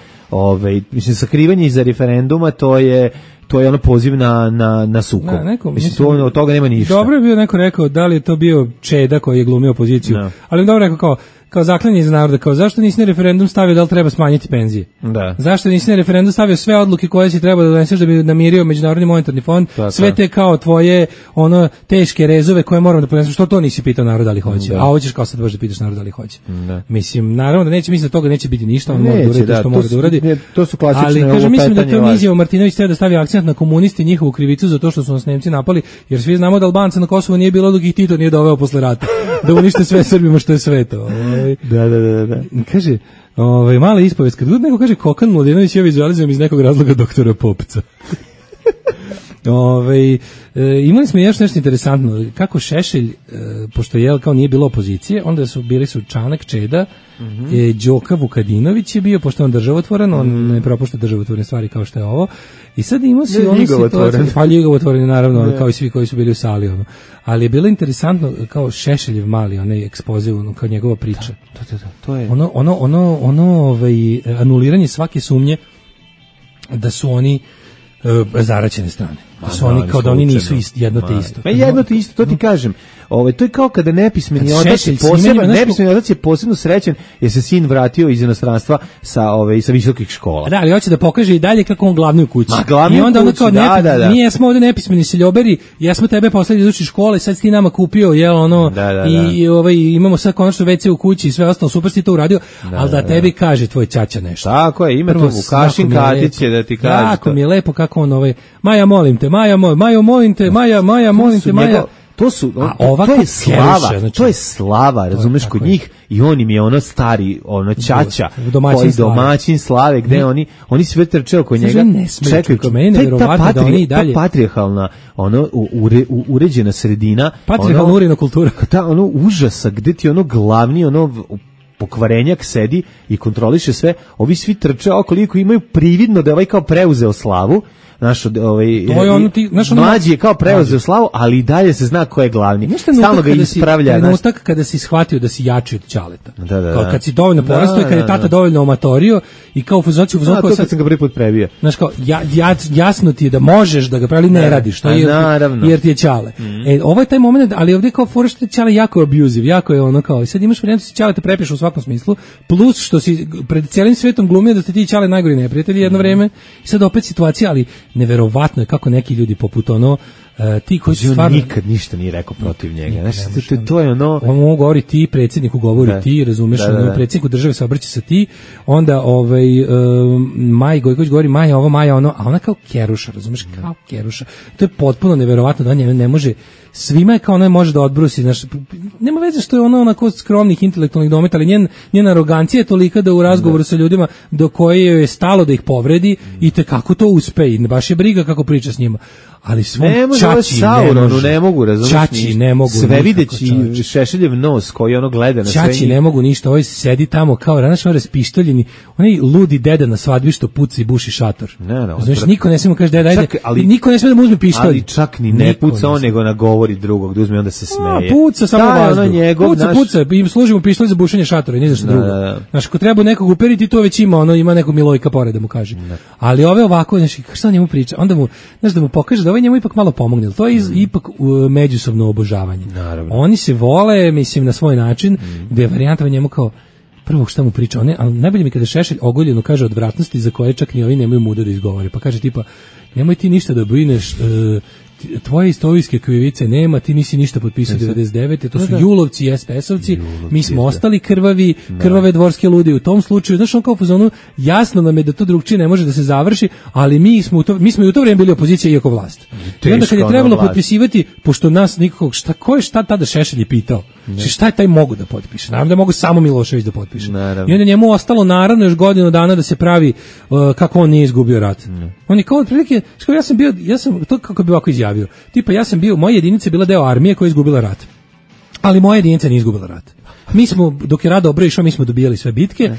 F: mislim, sakrivanje iza referenduma, to je to je ono poziv na sukob. Mislim, od toga nema ništa.
E: Dobro je bio neko rekao, da li je to bio Čeda koji je glumio opoziciju, ali dobro rekao kao zaklinje iz naroda, kao zašto nisi na referendum stavio da li treba smanjiti penzije?
F: Da.
E: Zašto nisi na referendum stavio sve odluke koje si trebao da doneseš da bi namirio Međunarodni monetarni fond, sve te kao tvoje teške rezove koje moramo da ponesemo, što to nisi pitao narod da li hoće? A hoćeš kao sad baš da pitaš narod da li hoće. Mislim, naravno da neće, mislim da toga neće biti ništa, on mora da uradi što mora da uradi.
F: To su klasične
E: ali kaže, mislim da to izjava Martinović treba da stavi akcent na komunisti, njihovu krivicu za to što su nas Nemci napali, jer svi znamo da Albanca na Kosovu nije bilo dok ih Tito nije doveo posle rata. Da unište sve Srbima što je sveto.
F: Da.
E: Kaže, mala ispovest, kad god neko kaže Kokan Mladenović, ja vizualizujem iz nekog razloga doktora Popca. Imali smo još nešto interesantno, kako Šešelj, pošto je kao nije bilo opozicije, onda bili su Čanak, Čeda, Đoka Vukadinović je bio, pošto on državotvoran, on ne propušta državotvorne stvari kao što je ovo, i sad imao si ono situaciju, pa ljigavotvoren naravno, kao i svi koji su bili u sali, ali je bilo interesantno kao Šešeljev mali, onaj ekspoze, kao njegova priča.
F: To je
E: anuliranje svake sumnje da su oni zaraćene strane. Su oni kao da oni nisu jedno te isto.
F: Jedno te isto, to ti kažem. To je kao kada nepismeni otac je posebno srećan jer se sin vratio iz inostranstva sa visokih škola.
E: Da, ali hoće da pokaže i dalje kako on glavni u kući. I onda ono kao mi jesmo ovde nepismeni seljoberi, jesmo tebe poslali iz uči škole, sad si ti nama kupio, i imamo sad konačno WC u kući i sve ostalo, super si to uradio, ali da tebi kaže tvoj ćaća nešto.
F: Tako je, ima to Vukašin Katić je da ti kaže.
E: Jako mi je lepo kako on Maja molim te, Maja molim te, Maja.
F: To je slava, razumeš, kod njih, i on im je ono stari, ćaća, koji domaćin slave, gde oni sve trče oko njega, čekaju, ta patrijarhalna, uređena sredina,
E: patrijarhalna uređena kultura,
F: ta užasa, gde ti glavni, pokvarenjak sedi i kontroliše sve, ovi svi trče okoliko imaju prividno da je kao preuzeo slavu, mlađi je kao preuzeo slavu, ali i dalje se zna ko je glavni. Stalno ga ispravlja.
E: Trenutak kada si shvatio da si jači od ćaleta. Kad si dovoljno porastao i kad je tata dovoljno omatorio i kao fuzociju
F: to kad sam ga prvi put prebio.
E: Znaš kao, jasno ti je da možeš da ga pravi, ne radiš, jer ti je ćale. Ovo je taj moment, ali ovdje kao fora što je ćale jako abuzive, jako je ono kao, i sad imaš varijantu si ćale te prepiš u svakom smislu, plus što si pred cijelim svetom glumio da ste ti ćale najgori neprijatelji jedno vreme, i sad opet situacija, ali neverovatno je kako neki ljudi poput ti koji su stvarno
F: nikad ništa nije rekao protiv njega. Znači to je
E: on mogu govori ti, predsjedniku govori ti, razumeš, predsjedniku države se obraća sa ti, onda Maj Gojković govori Maja ovo, Maja ono, a ona kao keruša, razumeš, kao keruša. To je potpuno neverovatno da on ne može, svima je kao ona može da odbrusi, znaš, nema veze što je ona onako skromnih intelektualnih dometa, ali njena arogancija je tolika da u razgovoru sa ljudima do koje je stalo da ih povredi i te kako to uspe i baš je briga kako priča s njima. Ali svom čači
F: ne mogu, razumiješ,
E: ne mogu
F: sve videći Šešeljev nos koji ono gleda na sve.
E: Čači ne mogu ništa, ovaj sedi tamo kao raspištoljeni, onaj ludi deda na svadbi što puca i buši šator. Znaš, niko ne smije mu kaže deda, ajde, niko ne smije da mu uzme pištolj.
F: Ali čak ni ne puca on, nego nagovori drugog, da uzme onda se smeje.
E: Puca samo vazduh, puca, i služi mu pištolj za bušenje šatora, ni za što drugo. Znaš, ako treba nekog uperiti, to već ima nekog Milojka pored da mu kaže. Ali ove ovako, znaš, šta njemu priča, onda mu, znaš, da mu pokaže da ovaj njemu ipak malo pomogne, to je ipak međusobno obožavanje.
F: Naravno.
E: Oni se vole, mislim, na svoj način, gde je varijanta njemu kao, prvo šta mu priča, ali najbolje mi kada Šešelj ogoljeno kaže odvratnosti za koje čak ni ovi nemaju muda da izgovore, pa kaže tipa, nemoj ti ništa da brineš, tvoje istorijske krivice nema, ti nisi ništa potpisao 99. To su Julovci i SPS-ovci, mi smo ostali krvavi, krvave dvorske ludi u tom slučaju. Znaš, on kao fuzonu, jasno nam je da to drugčije ne može da se završi, ali mi smo i u to vrijeme bili opozicija iako vlast. I onda kad je trebalo potpisivati, pošto nas nikakvog, šta tada Šešelj je pitao? Šta je taj mogu da potpiše? Naravno da mogu samo Milošević da potpiše. I onda njemu ostalo naravno još godinu dana da se pravi kako on nije izgubio rat. On je kao otprilike, ja sam to kako bi ovako izjavio. Tipa moja jedinica je bila deo armije koja je izgubila rat. Ali moja jedinica nije izgubila rat. Mi smo, dok je rat dobro išao, mi smo dobijali sve bitke.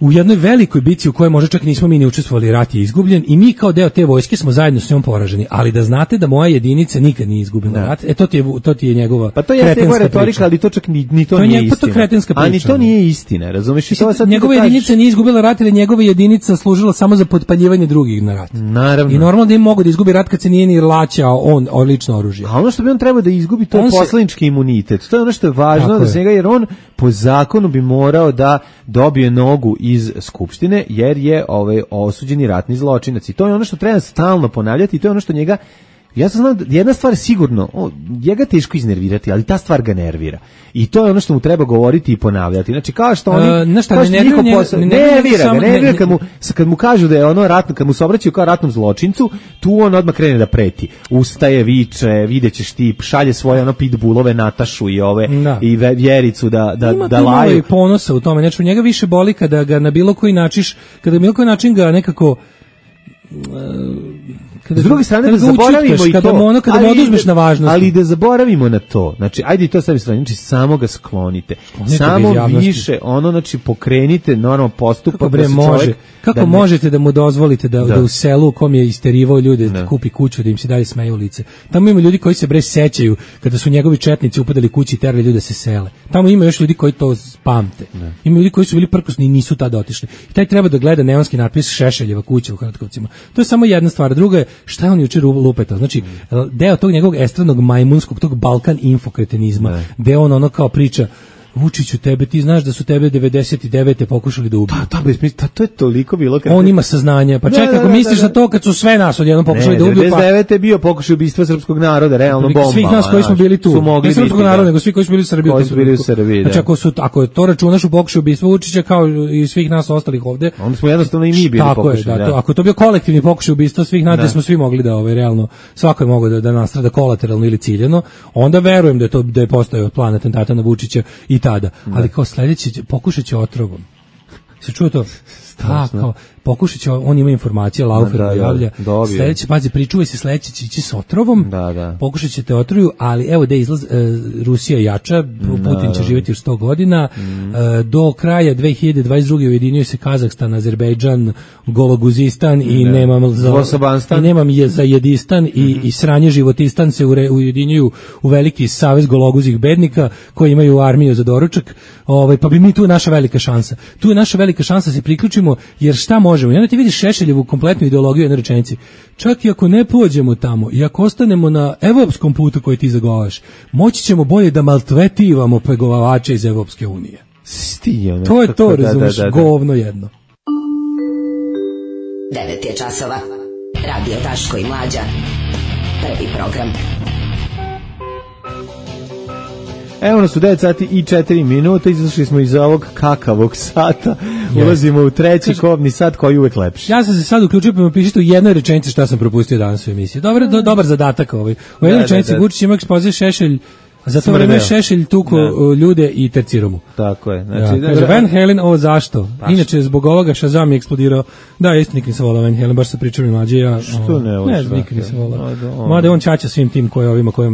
E: u jednoj velikoj bici u kojoj možda čak nismo mi ni učestvovali, rat je izgubljen i mi kao deo te vojske smo zajedno s njom poraženi, ali da znate da moja jedinica nikad nije izgubila rat, to ti je njegova
F: pa to je njegova retorika, ali to čak ni to nije istina.
E: To kretenska priča.
F: A ni to nije istina, razumeš? I to sad
E: njegova jedinica nije izgubila rat, ili njegova jedinica služila samo za potpaljivanje drugih na rat.
F: Naravno.
E: I normalno da im mogu da izgubi rat kad se nije ni laćao on lično oružje.
F: A ono što bi on trebao da izgubi, to je poslanički imunitet. To je ono što je važno da se njega, jer on po zakonu bi morao da dobije nogu iz skupštine, jer je osuđeni ratni zločinac. I to je ono što treba stalno ponavljati i to je ono što njega, ja sam znam, jedna stvar sigurno, njega teško iznervirati, ali ta stvar ga nervira. I to je ono što mu treba govoriti i ponavljati. Znači, kao što oni... nervira ga, kad mu kažu da je ono ratno, kad mu se obraćaju kao ratnom zločincu, tu on odmah krene da preti. Ustaje, viče, videćeš ti, šalje svoje ono pitbullove Natašu i i Vjericu da laju. Ima
E: i ponosa u tome. Znači, njega više boli kada ga na bilo koji način ga nekako...
F: S druge strane da zaboravimo i to,
E: kada mu oduzmeš na važnosti.
F: Ali da zaboravimo na to. Znači, ajde i to sebi strane, znači samo ga sklonite. Samo više, znači pokrenite normalno postupak.
E: Kako možete da mu dozvolite da u selu u kom je isterivao ljude da kupi kuću, da im se dalje smeju u lice. Tamo ima ljudi koji se sećaju kada su njegovi četnici upadali kući i terali ljude da se sele. Tamo ima još ljudi koji to pamte. Ima ljudi koji su bili prkosni i nisu tada otišli. I taj treba da gleda neonski natpis Šešeljeva kuća u Hrvatkovcima. To je samo jedna stvar. Druga je šta je on jučer lupetao. Znači, deo tog njegovog estradnog majmunskog, tog Balkan infokretenizma, gde on ono kao priča Vučiću, ti znaš da su tebe 99. pokušali da ubiju.
F: To je toliko bilo.
E: On ima saznanja. Pa čekaj, ako misliš na to kad su sve nas odjednom pokušali da ubiju.
F: 99. je bio pokušaj ubistva srpskog naroda, realno bomba.
E: Svih nas koji smo bili tu. Ne srpskog naroda, nego svi koji su bili u Srbiji. Znači, ako to računaš u pokušaju ubistva Vučića kao i svih nas ostalih ovde.
F: Onda smo jednostavno i mi bili pokušali.
E: Tako je, ako to bio kolektivni pokušaj ubistva svih nas, da smo svi mogli da realno, svako je mogao da nastrada kolateralno ili ciljano, onda verujem da je postojao plan atentata na Vučića i tada. Ali kao sledeći pokušat će otrovom. Se čuo to? Kao, pokušat će, on ima informacije, Laufer javlja. Sledeće, pazi, pričuvaj se, sledeće će ići s otrovom, pokušat ćete otroju, ali evo da izlaz, Rusija jača, Putin će živjeti još 100 godina, do kraja 2022. ujedinjuju se Kazahstan, Azerbejdžan, Gologuzistan i nemam za Jedistan i sranje Životistan se ujedinjuju u veliki savez gologuzih bednika koji imaju armiju za doručak, pa bi mi tu naša velika šansa. Tu je naša velika šansa se priključimo, jer šta možemo? I onda ti vidiš Šešeljevu kompletnu ideologiju jedne rečenici. Čak i ako ne pođemo tamo i ako ostanemo na evropskom putu koji ti zagovaraš, moći ćemo bolje da maltretiramo pregovarače iz Evropske unije. To je to, razumiješ, govno jedno.
B: 9 je časova. Radio Daško i Mlađa. Prvi program.
F: Evo nas u 9 sati i 4 minuta, izašli smo iz ovog kakavog sata, ulazimo u treći kobni sat koji je uvek lepši.
E: Ja sam se sad uključio, pa mi pišite u jednoj rečenici šta sam propustio danas u emisiji. Dobar zadatak ovaj. U jednoj rečenici Vučić ima ekspoze Šešelj, za to vreme Šešelj tuko ljude i terciromu.
F: Tako je.
E: Znači, kaže, Van Halen, ovo zašto? Inače, zbog ovoga Shazam je eksplodirao. Da, isto nikad nisam volao Van Halen, baš sa pričom i mlađe.
F: Što ne voliš?
E: Ne, nikad nisam volao. Mada on Ćaća svim tim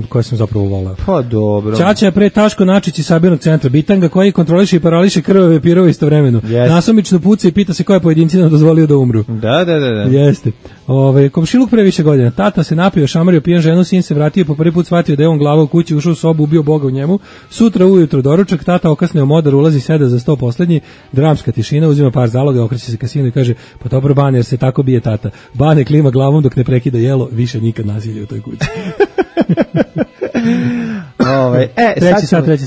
E: koje sam zapravo volao.
F: Pa dobro.
E: Ćaća je pre Taško Načić iz sabirnog centra Bitanga koji kontroliše i parališe krvave pirove istovremeno. Nasumično puca i pita se koje pojedinci nam dozvolio da umru.
F: Da.
E: Jeste. Komšiluk pre više godina. Tata se napio, šamario, pijan ženu, sin se vratio, po prvi put shvatio da je on glava u kući, ušao u sobu, ubio Boga u njemu. Sutra ujutro doručak, tata okasneo modar, ulazi, seda za sto poslednji, dramska tišina, uzima par zaloga, okreće se ka sinu i kaže: "Pa dobro Bane, jer se tako bije tata." Bane klima glavom dok ne prekida jelo, više nikad nasilje u toj kući.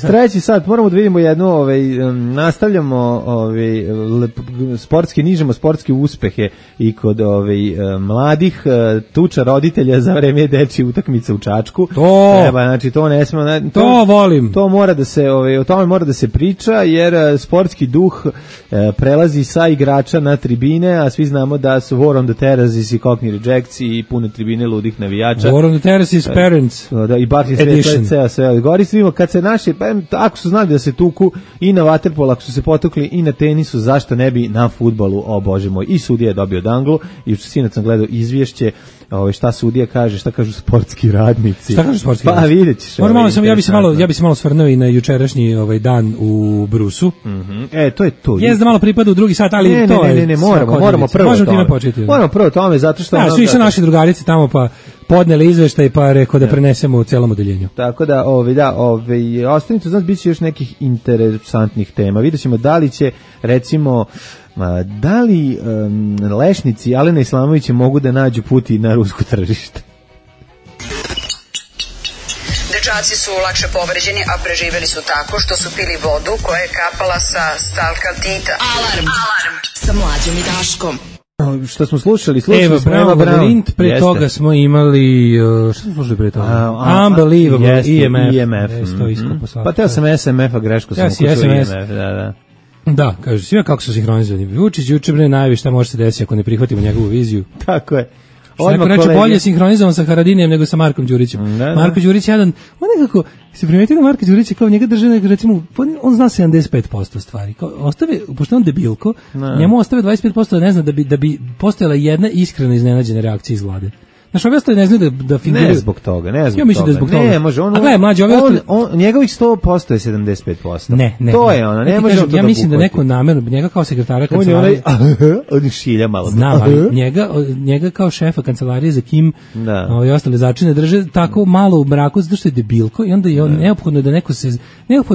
F: Treći sat, moramo da vidimo jednu, nastavljamo nižemo sportske uspehe i kod mladih, tuča roditelja za vreme dečje utakmice u Čačku. Znači to ne smemo,
E: to volim.
F: To mora da se, o tome mora da se priča, jer sportski duh prelazi sa igrača na tribine, a svi znamo da su War on the Terraces i Cockney Rejects i pune tribine ludih navijača.
E: War on the Terraces parents
F: i Barkley edition. Sve Govorimo kad se naši, ako su znali da se tuku i na vaterpolu, ako su se potukli i na tenisu, zašto ne bi na fudbalu, o Bože moj, i sudija je dobio danglu, i sinoć sam gledao izvješće, šta sudija kaže, šta kažu sportski radnici.
E: Šta kažu sportski radnici?
F: Pa vidjet ćeš.
E: Ja bi se malo svrnuo i na jučerašnji dan u Brusu.
F: To je to.
E: Jeste da malo pripada u drugi sat, ali
F: ne, moramo prvo tome. Moramo prvo tome, zato što...
E: Svi su naši drugarici tamo, pa podneli izveštaj, pa rekao da prenesemo u celom odeljenju.
F: Tako da, ostanite, znači, bit će još nekih interesantnih tema. Vidjet ćemo da li će, recimo, da li lešnici Alena Islamovića mogu da nađu puti na rusko tržište?
L: Dečaci su lakše povređeni, a preživeli su tako što su pili vodu koja je kapala sa stalkaltita.
B: Alarm sa Mlađom i Daškom.
F: Što smo slušali
E: smo Eva Braun, pre toga smo imali, što smo slušali pre toga? Unbelievable, EMF.
F: Pa teo sam SMF-a, greško sam ukušao EMF, da.
E: Da, kaže, svima kako su sinhronizovani. Vučić juče najavi šta može se desiti ako ne prihvatimo njegovu viziju.
F: Tako je.
E: Neko reče bolje sinhronizovan sa Haradinijem nego sa Markom Đurićem. Marko Đurić je jedan, on nekako, se primetio da Marko Đurić je kao njega drže, recimo, on zna 75% stvari. Ostave, pošto on debilko, njemu ostave 25% da ne zna da bi postojala jedna iskrena iznenađena reakcija iz vlade. Znaš, ovi ostali ne znaju da figuraju.
F: Ne zbog toga,
E: Ja mislim da je zbog toga.
F: Ne, može,
E: a gledaj, mlađe, ovi ostali...
F: Njegovih 100% je 75%.
E: Ne.
F: To je ono, ne može on to da
E: ja mislim da neko namerno, njega kao sekretara kancelarije...
F: On šilja malo.
E: Znam, ali njega kao šefa kancelarije za Kim i ostale začine drže tako malo u mraku, zato što je debilko i onda je neophodno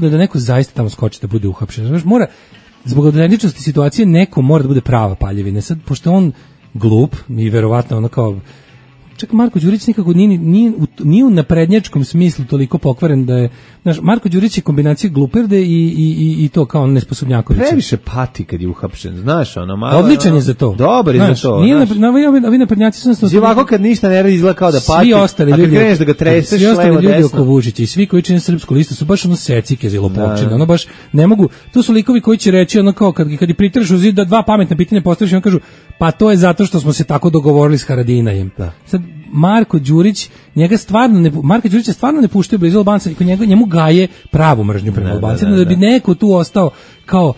E: da neko zaista tamo skoči da bude uhapšen. Znaš, mora, zbog autentičnosti situacije, neko mora da bude prava paljevina. Sad, pošto on glup i verovatno ono kao... Čak Marko Đurić nikako nije u naprednjačkom smislu toliko pokvaren da je, znaš, Marko Đurić je kombinacija gluperde i to kao nesposobnjaković.
F: Previše pati kad je uhapšen, znaš, ono malo.
E: Odličan je za to.
F: Dobar je za to.
E: Ovi naprednjaci su
F: ovako kad ništa ne radi izgleda kao da pati.
E: Svi ostali ljudi,
F: kad kreneš da ga treseš levo desno.
E: Oko Vučića i svi koji čine Srpsku listu su baš ono secike za lopovčine. Ono baš ne mogu. To su likovi koji će reći ono kao kad pritreš u zid da dva pametna pitanja postaviš i on kažu pa to je zato što smo se tako dogovorili s Haradinajem. Sad Marko Đurić, Marko Đurić stvarno ne puštaju blizu Albanca i njemu gaje pravu mržnju prema Albancima da bi neko tu ostao kao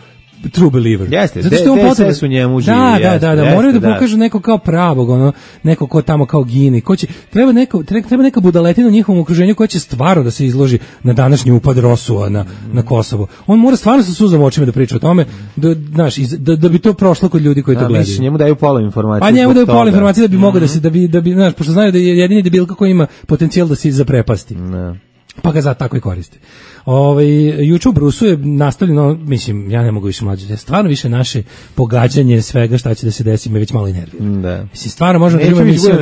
E: true believer.
F: Jeste, zato što on DSS u njemu živi.
E: Da, moraju da pokažu neko kao pravog, ono, neko ko tamo kao gini. Treba neka budaletina u njihovom okruženju koja će stvarno da se izloži na današnji upad Rosua na Kosovo. On mora stvarno sa suzom očima da priča o tome, da bi to prošlo kod ljudi koji to gledaju.
F: Misliš, njemu daju pola informacije.
E: Pa njemu daju pola informacije da bi mogao da bi, znaš, pošto znaju da je jedini debilka koji ima potencijal da se zaprepasti. Pa ga zato tako i koristi. Juče u Brusu je nastavljeno, mislim, ja ne mogu više mlađe, stvarno više naše pogađanje svega šta će da se desi me već malo i nervira.
F: Da.
E: Mislim, stvarno možemo da imamo emisiju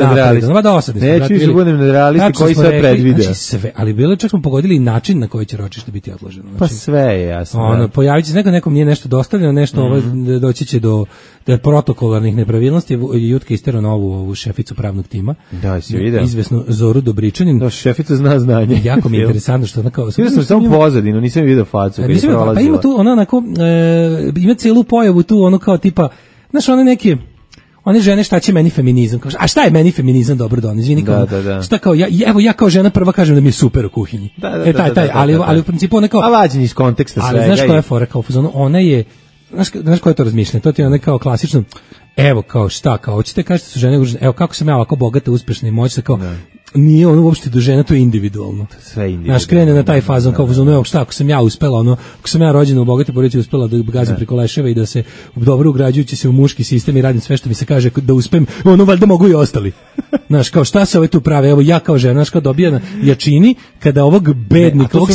F: Neću više budem nadrealisti koji sve predvide.
E: Znači sve, ali bilo čak smo pogodili i način na koji će ročište biti odloženo. Znači,
F: pa sve je jasno.
E: Pojavit će se nekom nije nešto dostavljeno, nešto doći će do protokolarnih nepravilnosti. Jutka isterao novu šeficu pravnog tima.
F: Da, si vidio.
E: Izvesnu Zoru Dobričanin.
F: Da, šefica zna znanje.
E: Jako mi je interesantno što ona kao...
F: Samo pozadinu, nisam vidio facu.
E: Pa ima tu ona onako, ima celu pojavu tu, ono kao tipa, znaš, one žene šta će meni feminizam, kao, a šta je meni feminizam, dobro don, izvini, kao, šta kao, ja kao žena prva kažem da mi je super u kuhinji. Ali u principu ona kao...
F: A vađen iz konteksta svega.
E: Ali znaš koja je fora, kao, ona je, znaš koje je to razmišljanje, to ti je ona kao klasično, evo kao šta, kao, hoćete kažete su žene, evo kako sam ja ovako bogata, uspešna i moćna, kao, nije ono uopšte do žena, to je individualno.
F: Sve individualno.
E: Znaš, krene na taj fazon, kao fazon, evo šta, ako sam ja uspela, ako sam ja rođena u bogatoj porodici uspela da gazim preko leševa i da se dobro ugrađujući se u muški sistem i radim sve što mi se kaže da uspem, ono valjda mogu i ostali. Znaš, kao šta se tu prave, evo ja kao žena, znaš, kao dobija na jačini, kada ovog bednika, ovog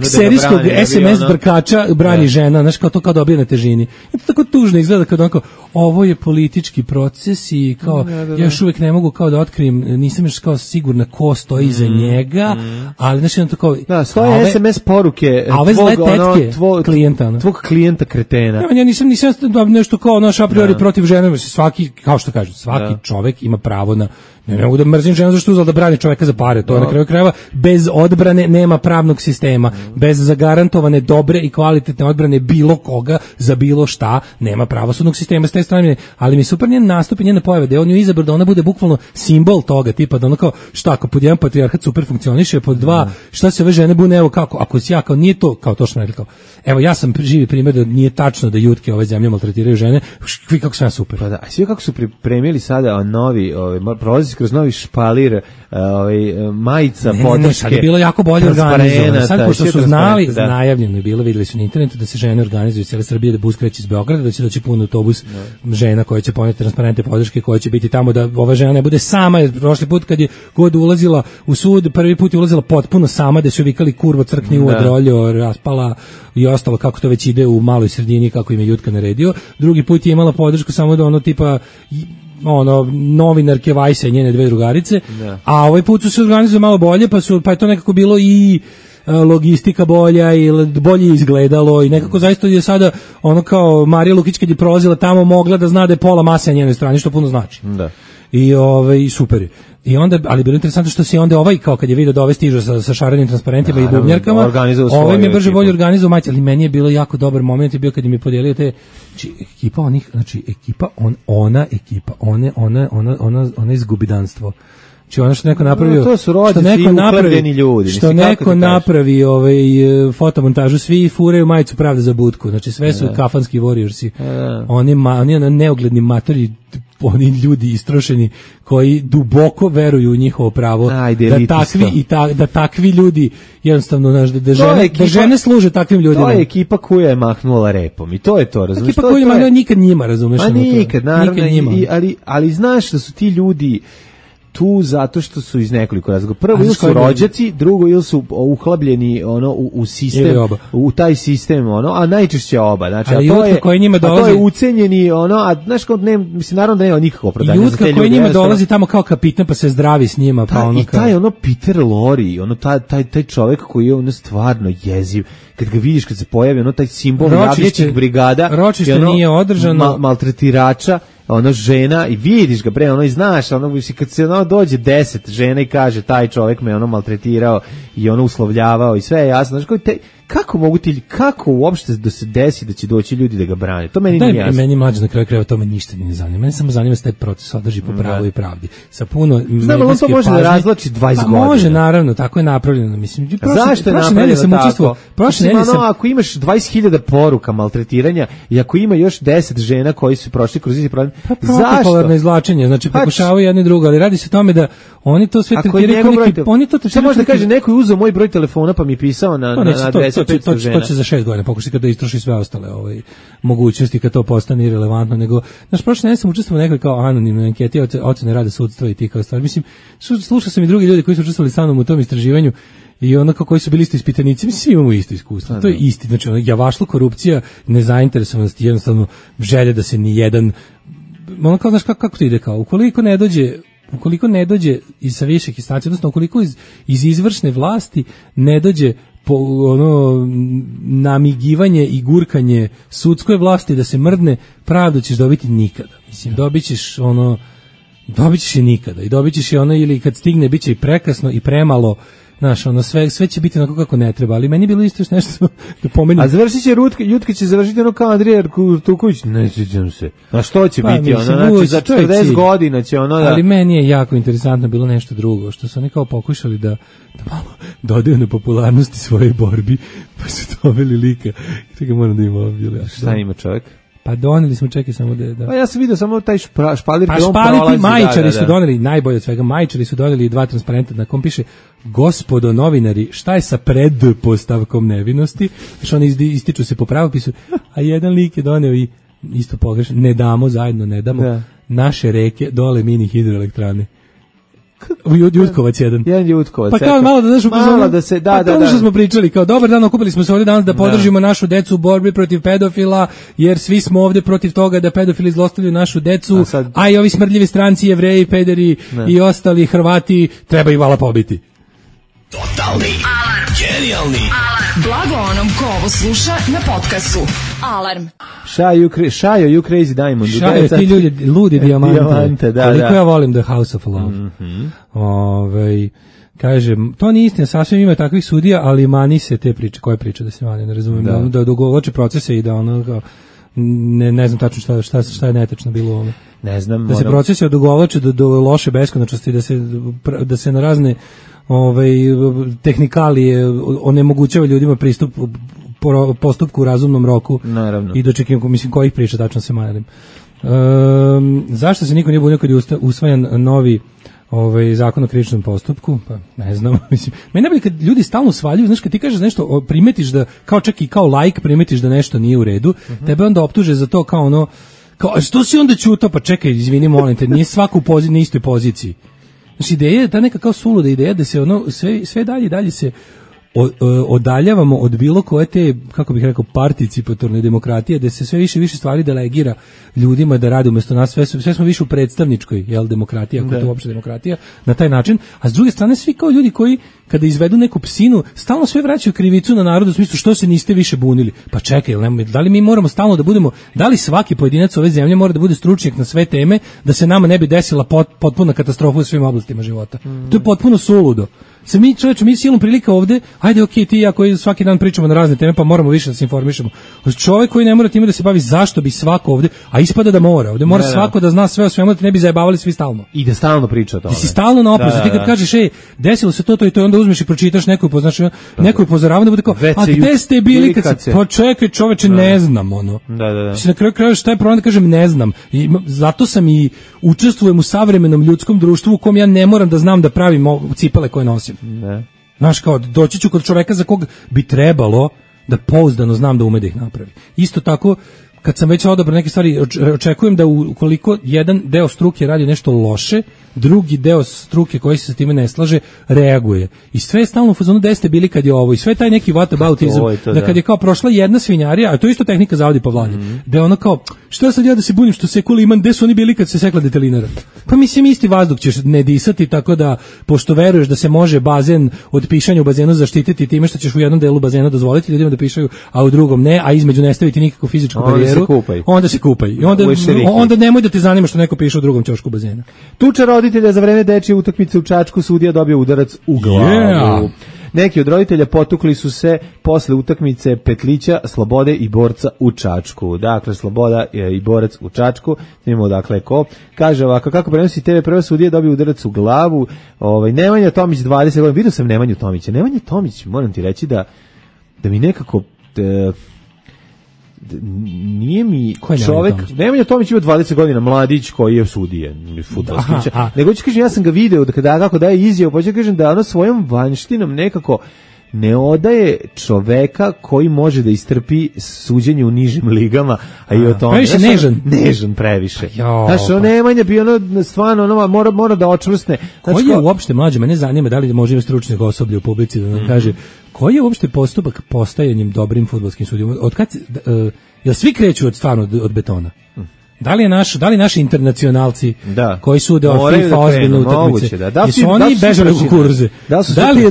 E: serijskog SMS brkača brani žena, znaš, kao to kao dobija na težini. I to tako tužno izgleda kada onako, ovo je politički proces i kao, ja još uvijek ne mogu kao da otkrijem, nisam još kao sigurna ko stoji iza njega, ali znači on to kao...
F: Da, stoje SMS poruke tvog klijenta kretena.
E: Ja nisam nešto kao naš a priori protiv žene, svaki, kao što kažu, svaki čovek ima pravo na Ne mogu da mrzim ženu zašto uzela da brani čoveka za pare. To je na kraju krajeva, bez odbrane nema pravnog sistema. Bez zagarantovane dobre i kvalitetne odbrane bilo koga za bilo šta nema pravosudnog sistema s te strane. Ali mi super njen nastup i njena pojava da je on ju izabrao da ona bude bukvalno simbol toga, tipa da ono kao šta ako pod jedan patrijarhat super funkcioniše, pod dva šta se ove žene bune, evo kako, ako si ja kao nije to, kao to što sam rekao. Evo ja sam živi primjer da nije tačno da jutke ove zemlje maltretiraju žene, vi kako sam ja super.
F: Pa da, a svi kako su pripremili sada novi, prolazi kroz novi špalir, majica, podrške.
E: Sad je bilo jako bolje organizovano. Sad pošto su znali, najavljeno je bilo, videli su na internetu da se žene organizuju cijele Srbije, da bus kreće iz Beograda, da će doći pun autobus žena koja će poneti transparente podrške, koja će biti tamo da ova žena ne bude sama, jer prošli put kad je god ulazila u sud, prvi put je ulazila potpuno sama, da su vikali kurvo, crkni u odroljo, raspala i ostalo kako to već ide u maloj sredini, kako im je Jutka naredio. Drugi put je imala podršku samo da ono tipa novinarke Vajsa i njene dve drugarice, a ovaj put su se organizovali malo bolje, pa je to nekako bilo i logistika bolja i bolje izgledalo i nekako zaista je sada ono kao Marija Lukić kad je prolazila tamo mogla da zna da je pola mase na njenoj strani, što puno znači.
F: Da.
E: I super je. I onda, ali bilo interesantno što se onda ovaj, kao kad je vidio da ove stižu sa šarenim transparentima i bubnjarkama, ovaj mi je brže bolje organizao mać, ali meni je bilo jako dobar moment je bio kad mi je podijelio te, ekipa onih, znači ekipa, ona izgubidanstvo. Znači ono što neko napravio,
F: to su rođaci i uklepljeni ljudi.
E: Što neko napravi fotomontažu, svi furaju majicu Pravda za budku, znači sve su kafanski warriorsi. Oni neugledni matori, oni ljudi istrošeni koji duboko veruju u njihovo pravo da takvi ljudi jednostavno da žene služe takvim ljudima.
F: To je ekipa koja je mahnula repom i to je to, razumiješ?
E: Ekipa koja je mahnula nikad njima, razumiješ?
F: A nikad, naravno, ali znaš da su ti ljudi tu zato što su iz nekoliko razloga. Prvo ili su rođaci, drugo ili su uhlabljeni u sistem, u taj sistem, a najčešće oba. Znači, a to je ucenjeni, a znaš kao mislim naravno da nema nikakvo opravdanje za te ljude.
E: Jutka koji njima dolazi tamo kao kapitan pa se zdravi s njima, pa
F: i taj Peter Lorre, taj čovjek koji je stvarno jeziv. Kad ga vidiš, kad se pojavi taj simbol jagnjećih brigada,
E: ročište nije održano,
F: maltretirača, žena i vidiš ga i znaš, kad se dođe 10 žena i kaže taj čovjek me maltretirao i uslovljavao i sve je jasno, znaš kako uopšte da se desi da će doći ljudi da ga brane, to meni nije jasno.
E: Meni mlađe na kraju krajeva to me ništa ne zanima, meni samo zanima se taj proces održi po pravu i pravdi, sa puno
F: znam, on to može da razlači 20 godina.
E: Može, naravno, tako je napravljeno, mislim.
F: Zašto je napravljeno tako? Ako imaš 20.000 poruka maltretiranja i ako ima još 10 žena koji su prošli kroz isti problem,
E: zašto? Izvlačenje, znači pokušavaju jedni drugo, ali radi se o tome da oni to sve tretiraju kao neki, oni to
F: tretiraju. Može da kaže neko je uzeo moj broj telefona pa mi pisao na adresu 500 žena.
E: To će za 6 godina pokušati kada istroši sve ostale mogućnosti kad to postane irelevantno, nego prošle nedelje sam učestvovao u nekoj kao anonimnoj anketi ocene rada sudstva i tih kao stvari. Mislim, slušao sam i drugi ljudi koji su učestvovali sa mnom u tom istraživanju i onako koji su bili isto ispitanici, mislim, svi imamo isto iskustvo. To je isti, znači javašlo, korupcija, nezainteresovanost, jednostavno želje da se ni jedan, kao znaš kako to ide, kao ukoliko ne dođe iz sa viših instanci, odnosno ukoliko iz izvršne vlasti ne dođe namigivanje i gurkanje sudskoj vlasti da se mrdne, pravdu ćeš dobiti nikada. Mislim, dobit ćeš je nikada i dobit ćeš je ili kad stigne bit će i prekasno i premalo. Znaš, sve će biti onako kako ne treba, ali meni je bilo isto još nešto da pomenim.
F: A završit će Jutka će završiti kao Andrija Turković, ne sjećam se. A što će biti znači za 40 godina će da...
E: Ali meni je jako interesantno bilo nešto drugo, što su oni kao pokušali da malo dodaju na popularnosti svoje borbi, pa su doveli lika. Čekaj, moram da ima ovdje.
F: Šta ima čovjek?
E: Pa doneli smo, čekaj samo da...
F: Pa ja sam vidio samo taj špalir
E: koji on prolazi. Majčari su doneli, najbolje od svega, majčari su doneli 2 transparenta na kom piše: gospodo novinari, šta je sa predpostavkom nevinosti? Znači oni ističu se po pravopisu, a jedan lik je doneo i isto pogrešno, ne damo naše reke dole mini hidroelektrane. Jutkovac jedan.
F: Jedan Jutkovac.
E: Pa kao malo da znaš to što smo pričali, kao dobar dan, okupili smo se ovdje danas da podržimo našu decu u borbi protiv pedofila, jer svi smo ovdje protiv toga da pedofili zlostavljaju našu decu, a i ovi smrdljivi stranci, Jevreji, pederi i ostali Hrvati treba ih vala pobiti.
M: Totalni alarm. Genijalni.
B: Alarm. Blago onom ko ovo sluša na podcastu. Alarm.
F: Šajo, you crazy diamond.
E: Šajo, ti ljudi, ludi dijamante. Da, koliko ja volim The House of Love. Kaže, to nije istina, sasvim ima takvih sudija, ali mani se te priče. Koje priče da se mani, ne razumijem. Da dogovoče procese i da ono kao, ne znam tačno šta je netačno bilo u ovome.
F: Ne znam.
E: Da se procesi odugovlače do loše beskonačnosti, da se na razne tehnikalije onemogućava ljudima pristup postupku u razumnom roku.
F: Naravno.
E: I dočekivamo, mislim, kojih priča tačno se malim. Zašto se niko nije bunio kad je usvajan novi zakon o krivičnom postupku? Pa ne znam, mislim. Meni najbolje kad ljudi stalno svaljuju, znaš, kad ti kažeš nešto, primetiš da, kao čak i kao laik, primetiš da nešto nije u redu, tebe onda optuže za to kao ono, kao, što si onda ćutao? Pa čekaj, izvini, molim te, nije svaku na istoj poziciji. Znači, ideja je ta neka kao suluda ideja da se ono, sve dalje se odaljavamo od bilo koje te, kako bih rekao, participatorne demokratije, da se sve više stvari delegira ljudima da rade umjesto nas, sve smo više u predstavničkoj, demokratiji, ako je to uopšte demokratija, na taj način, a s druge strane svi kao ljudi koji, kada izvedu neku psinu, stalno sve vraćaju krivicu na narod u smislu što se niste više bunili. Pa čekaj, da li mi moramo stalno da budemo, da li svaki pojedinac ove zemlje mora da bude stručnjak na sve teme, da se nama ne bi desila potpuna katastrofa u svim oblastima života? To je potpuno suludo. Mi silom prilika ovde, ajde, okej, ti i ja koji svaki dan pričamo na razne teme, pa moramo više da se informišemo. Čovjek koji ne mora time da se bavi, zašto bi svako ovde, a ispada da mora, ovde mora svako da zna sve o svemu, da te ne bi zajebavali svi stalno.
F: I da stalno priča o tome.
E: Da si stalno na oprezu, ti kad kažeš, desilo se to i to, onda uzmeš i pročitaš neku upozoravanje, da bude kao, a gde ste bili kad se, pa čekaj čoveče, ne znam, ono.
F: Da.
E: Na kraju krajeva šta je problem da kažem ne znam. I zato sam i učestvujem u savremenom ljudskom društvu u kom ja ne moram da znam da pravim cipele koje nosim.
F: Ne.
E: Znaš, kao, doći ću kod čoveka za kog bi trebalo da pouzdano znam da ume da ih napravi. Isto tako, kad sam već odabrao neke stvari, očekujem da ukoliko jedan deo struke radi nešto loše, drugi deo struke koji se sa time ne slaže reaguje. I sve je stalno u fazonu gde ste bili kad je ovo. I sve taj neki whataboutizam, da kad je kao prošla jedna svinjarija, a to je isto tehnika zavodi Pavlanje, da je ono kao, što sad ja da se bunim što sekula imam, gde su oni bili kad se sekla detelinara? Pa mislim, isti vazduh ćeš ne disati, tako da, pošto veruješ da se može bazen od pišanja u bazenu zaštititi time što ćeš u jednom delu bazena dozvoliti ljudima da pišaju, a u drugom ne, a između ne staviti nikakvu fizičku barijeru, onda se kupaj. I onda nemoj da te zanima što neko piše u drugom ćošku bazena.
F: Tuča roditelja za vreme dečije utakmice u Čačku, sudija dobio udarac u glavu. Neki od roditelja potukli su se posle utakmice Petlića, Slobode i Borca u Čačku. Dakle, Sloboda i Borac u Čačku. Imamo dakle ko. Kaže ovako, kako prenosi TV prva, sudija dobio udarac u glavu. Nemanja Tomić 20 godina. Vidio sam Nemanju Tomića. Nemanja Tomić, moram ti reći da mi nekako nije mi čovek, Nemanja Tomić ima 20 godina, mladić koji je sudija, fudbalski. Nego ću kažem, ja sam ga video kako daje izjavu, pa ću kažem da ono svojom vanštinom nekako ne odaje čoveka koji može da istrpi suđenje u nižim ligama, a i o tome.
E: Previše
F: nežan previše. Znaš, Nemanja bi stvarno mora da očvrsne.
E: Koji je uopšte, mlađe, mene zanima da li može imati stručnih osoblja u publici da nam kaže koji je uopšte postupak postajanjem dobrim fudbalskim sudijom? Jel svi kreću od betona? Da li naši internacionalci koji sude od FIFA ozbiljne utakmice, su oni bežali u kukuruze?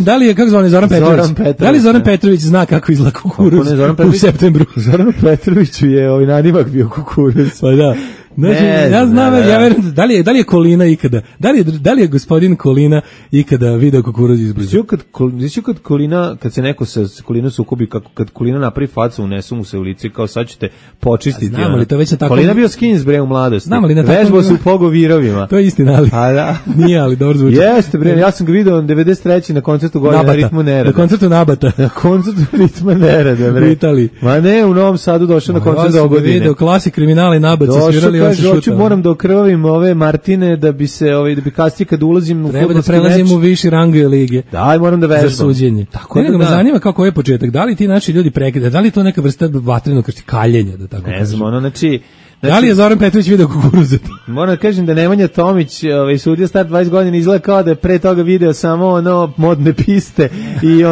E: Da li je, kako zvani, Zoran Petrović? Da li Zoran Petrović zna kako izgleda kukuruz u septembru?
F: Zoran Petroviću je nadimak bio kukuruz.
E: Pa da. Znači, ja znam, ja verujem, da li je Kolina ikada, da li je gospodin Kolina ikada video kukuruz izbliza?
F: Znači, kad se neko sa Kolinom sukobi, kad Kolina napravi facu, unesu mu se u lice, kao sad ćete počistiti.
E: Znam li to već na tako...
F: Kolina bio skins, bre, u mladosti. Vežbao se u pogovirovima.
E: To je istina, ali... Nije, ali dobro zvuči.
F: Jeste, bre, ja sam ga video 93. na koncertu Godine Ritmu Nereda.
E: Na koncertu Nabata.
F: Na koncertu Ritma Nereda, bre.
E: U Italiji.
F: Ma ne, u Novom Sadu došao na koncert do Godine.
E: Video klasik kriminala i Nabat se svirali.
F: Kaže, moram da okrvavim ove Martine da bi se da bi kasnije kad ulazim u fudbalski meč.
E: Treba da prelazim u viši rang lige.
F: Daj, moram da vežbam.
E: Za suđenje. Tako da me zanima kako je početak. Da li ti naši ljudi prekida? Da li je to neka vrsta vatrenog kaljenja, da tako kažem?
F: Ne znam, znači
E: da li je Zoran Petrović video kukuruze?
F: Moram da kažem da Nemanja Tomić, sudija star 20 godina, izgleda kao da je pre toga video samo modne piste i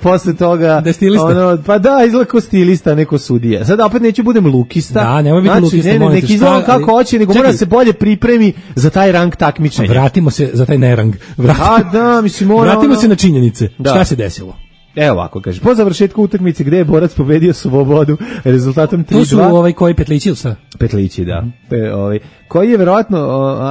F: posle toga
E: da je stilista.
F: Pa da, izgleda kao stilista, neko sudija. Sad opet neću budem lukista.
E: Da, nemoj biti lukista.
F: Neki izgleda kako hoće, nego mora se bolje pripremi za taj rang takmičenja.
E: Vratimo se za taj nerang.
F: Mislim
E: Vratimo se na činjenice. Šta se desilo?
F: Evo ovako, kaže, po završetku utakmice gde je borac pobedio Slobodu rezultatom 3-2.
E: To su koji Petlići ili sa?
F: Petlići, da. Koji je verovatno,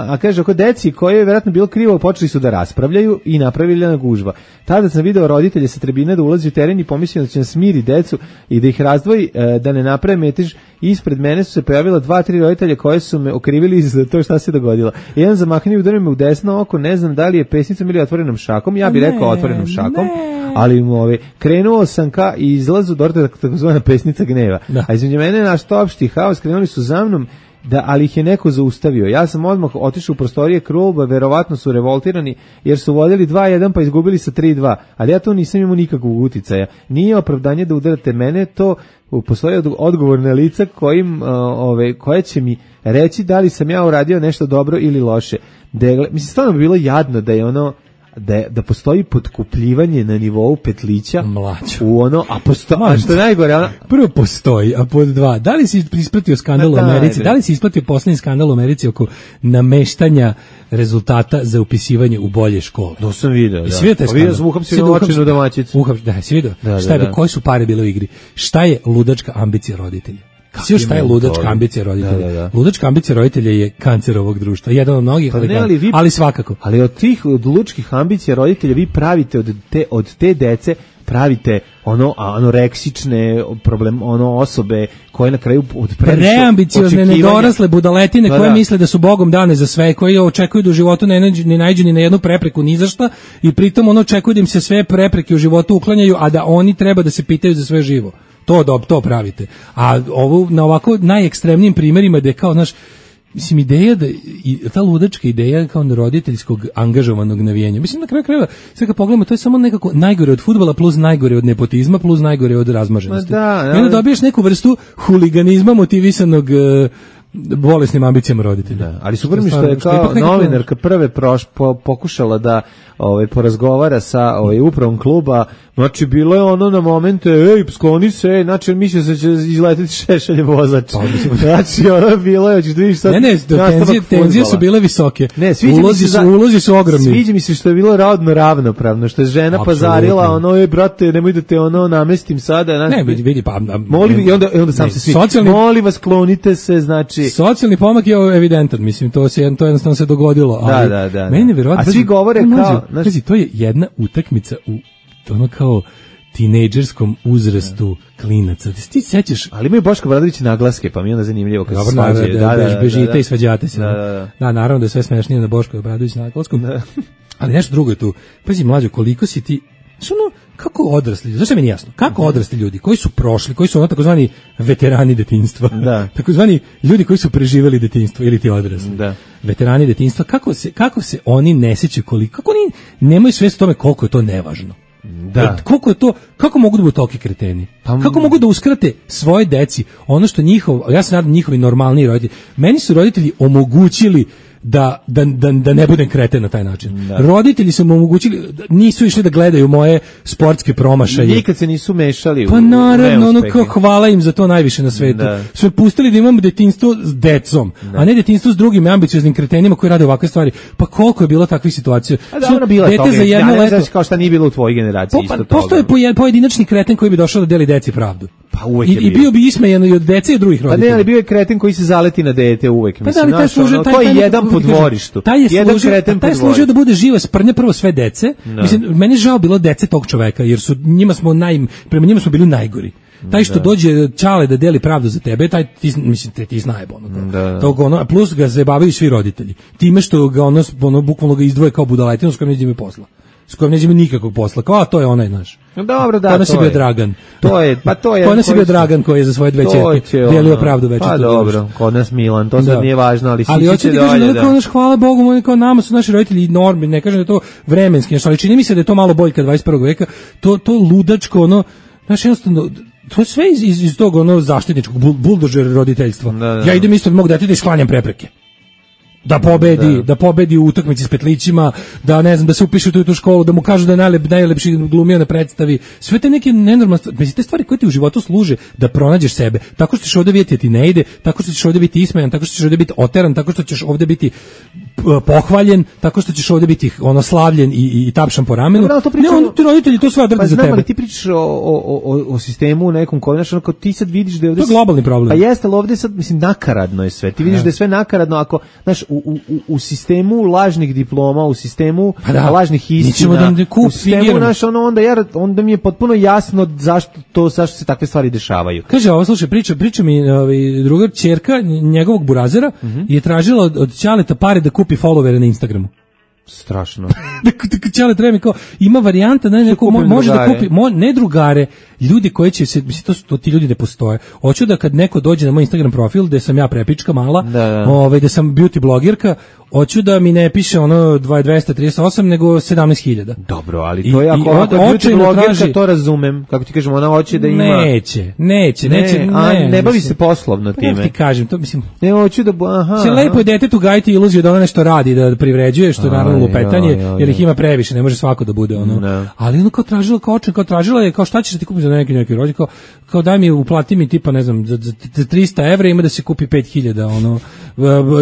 F: a kaže, oko deci koji je verovatno bilo krivo, počeli su da raspravljaju i napravili na gužva. Tada sam video roditelje sa tribine da ulazi u teren i pomislio da će nas smiri decu i da ih razdvoji, da ne naprave metež. Ispred mene su se pojavila 2-3 roditelja koje su me okrivili za to šta se dogodilo. Jedan zamahni udario me u desno oko, ne znam da li je pesnicom ili otvorenom šakom, ja bih rekao otvorenom šakom, ali krenuo sam ka izlazu do takozvana pesnica gneva. Da. A između mene naš opšti haos, krenuli su za mnom, ali ih je neko zaustavio. Ja sam odmah otišao u prostorije kluba, verovatno su revoltirani jer su vodili 2-1 pa izgubili sa 3-2. Ali ja to nisam imao nikakvog uticaja. Nije opravdanje da udarate mene, to postoje odgovorne lica koje će mi reći da li sam ja uradio nešto dobro ili loše. Mislim, stvarno bi bilo jadno da je da postoji potkupljivanje na nivou Petlića u a što je najgore,
E: prvo postoji, a pod dva, da li si ispratio skandal u Americi, da li si ispratio poslednji skandal u Americi oko nameštanja rezultata za upisivanje u bolje škole?
F: To sam video, da.
E: Vidio sam uhapsenu očinu domaćicu. Da, si vidio? Šta je, koje su pare bile u igri? Šta je ludačka ambicija roditelja? Sve šta je ludačka ambicija roditelja? Da. Ludačka ambicija roditelja je kancer ovog društva. Jedan od mnogih, ali svakako.
F: Ali od tih ludačkih ambicija roditelja vi pravite od te dece pravite anoreksične osobe koje na kraju
E: preambiciozne, nedorasle budaletine koje misle da su Bogom dane za sve, koji očekuju da u životu ne naiđu ni na jednu prepreku ni za šta i pritom očekuju da im se sve prepreke u životu uklanjaju, a da oni treba da se pitaju za sve živo. To pravite. A ovo na ovako najekstremnijim primjerima da je kao mislim, ideja da ta ludačka ideja kao roditeljskog angažovanog navijanja. Mislim, na kraju krajeva, sve kad pogledamo, to je samo nekako najgore od fudbala plus najgore od nepotizma plus najgore od razmaženosti. I onda dobiješ neku vrstu huliganizma motivisanog bolesnim ambicijama roditelja.
F: Da, ali super mi što je kao novinarka prve pokušala da porazgovara sa upravom kluba, znači bilo je na momente, skloni se, znači mislio se će izletiti Šešeljev vozač. Znači bilo je, hoćeš da vidiš sad.
E: Tenzije su bile visoke. Ulozi su ogromni.
F: Sviđa mi se što je bilo rodno ravnopravno, što je žena pazarila, brate, nemoj da te namestim sada.
E: Ne, vidi, pa
F: molim, i onda sam se svi, molim vas, klonite se, znači.
E: Socijalni pomak je evidentan, mislim, to jednostavno se dogodilo.
F: Da.
E: Meni nevjerovatno.
F: A svi govore kao,
E: to je jedna utakmica u kao tinejdžerskom uzrastu klinaca. Ti sećaš?
F: Ali imaju Boško Obradović naglaske, pa mi je onda zanimljivo kad se
E: svađaju. Bežite i svađate se. Da, naravno da je sve smešnije na Boško Obradović naglaskom. Ali nešto drugo je tu. Pazi, mlađo, koliko si ti kako odrasli, zašto mi nije jasno, kako odrasli ljudi koji su prošli, koji su takozvani veterani detinjstva, takozvani ljudi koji su preživjeli detinjstvo ili ti odrasli, veterani detinjstva, kako se oni ne sjećaju kako oni nemaju svijest o tome koliko je to nevažno. Da. Koliko je to, kako mogu da budu toliki kreteni? Kako mogu da uskrate svoje deci ono što ja se nadam njihovi normalni roditelji, meni su roditelji omogućili da ne budem kreten na taj način. Da. Roditelji su mu omogućili, nisu išli da gledaju moje sportske promašaje.
F: Nikad se nisu mešali
E: pa naravno, hvala im za to najviše na svetu. Su me pustili da imamo detinjstvo s decom, a ne detinjstvo s drugim ambicioznim kretenima koji rade ovakve stvari. Pa koliko je bilo takvih situacija?
F: Dobro, bilo je toga. Za jedno leto, kao šta nije bilo u tvojoj generaciji isto toga.
E: Postoje pojedinačni kreten koji bi došao da deli deci pravdu.
F: Pa uvek je
E: I bio bi ismejan i od dece i drugih roditelja.
F: Pa ne, ali bio je kreten koji se zaleti na dete uvek. Mislim, to je jedan po dvorištu. Taj je
E: služio da bude živa sprnja prvo sve dece. Mislim, meni je žao bilo dece tog čoveka, jer prema njima smo bili najgori. Taj što dođe čale da deli pravdu za tebe, taj ti znaje plus ga zabavaju svi roditelji. Time što ga bukvalno ga izdvoje kao budaletinu s kojom neđe posla. S kojom neđe nikakvog posla. Kao, to je onaj naš.
F: Dobro, da,
E: to je bio Dragan.
F: To je.
E: Kod nas je bio Dragan koji je za svoje dve ćerke delio pravdu večer.
F: Pa dobro, kod nas Milan, to sad nije važno, ali
E: hoće ti kažem da hvala Bogu, kao nama su naši roditelji normi, ne kažem da je to vremenski, ali čini mi se da je to malo boljka 21. veka, to ludačko, jednostavno, to je sve iz tog zaštitničkog buldožera roditeljstva. Ja idem isto od mog dete da isklanjam prepreke. da pobedi u utakmici s petlićima, da ne znam, da se upiše u tu školu, da mu kažu da je najlepši glumio na predstavi. Sve te neke nenormalne stvari, mislim, te stvari koje ti u životu služe da pronađeš sebe. Tako što ćeš ovdje vidjeti da ti ne ide, tako što ćeš ovdje biti ismejan, tako što ćeš ovdje biti oteran, tako što ćeš ovdje biti pohvaljen, tako što ćeš ovdje biti slavljen i tapšan po ramenu. Ti roditelji to sve odrede za tebe.
F: Ali ti pričaš o sistemu nekom koji, znaš, onako, ti sad vidiš da je ovdje...
E: To je globalni problem.
F: Pa jeste, ali ovdje sad, mislim, nakaradno je sve. Ti vidiš da je sve nakaradno ako, znaš, u sistemu lažnih diploma, u sistemu lažnih istina, u sistemu, znaš, onda mi je potpuno jasno zašto se takve stvari dešavaju.
E: Kaže, ovo, slušaj, priča mi druga ćerka njegovog burazera je tražila od Ćaleta pare da kupi followere na Instagramu.
F: Strašno.
E: Čale treba mi kao, ima varijanta, može da kupi, ne drugare, ljudi koji će se, mislim, to ti ljudi ne postoje. Hoću da kad neko dođe na moj Instagram profil, gde sam ja prepička mala, gde sam beauty blogerka, hoću da mi ne piše ono 238, nego 17.000.
F: Dobro, ali to je ako beauty blogerka, to razumem, kako ti kažem, ona hoće da ima...
E: Neće.
F: Ne bavi se poslovno time.
E: Kako ti kažem, to mislim...
F: Ne, hoću da...
E: Se lepo je detetu gajiti iluziju da ona nešto radi, da privređuje, što je naravno lupetanje, jer ih ima previše, ne može svako da bude ono. Ali ono kao tražila je, kao šta ćeš da ti kupi za neki rođe, kao daj mi, uplati mi tipa, ne znam, za 300 evra ima da se kupi 5.000, ono,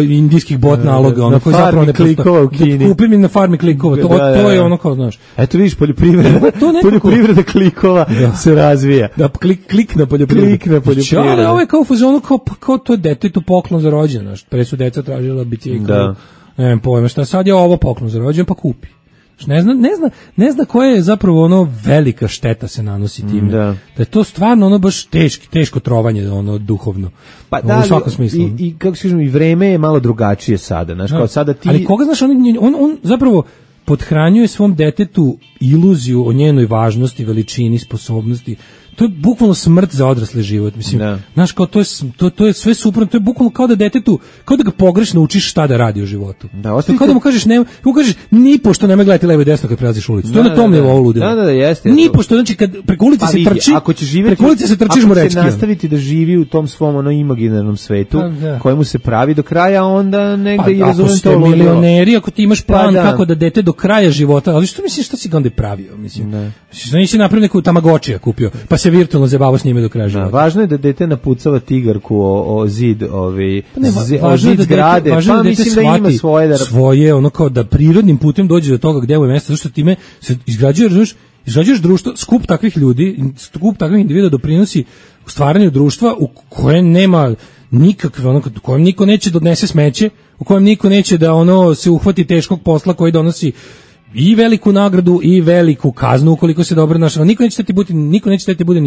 E: indijskih bot naloga, ono, koji zapravo ne postoje. Kupi mi na farmi klikova, to je ono kao, znaš.
F: Eto vidiš, poljoprivreda klikova se razvija.
E: Da, klik na poljoprivredu. Ali ovo je kao fazonu, kao to je detetu poklon za rođendan, znaš, pre su deca tražila bicikl. Ne pojma šta, sad je ovo poklon za rođendan, pa kupi. Ne zna koja je zapravo ono velika šteta se nanosi time. Da je to stvarno ono baš teško trovanje, ono duhovno.
F: Pa da, u svakom smislu. I kako se kažem, i vreme je malo drugačije sada, znaš, kao sada ti...
E: Ali koga znaš, on zapravo pothranjuje svom detetu iluziju o njenoj važnosti, veličini, sposobnosti. To je bukvalno smrt za odrasli život, mislim. Znaš, kao to je sve suprotno, to je bukvalno kao da detetu, kao da ga pogrešno učiš šta da radi u životu. Kao da mu kažeš ni pošto nemoj gledati levo i desno kad prelaziš ulicu. To je na tom nivou ludilo.
F: Da, jeste.
E: Ni pošto, znači kad preko ulice se trči, preko ulice se trčiš mu reći.
F: Ako se nastaviti da živi u tom svom imaginarnom svetu, kojemu se pravi do kraja, onda negde i razumem to ludilo.
E: Ako ste milioneri, ako ti imaš plan kako da dete do kraja života, ali što misliš šta si ga onda pravio, mislim. Nisi napravio neku Tamagotchija kupio, pa se virtualno zabavao s njime do kraja života.
F: Važno je da dete napucava tigarku o zid, o zid zgrade, pa mislim da ima
E: svoje, ono kao da prirodnim putem dođe do toga gdje mu je mjesto, zašto time se izgrađuješ društvo, skup takvih ljudi, skup takvih individua doprinosi u stvaranju društva u kojem nema nikakve, ono, u kojem niko neće da odnese smeće, u kojem niko neće da ono se uhvati teškog posla koji donosi i veliku nagradu i veliku kaznu ukoliko se dobro našao. Niko neće da ti bude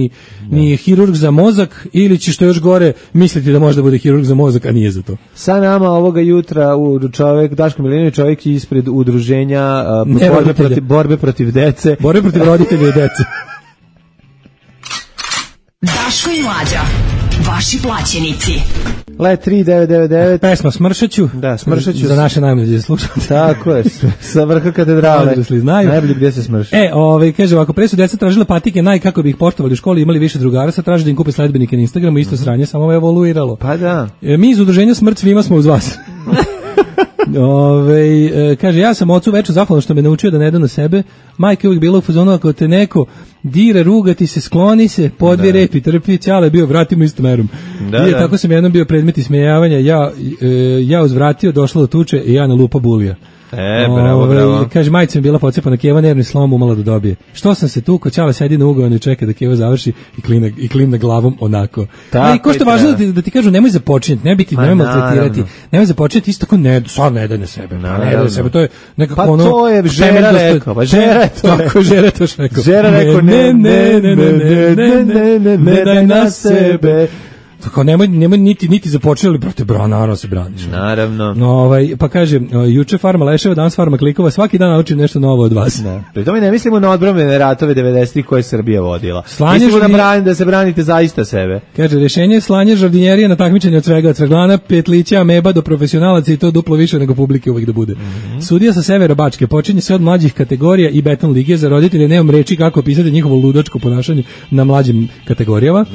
E: ni hirurg za mozak ili će što još gore misliti da može da bude hirurg za mozak, a nije za to.
F: Sa nama ovoga jutra čovjek, Daško Milinović, čovjek ispred udruženja borbe protiv dece.
E: Borbe protiv roditelja i dece.
B: Daško i Mlađa, vaši plaćenici.
F: Let 3999.
E: Pesma Smršaću.
F: Da, Smršaću.
E: Za naše najmlađe slušalce.
F: Tako je, sa vrha katedrale. Najbolje gdje se smrši.
E: Kaže ovako, pre su deca tražila patike, kako bi ih poštovali u školi, imali više drugara, sad traže da im kupe sledbenike na Instagramu, isto sranje, samo je evoluiralo.
F: Pa da.
E: Mi iz udruženja Smrt svima smo uz vas. Kaže, ja sam ocu večer zahvalan što me naučio da ne da na sebe. Majka je uvijek bila u fazonu, ako te neko dira, ruga ti se, skloni se, podvi repi, trpi, Ćale bio, vratimo istom merom. Tako sam jednom bio predmet ismejavanja, ja uzvratio, došla do tuče i ja na lupa bulija.
F: Bravo.
E: Kaže, majica mi bila pocepana, Keva nervni slom umala da dobije. Što sam se tu, ko Ćale sedi na ugovanu i čeka da Keva završi i klimna glavom onako. Ko što je važno da ti kažu, nemoj započinjati, nemoj maltretirati, nemoj započinjati isto tako, sad ne daj na sebe. Ne daj na sebe, to je nekako ono...
F: Pa to je Žera rekao, Žera je to.
E: Tako, Žera to rekao.
F: Žera rekao, ne daj na sebe.
E: Tako, nemoj niti započeli, brate, naravno se braniš.
F: Naravno.
E: Pa kaže, juče farma leševa, danas farma klikova, svaki dan naučim nešto novo od vas.
F: Pri tome ne mislimo na odbrambene ratove 90-ih koje je Srbija vodila. Mislimo da se branite zaista sebe.
E: Kaže, rješenje je slanje žardinjerije na takmičenje od svega, od Cveglana, Petlića, ameba do profesionalaca i to duplo više nego publike uvijek da bude. Sudija sa severa Bačke, počinje sve od mlađih kategorija i beton lige, za roditelje nemam reči kako opisati njihovo ludačko ponašanje na mlađim kategorijama.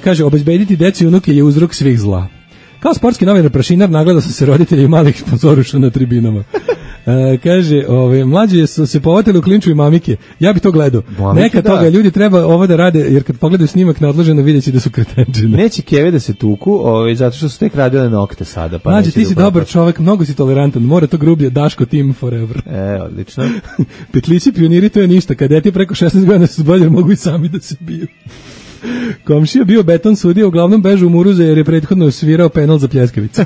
E: Kaže, obezbediti deci i unuke je uzrok svih zla. Kao sportski novinar Prašinar nagledao sam se roditelji malih sponzoruša na tribinama. Kaže, mlađi su se povatili u klinču i mamike. Ja bi to gledao. Neka toga ljudi treba ovo da rade, jer kad pogledaju snimak neodloženo videći da su kretenčine.
F: Neće keve da se tuku, zato što su tek radile nokte sada. Pa
E: mlađi, ti si dobar čovek, mnogo si tolerantan, mora to grublje, Daško team forever.
F: Odlično.
E: Petlići pioniri, to je ništa. Kadeti preko 16 godina su bolje, mogu i sami da se biju. Komšija bio beton sudija, uglavnom bežu u Muruze jer je prethodno svirao penal za pljeskavicu.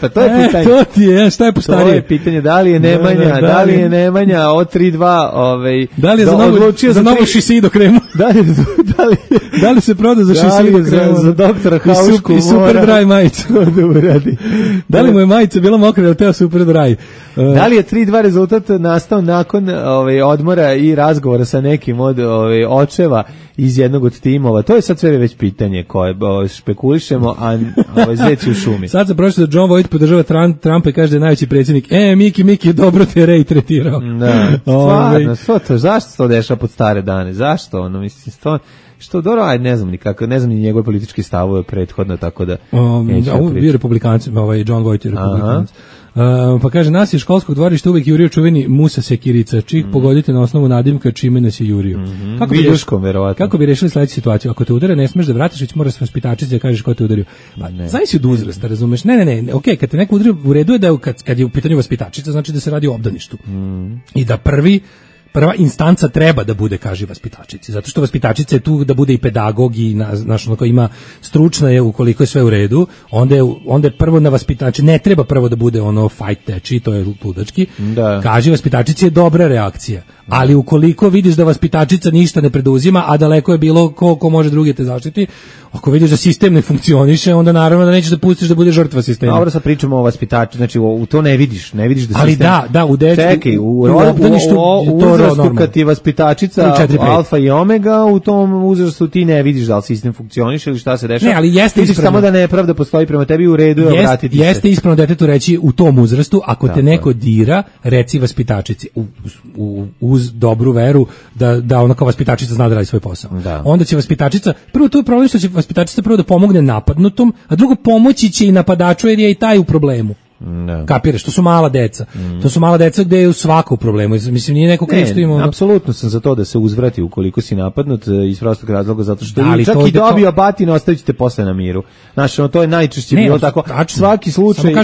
F: Pa to je pitanje.
E: To ti je, šta je postarije?
F: To je pitanje, da li je Nemanja od 3-2,
E: da li je za novu Šisido kremu? Da li se proda za Šisido kremu?
F: Za doktora Haušku
E: i Super Dry majicu da uradi. Da li mu je majica bila mokra ili teo Super Dry?
F: Da li je 3-2 rezultat nastao nakon odmora i razgovora sa nekim od očeva iz jednog od timova? To je sad sve već pitanje koje špekulišemo, a zeci u šumi.
E: Sad se prošlo da John Voight podržava Trumpa i kaže da je najveći predsjednik. Miki, dobro te Ray tretirao.
F: Da, stvarno, zašto to dešava pod stare dane? Zašto? Što dobro, ajde, ne znam nikako, ne znam ni njegove političke stavove prethodno, tako da...
E: bio republikanci, John Voight je republikanac. Pa kaže, nas je školskog dvorišta uvijek jurio čuveni Musa Sekirica, čih pogodite na osnovu nadimka čime nas je jurio. Kako bi rešili sledeću situaciju? Ako te udare, ne smeš da vratiš, već moraš vaspitačici da kažeš ko te udario. Znaš si od uzrasta, razumeš? Ne, okej, kad te neko udario, u redu je da kad je u pitanju vaspitačica, znači da se radi o obdaništu. I da prva instanca treba da bude, kaže vaspitačici, zato što vaspitačica je tu da bude i pedagog i ima stručna je, ukoliko je sve u redu, onda je prvo na vaspitači, ne treba prvo da bude fight teči, to je ludački, kaže vaspitačici je dobra reakcija, ali ukoliko vidiš da vaspitačica ništa ne preduzima, a daleko je bilo ko može drugi te zaštiti, ako vidiš da sistem ne funkcioniše, onda naravno da nećeš da pustiš da bude žrtva sistema.
F: Dobro, sad pričamo o vaspitači, znači u to ne vidiš da sistem...
E: Ali da, u
F: uzrastu kad ti je vaspitačica alfa i omega, u tom uzrastu ti ne vidiš da li sistem funkcioniše ili šta se dešava.
E: Ne, ali jeste
F: ispravno. Samo da nepravda postoji prema tebi, u redu je obratiti se.
E: Jeste ispravno detetu reći u tom uzrastu, ako te neko dira, reci vaspitačici uz dobru veru da ona kao vaspitačica zna da radi svoj posao. Onda će vaspitačica, prvo to je problem što će vaspitačica prvo da pomogne napadnutom, a drugo pomoći će i napadaču jer je i taj u problemu. Kapiraš, to su mala deca. To su mala deca gde je u svaku problemu. Mislim, nije neko kriv što ima...
F: Apsolutno sam za to da se uzvrati ukoliko si napadnut iz prostog razloga, zato što čak i dobio batina, ostavit ćete posle na miru. Znaš, to je najčešće bilo tako. Svaki slučaj...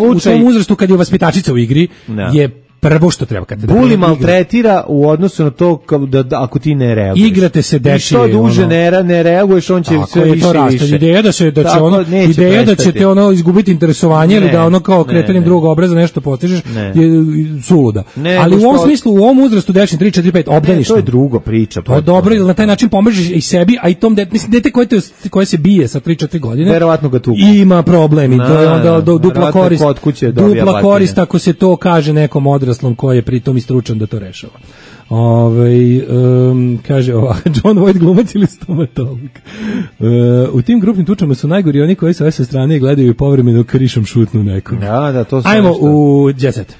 E: U tom uzrastu kad je vaspitačica u igri je prvo što treba kad te
F: Buli maltretira u odnosu na to da ako ti ne reaguješ.
E: Igrate se dečije.
F: Što duže ne reaguješ, on će sve više i više.
E: Ideja da će te izgubiti interesovanje ili da kao kretanjem drugog obraza nešto postižeš je suluda. Ali u ovom smislu, u ovom uzrastu dečije 3, 4, 5 obdaniš.
F: To je drugo priča.
E: To je dobro, jer na taj način pomažeš i sebi, a i tom dete koje se bije sa 3, 4 godine.
F: Verovatno ga tuku.
E: Ima problemi. To je onda dupla korist ako se to kaže nekom odraslom koji je pritom i stručan da to rešava. Kaže John Voight glumac ili stomatolog. U tim grupnim tučama su najgori oni koji sa strane i gledaju i povremeno krišom šutnu nekom.
F: To
E: ajmo u Jet Set.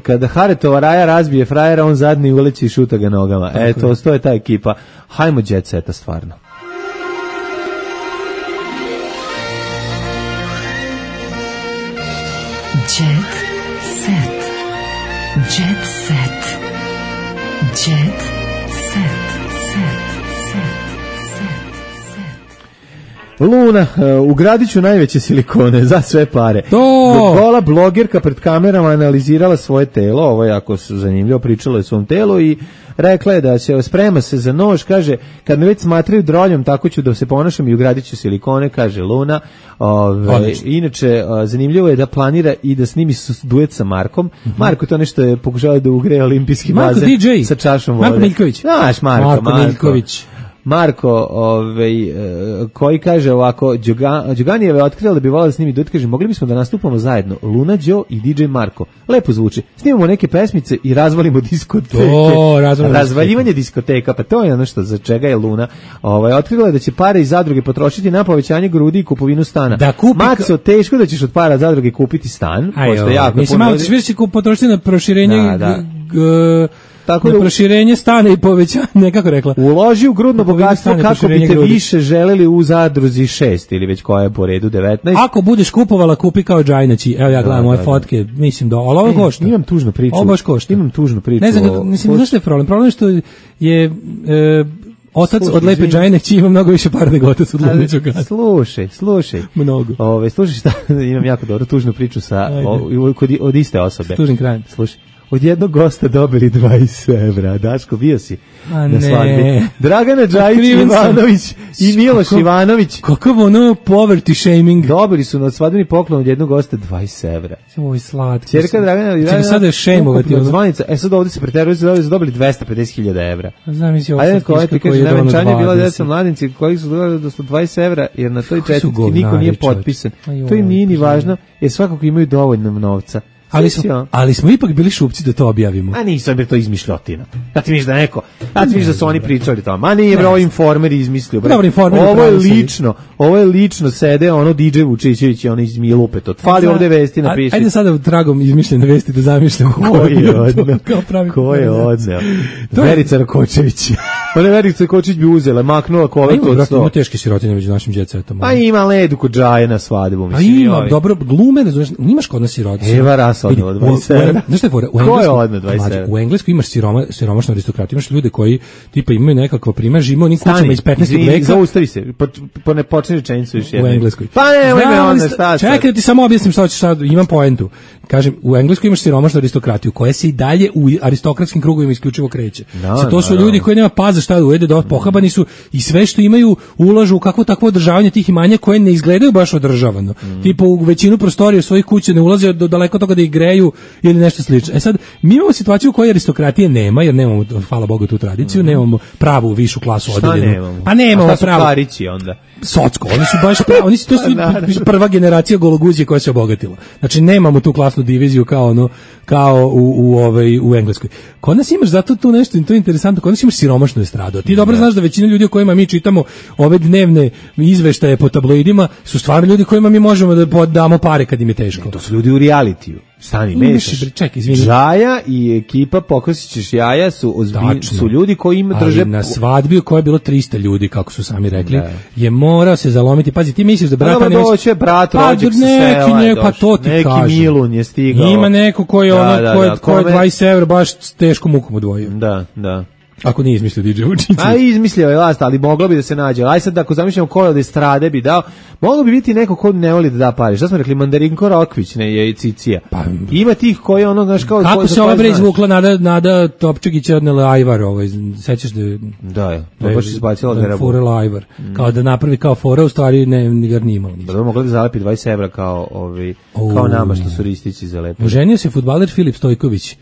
F: Kada Haretova Raja razbije frajera, on zadnji uleći i šuta ga nogama. To je ta ekipa. Hajmo Jet Seta stvarno.
B: Jet Set. Jet Set. Jet Set.
F: Luna, ugradit ću najveće silikone za sve pare. Gola blogerka pred kamerama analizirala svoje telo, ovo je jako zanimljivo, pričala je o svom telu i rekla je da se sprema se za nož, kaže, kad me već smatraju droljom, tako ću da se ponašam i ugradit ću silikone, kaže Luna. Inače, zanimljivo je da planira i da snimi duet sa Markom. Marko to nešto je pokušao da ugreje olimpijski bazen sa čašom vode.
E: Marko Miljković.
F: Znaš, Marko Miljković. Marko, koji kaže ovako, Đoganijeva je otkrila da bi volala da snimi duet, kaže, mogli bismo da nastupamo zajedno, Luna, Đo i DJ Marko. Lepo zvuči. Snimamo neke pesmice i razvalimo diskoteke. Razvaljivanje diskoteka, pa to je ono što za čega je Luna. Otkrila je da će pare iz zadruge potrošiti na povećanje grudi i kupovinu stana. Maco, teško da ćeš od para zadruge kupiti stan.
E: Mislim, malo ćeš više potrošiti na proširenje
F: tako
E: da proširenje stana i povećanje, nekako rekla.
F: Uloži u grudno bogatstvo kako biste više želeli u zadruzi 6 ili već koja je po redu 19.
E: Ako budeš kupovala, kupi kao Džajnaći. Evo ja gledam moje fotke, mislim da ovo košta.
F: Imam tužnu priču.
E: Ovo baš košta.
F: Imam tužnu priču.
E: Ne znam, mislim, zašto je problem? Problem je što je otac od Lepe Džajne kći ima mnogo više para nego otac od Lunića Gada.
F: Slušaj.
E: Mnogo.
F: Slušaj šta, imam jako dobro tužnu priču od iste osobe.
E: S tužnim krajem.
F: Slušaj. Od jednog gosta dobili 20 evra. Daško, bio si na svadbi. Dragana Džajić-Ivanović i Miloš Ivanović.
E: Kakav ono poverty shaming.
F: Dobili su na svadbeni poklon od jednog gosta 20 evra.
E: Oj, slatko.
F: Čerka Dragana...
E: Čekaj, sada je šejmovati.
F: Sad ovdje se preteruje, su dobili 250.000 evra.
E: Znam, misli ovo
F: sad kiška koji je dono 20. Najvenčanje je bila deca mladinci koji su dobili do 20 evra, jer na toj četvrtki niko nije potpisan. To im nije ni važno, jer svakako imaju dovoljno novca.
E: Ali smo ipak bili šupci da to objavimo.
F: A nisam, jer to izmišljotina. Ja ti misliš da neko, da su oni pričali to. Ma nije, bro, Informer izmislio. Ovo je lično sede ono DJ Vučićević i ono iz Milupe. To fali ovde vesti napiši.
E: Ajde sada tragom izmišljene vesti da zamišljamo
F: ko je odneo. Verica Rakočević. Ona Verica Rakočević bi uzela, maknula koletu od 100.
E: Ima teške sirotinje među našim djecetom.
F: Pa ima ledu kod Džaje na svadbu.
E: Pa ima, dobro, glume, nimaš kod nas sirotinje.
F: Odneo 20 evra.
E: Znaš šta je fora? U Engleskoj imaš siromašnu aristokratiju, imaš ljude koji tipa imaju nekakva primaž, imaju onim kućama iz 15. veka.
F: Zaustavi se, ne počne rečenicu još jednom.
E: U Engleskoj.
F: Pa ne, onda šta.
E: Čekaj, ti samo objasnim šta ćeš sad, imam poentu. Kažem, u Engleskoj imaš siromašnu aristokratiju koja se i dalje u aristokratskim krugovima isključivo kreće. To su ljudi koji nema paza šta da ujede, da pohabani su i sve što imaju ulažu u kakvo takvo održavanje tih imanja koje ne izgledaju baš održavano. Tipa u većinu prostorija svojih kuća ne ulaze do daleko toga da ih greju ili nešto slično. Sad, mi imamo situaciju u kojoj aristokratije nema, jer nemamo, hvala Bogu, tu tradiciju, nemamo pravu višu klasu odeljenu. Pa nemamo pravu.
F: Šta su parići onda?
E: Socko, oni su baš pravi, to su prva generacija gologuzije koja se obogatila. Znači, nemamo tu klasnu diviziju kao u Engleskoj. Kod nas imaš zato tu nešto, to je interesantno, kod nas imaš siromašnu estradu. Ti dobro znaš da većina ljudi o kojima mi čitamo ove dnevne izveštaje po tabloidima su stvarno ljudi kojima mi možemo da damo pare kad im je teško.
F: To su ljudi u realitiju. Stani, mešaš. Žaja i ekipa Pokosićeš jaja su ljudi koji im drže...
E: Ali na svadbi u kojoj je bilo 300 ljudi, kako su sami rekli, je morao se zalomiti. Pazi, ti misliš da brata
F: nemaš... Doće brat, rođak sa sela.
E: Pa to ti kažem.
F: Neki Milun je stigao.
E: Ima neko koji je 20 evra baš teško mukom odvojio.
F: Da.
E: Ako nije izmislio DJ Vučić.
F: A izmislio je last, ali moglo bi da se nađe. Aj sad, ako zamišljamo ko od estrade bi dao, moglo bi biti neko ko ne voli da da pare. Šta smo rekli, Mandarinko Rokvić, ne, je Cicija. Pa, ima tih koji ono, znaš, kao...
E: Kako se ova bre izvukla Nada Topčagić je odnela Ajvar, sećaš
F: da je baš izbacila da je
E: furela Ajvar. Kao da napravi kao fora, u stvari ne ga nije imalo.
F: Da mogla da zalepi 20 evra kao nama što su ristići zalepili.
E: Oženio se fudbaler Filip Stojković.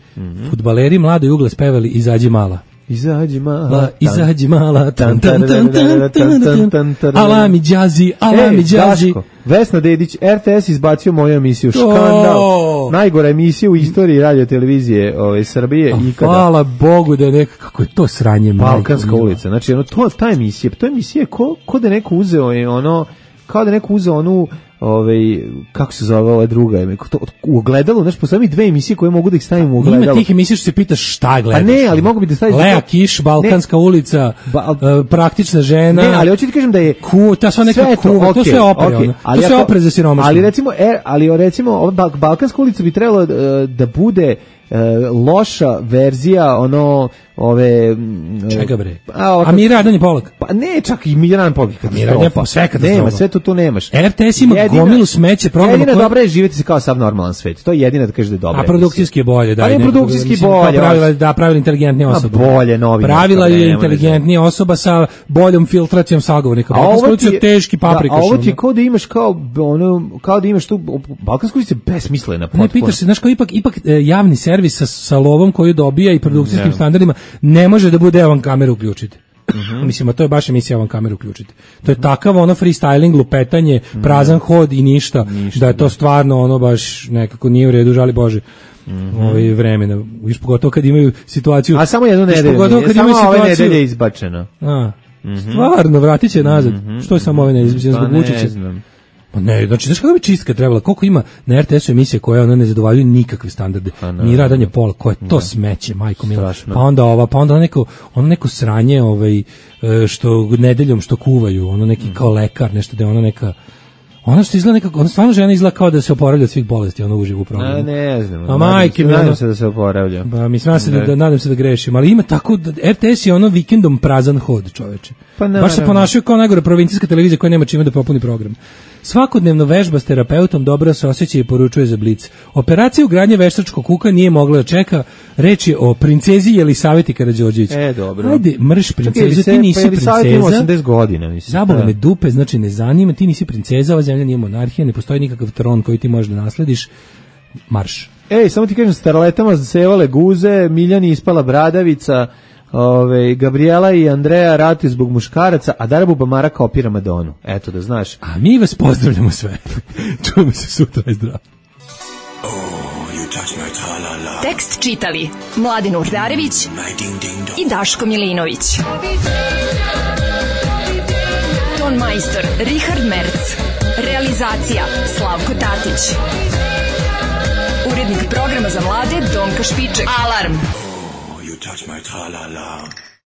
E: Fudbaleri mlado i ugle spevali Izađi mala.
F: Izađi mala,
E: tan, alami džazi.
F: Vesna Dedić, RTS izbacio moju emisiju Škandal, najgora emisija u istoriji radio televizije Srbije ikada.
E: Hvala Bogu da je nekako, kako je to sranje.
F: Balkanska ulica, znači ta emisija, to emisija ko da neko uzeo kao da neko uzeo onu kako se zove ova druga u ogledalu, znači postoje dve emisije koje mogu da ih stavim u ogledalu.
E: Ima tih emisija što se pitaš šta gledaš.
F: Pa ne, ali mogu bi da staviš
E: Lea Kiš, Balkanska ulica, Praktična žena.
F: Ne, ali hoću ti kažem da je
E: ta sva neka kuva, to sve opre, to sve opre za siromašne.
F: Ali recimo Balkanska ulica bi trebalo da bude loša verzija
E: čega bre? A Miran je Polak.
F: Pa ne, čak i Miran Polak.
E: Miran je sve katastrofa.
F: Nema, sve to tu nemaš.
E: RTS ima gomilu smeće programa.
F: Jedina dobra je živjeti se kao sav normalan svet. To je jedina da kažeš da je dobra.
E: A produkcijski je bolje, da.
F: Ali produkcijski bolje.
E: Pravila inteligentnija osoba.
F: Bolje novinarka.
E: Pravila je inteligentnija osoba sa boljom filtracijom sagovornika. Balkanska je teški paprikaš.
F: A ovo ti je kao da imaš kao da imaš tu Balkansku ulicu besmislena potpuno.
E: Ne pitaš se, znaš kao ipak javni servis sa lovom koju dobija i produkcijskim standardima ne može da bude evan kameru uključiti. Mislim, a to je baš emisija evan kameru uključiti. To je takav freestyling, lupetanje, prazan hod i ništa, da je to stvarno baš nekako nije u redu, žali Bože. Vremena, još pogotovo kad imaju situaciju.
F: A samo jednu nedelju, samo ove nedelje izbačeno.
E: Stvarno, vratit će nazad. Što je samo ove nedelje izbačeno zbog Vučića? Ne, znači, znaš kako bi čistka trebala, koliko ima na RTS-u emisije koje ona ne zadovoljavaju nikakve standarde, ni radanje pola, koje to smeće, majko mila, pa onda neko sranje, što nedeljom što kuvaju, ono neki kao lekar, nešto da je ona neka, ona što izgleda nekako, ona stvarno žena izgleda kao da se oporavlja od svih bolesti, ona uživo u programu.
F: Ne znam.
E: A majke mi,
F: nadam se da se oporavlja.
E: Pa mislim nadam se da grešim, ali ima tako, RTS je ono vikendom prazan hod, čoveče. Pa baš se ponašaju kao najgore provincijska televizija koja nema čime da popuni program. Svakodnevno vežba s terapeutom, dobro se osjeća i poručuje za Blic. Operacija ugradnje veštačkog kuka nije mogla da čeka. Reč je o princezi Jelisaveti Karađorđević.
F: Dobro.
E: Ajde, mrš princezu, ti nisi princeza.
F: 80 godina, mislim.
E: Zabole me dupe, znači ne zanima, ti nisi princeza, ova zemlja nije monarhija, ne postoji nikakav tron koji ti možeš da naslediš. Marš.
F: Samo ti kažem, starletama zasevale guze, Miljani ispala bradavica, Gabriela i Andreja rati zbog muškaraca, a Dara Bubamara kao opira Madonu. Eto da znaš.
E: A mi vas pozdravljamo sve. Čujemo se sutra i zdravo.
B: Tekst čitali Mladin Urdarević i Daško Milinović. Ton majstor Richard Merc. Realizacija Slavko Tatić. Urednik programa za mlade Donka Špiček. Alarm! Touch my tra-la-la.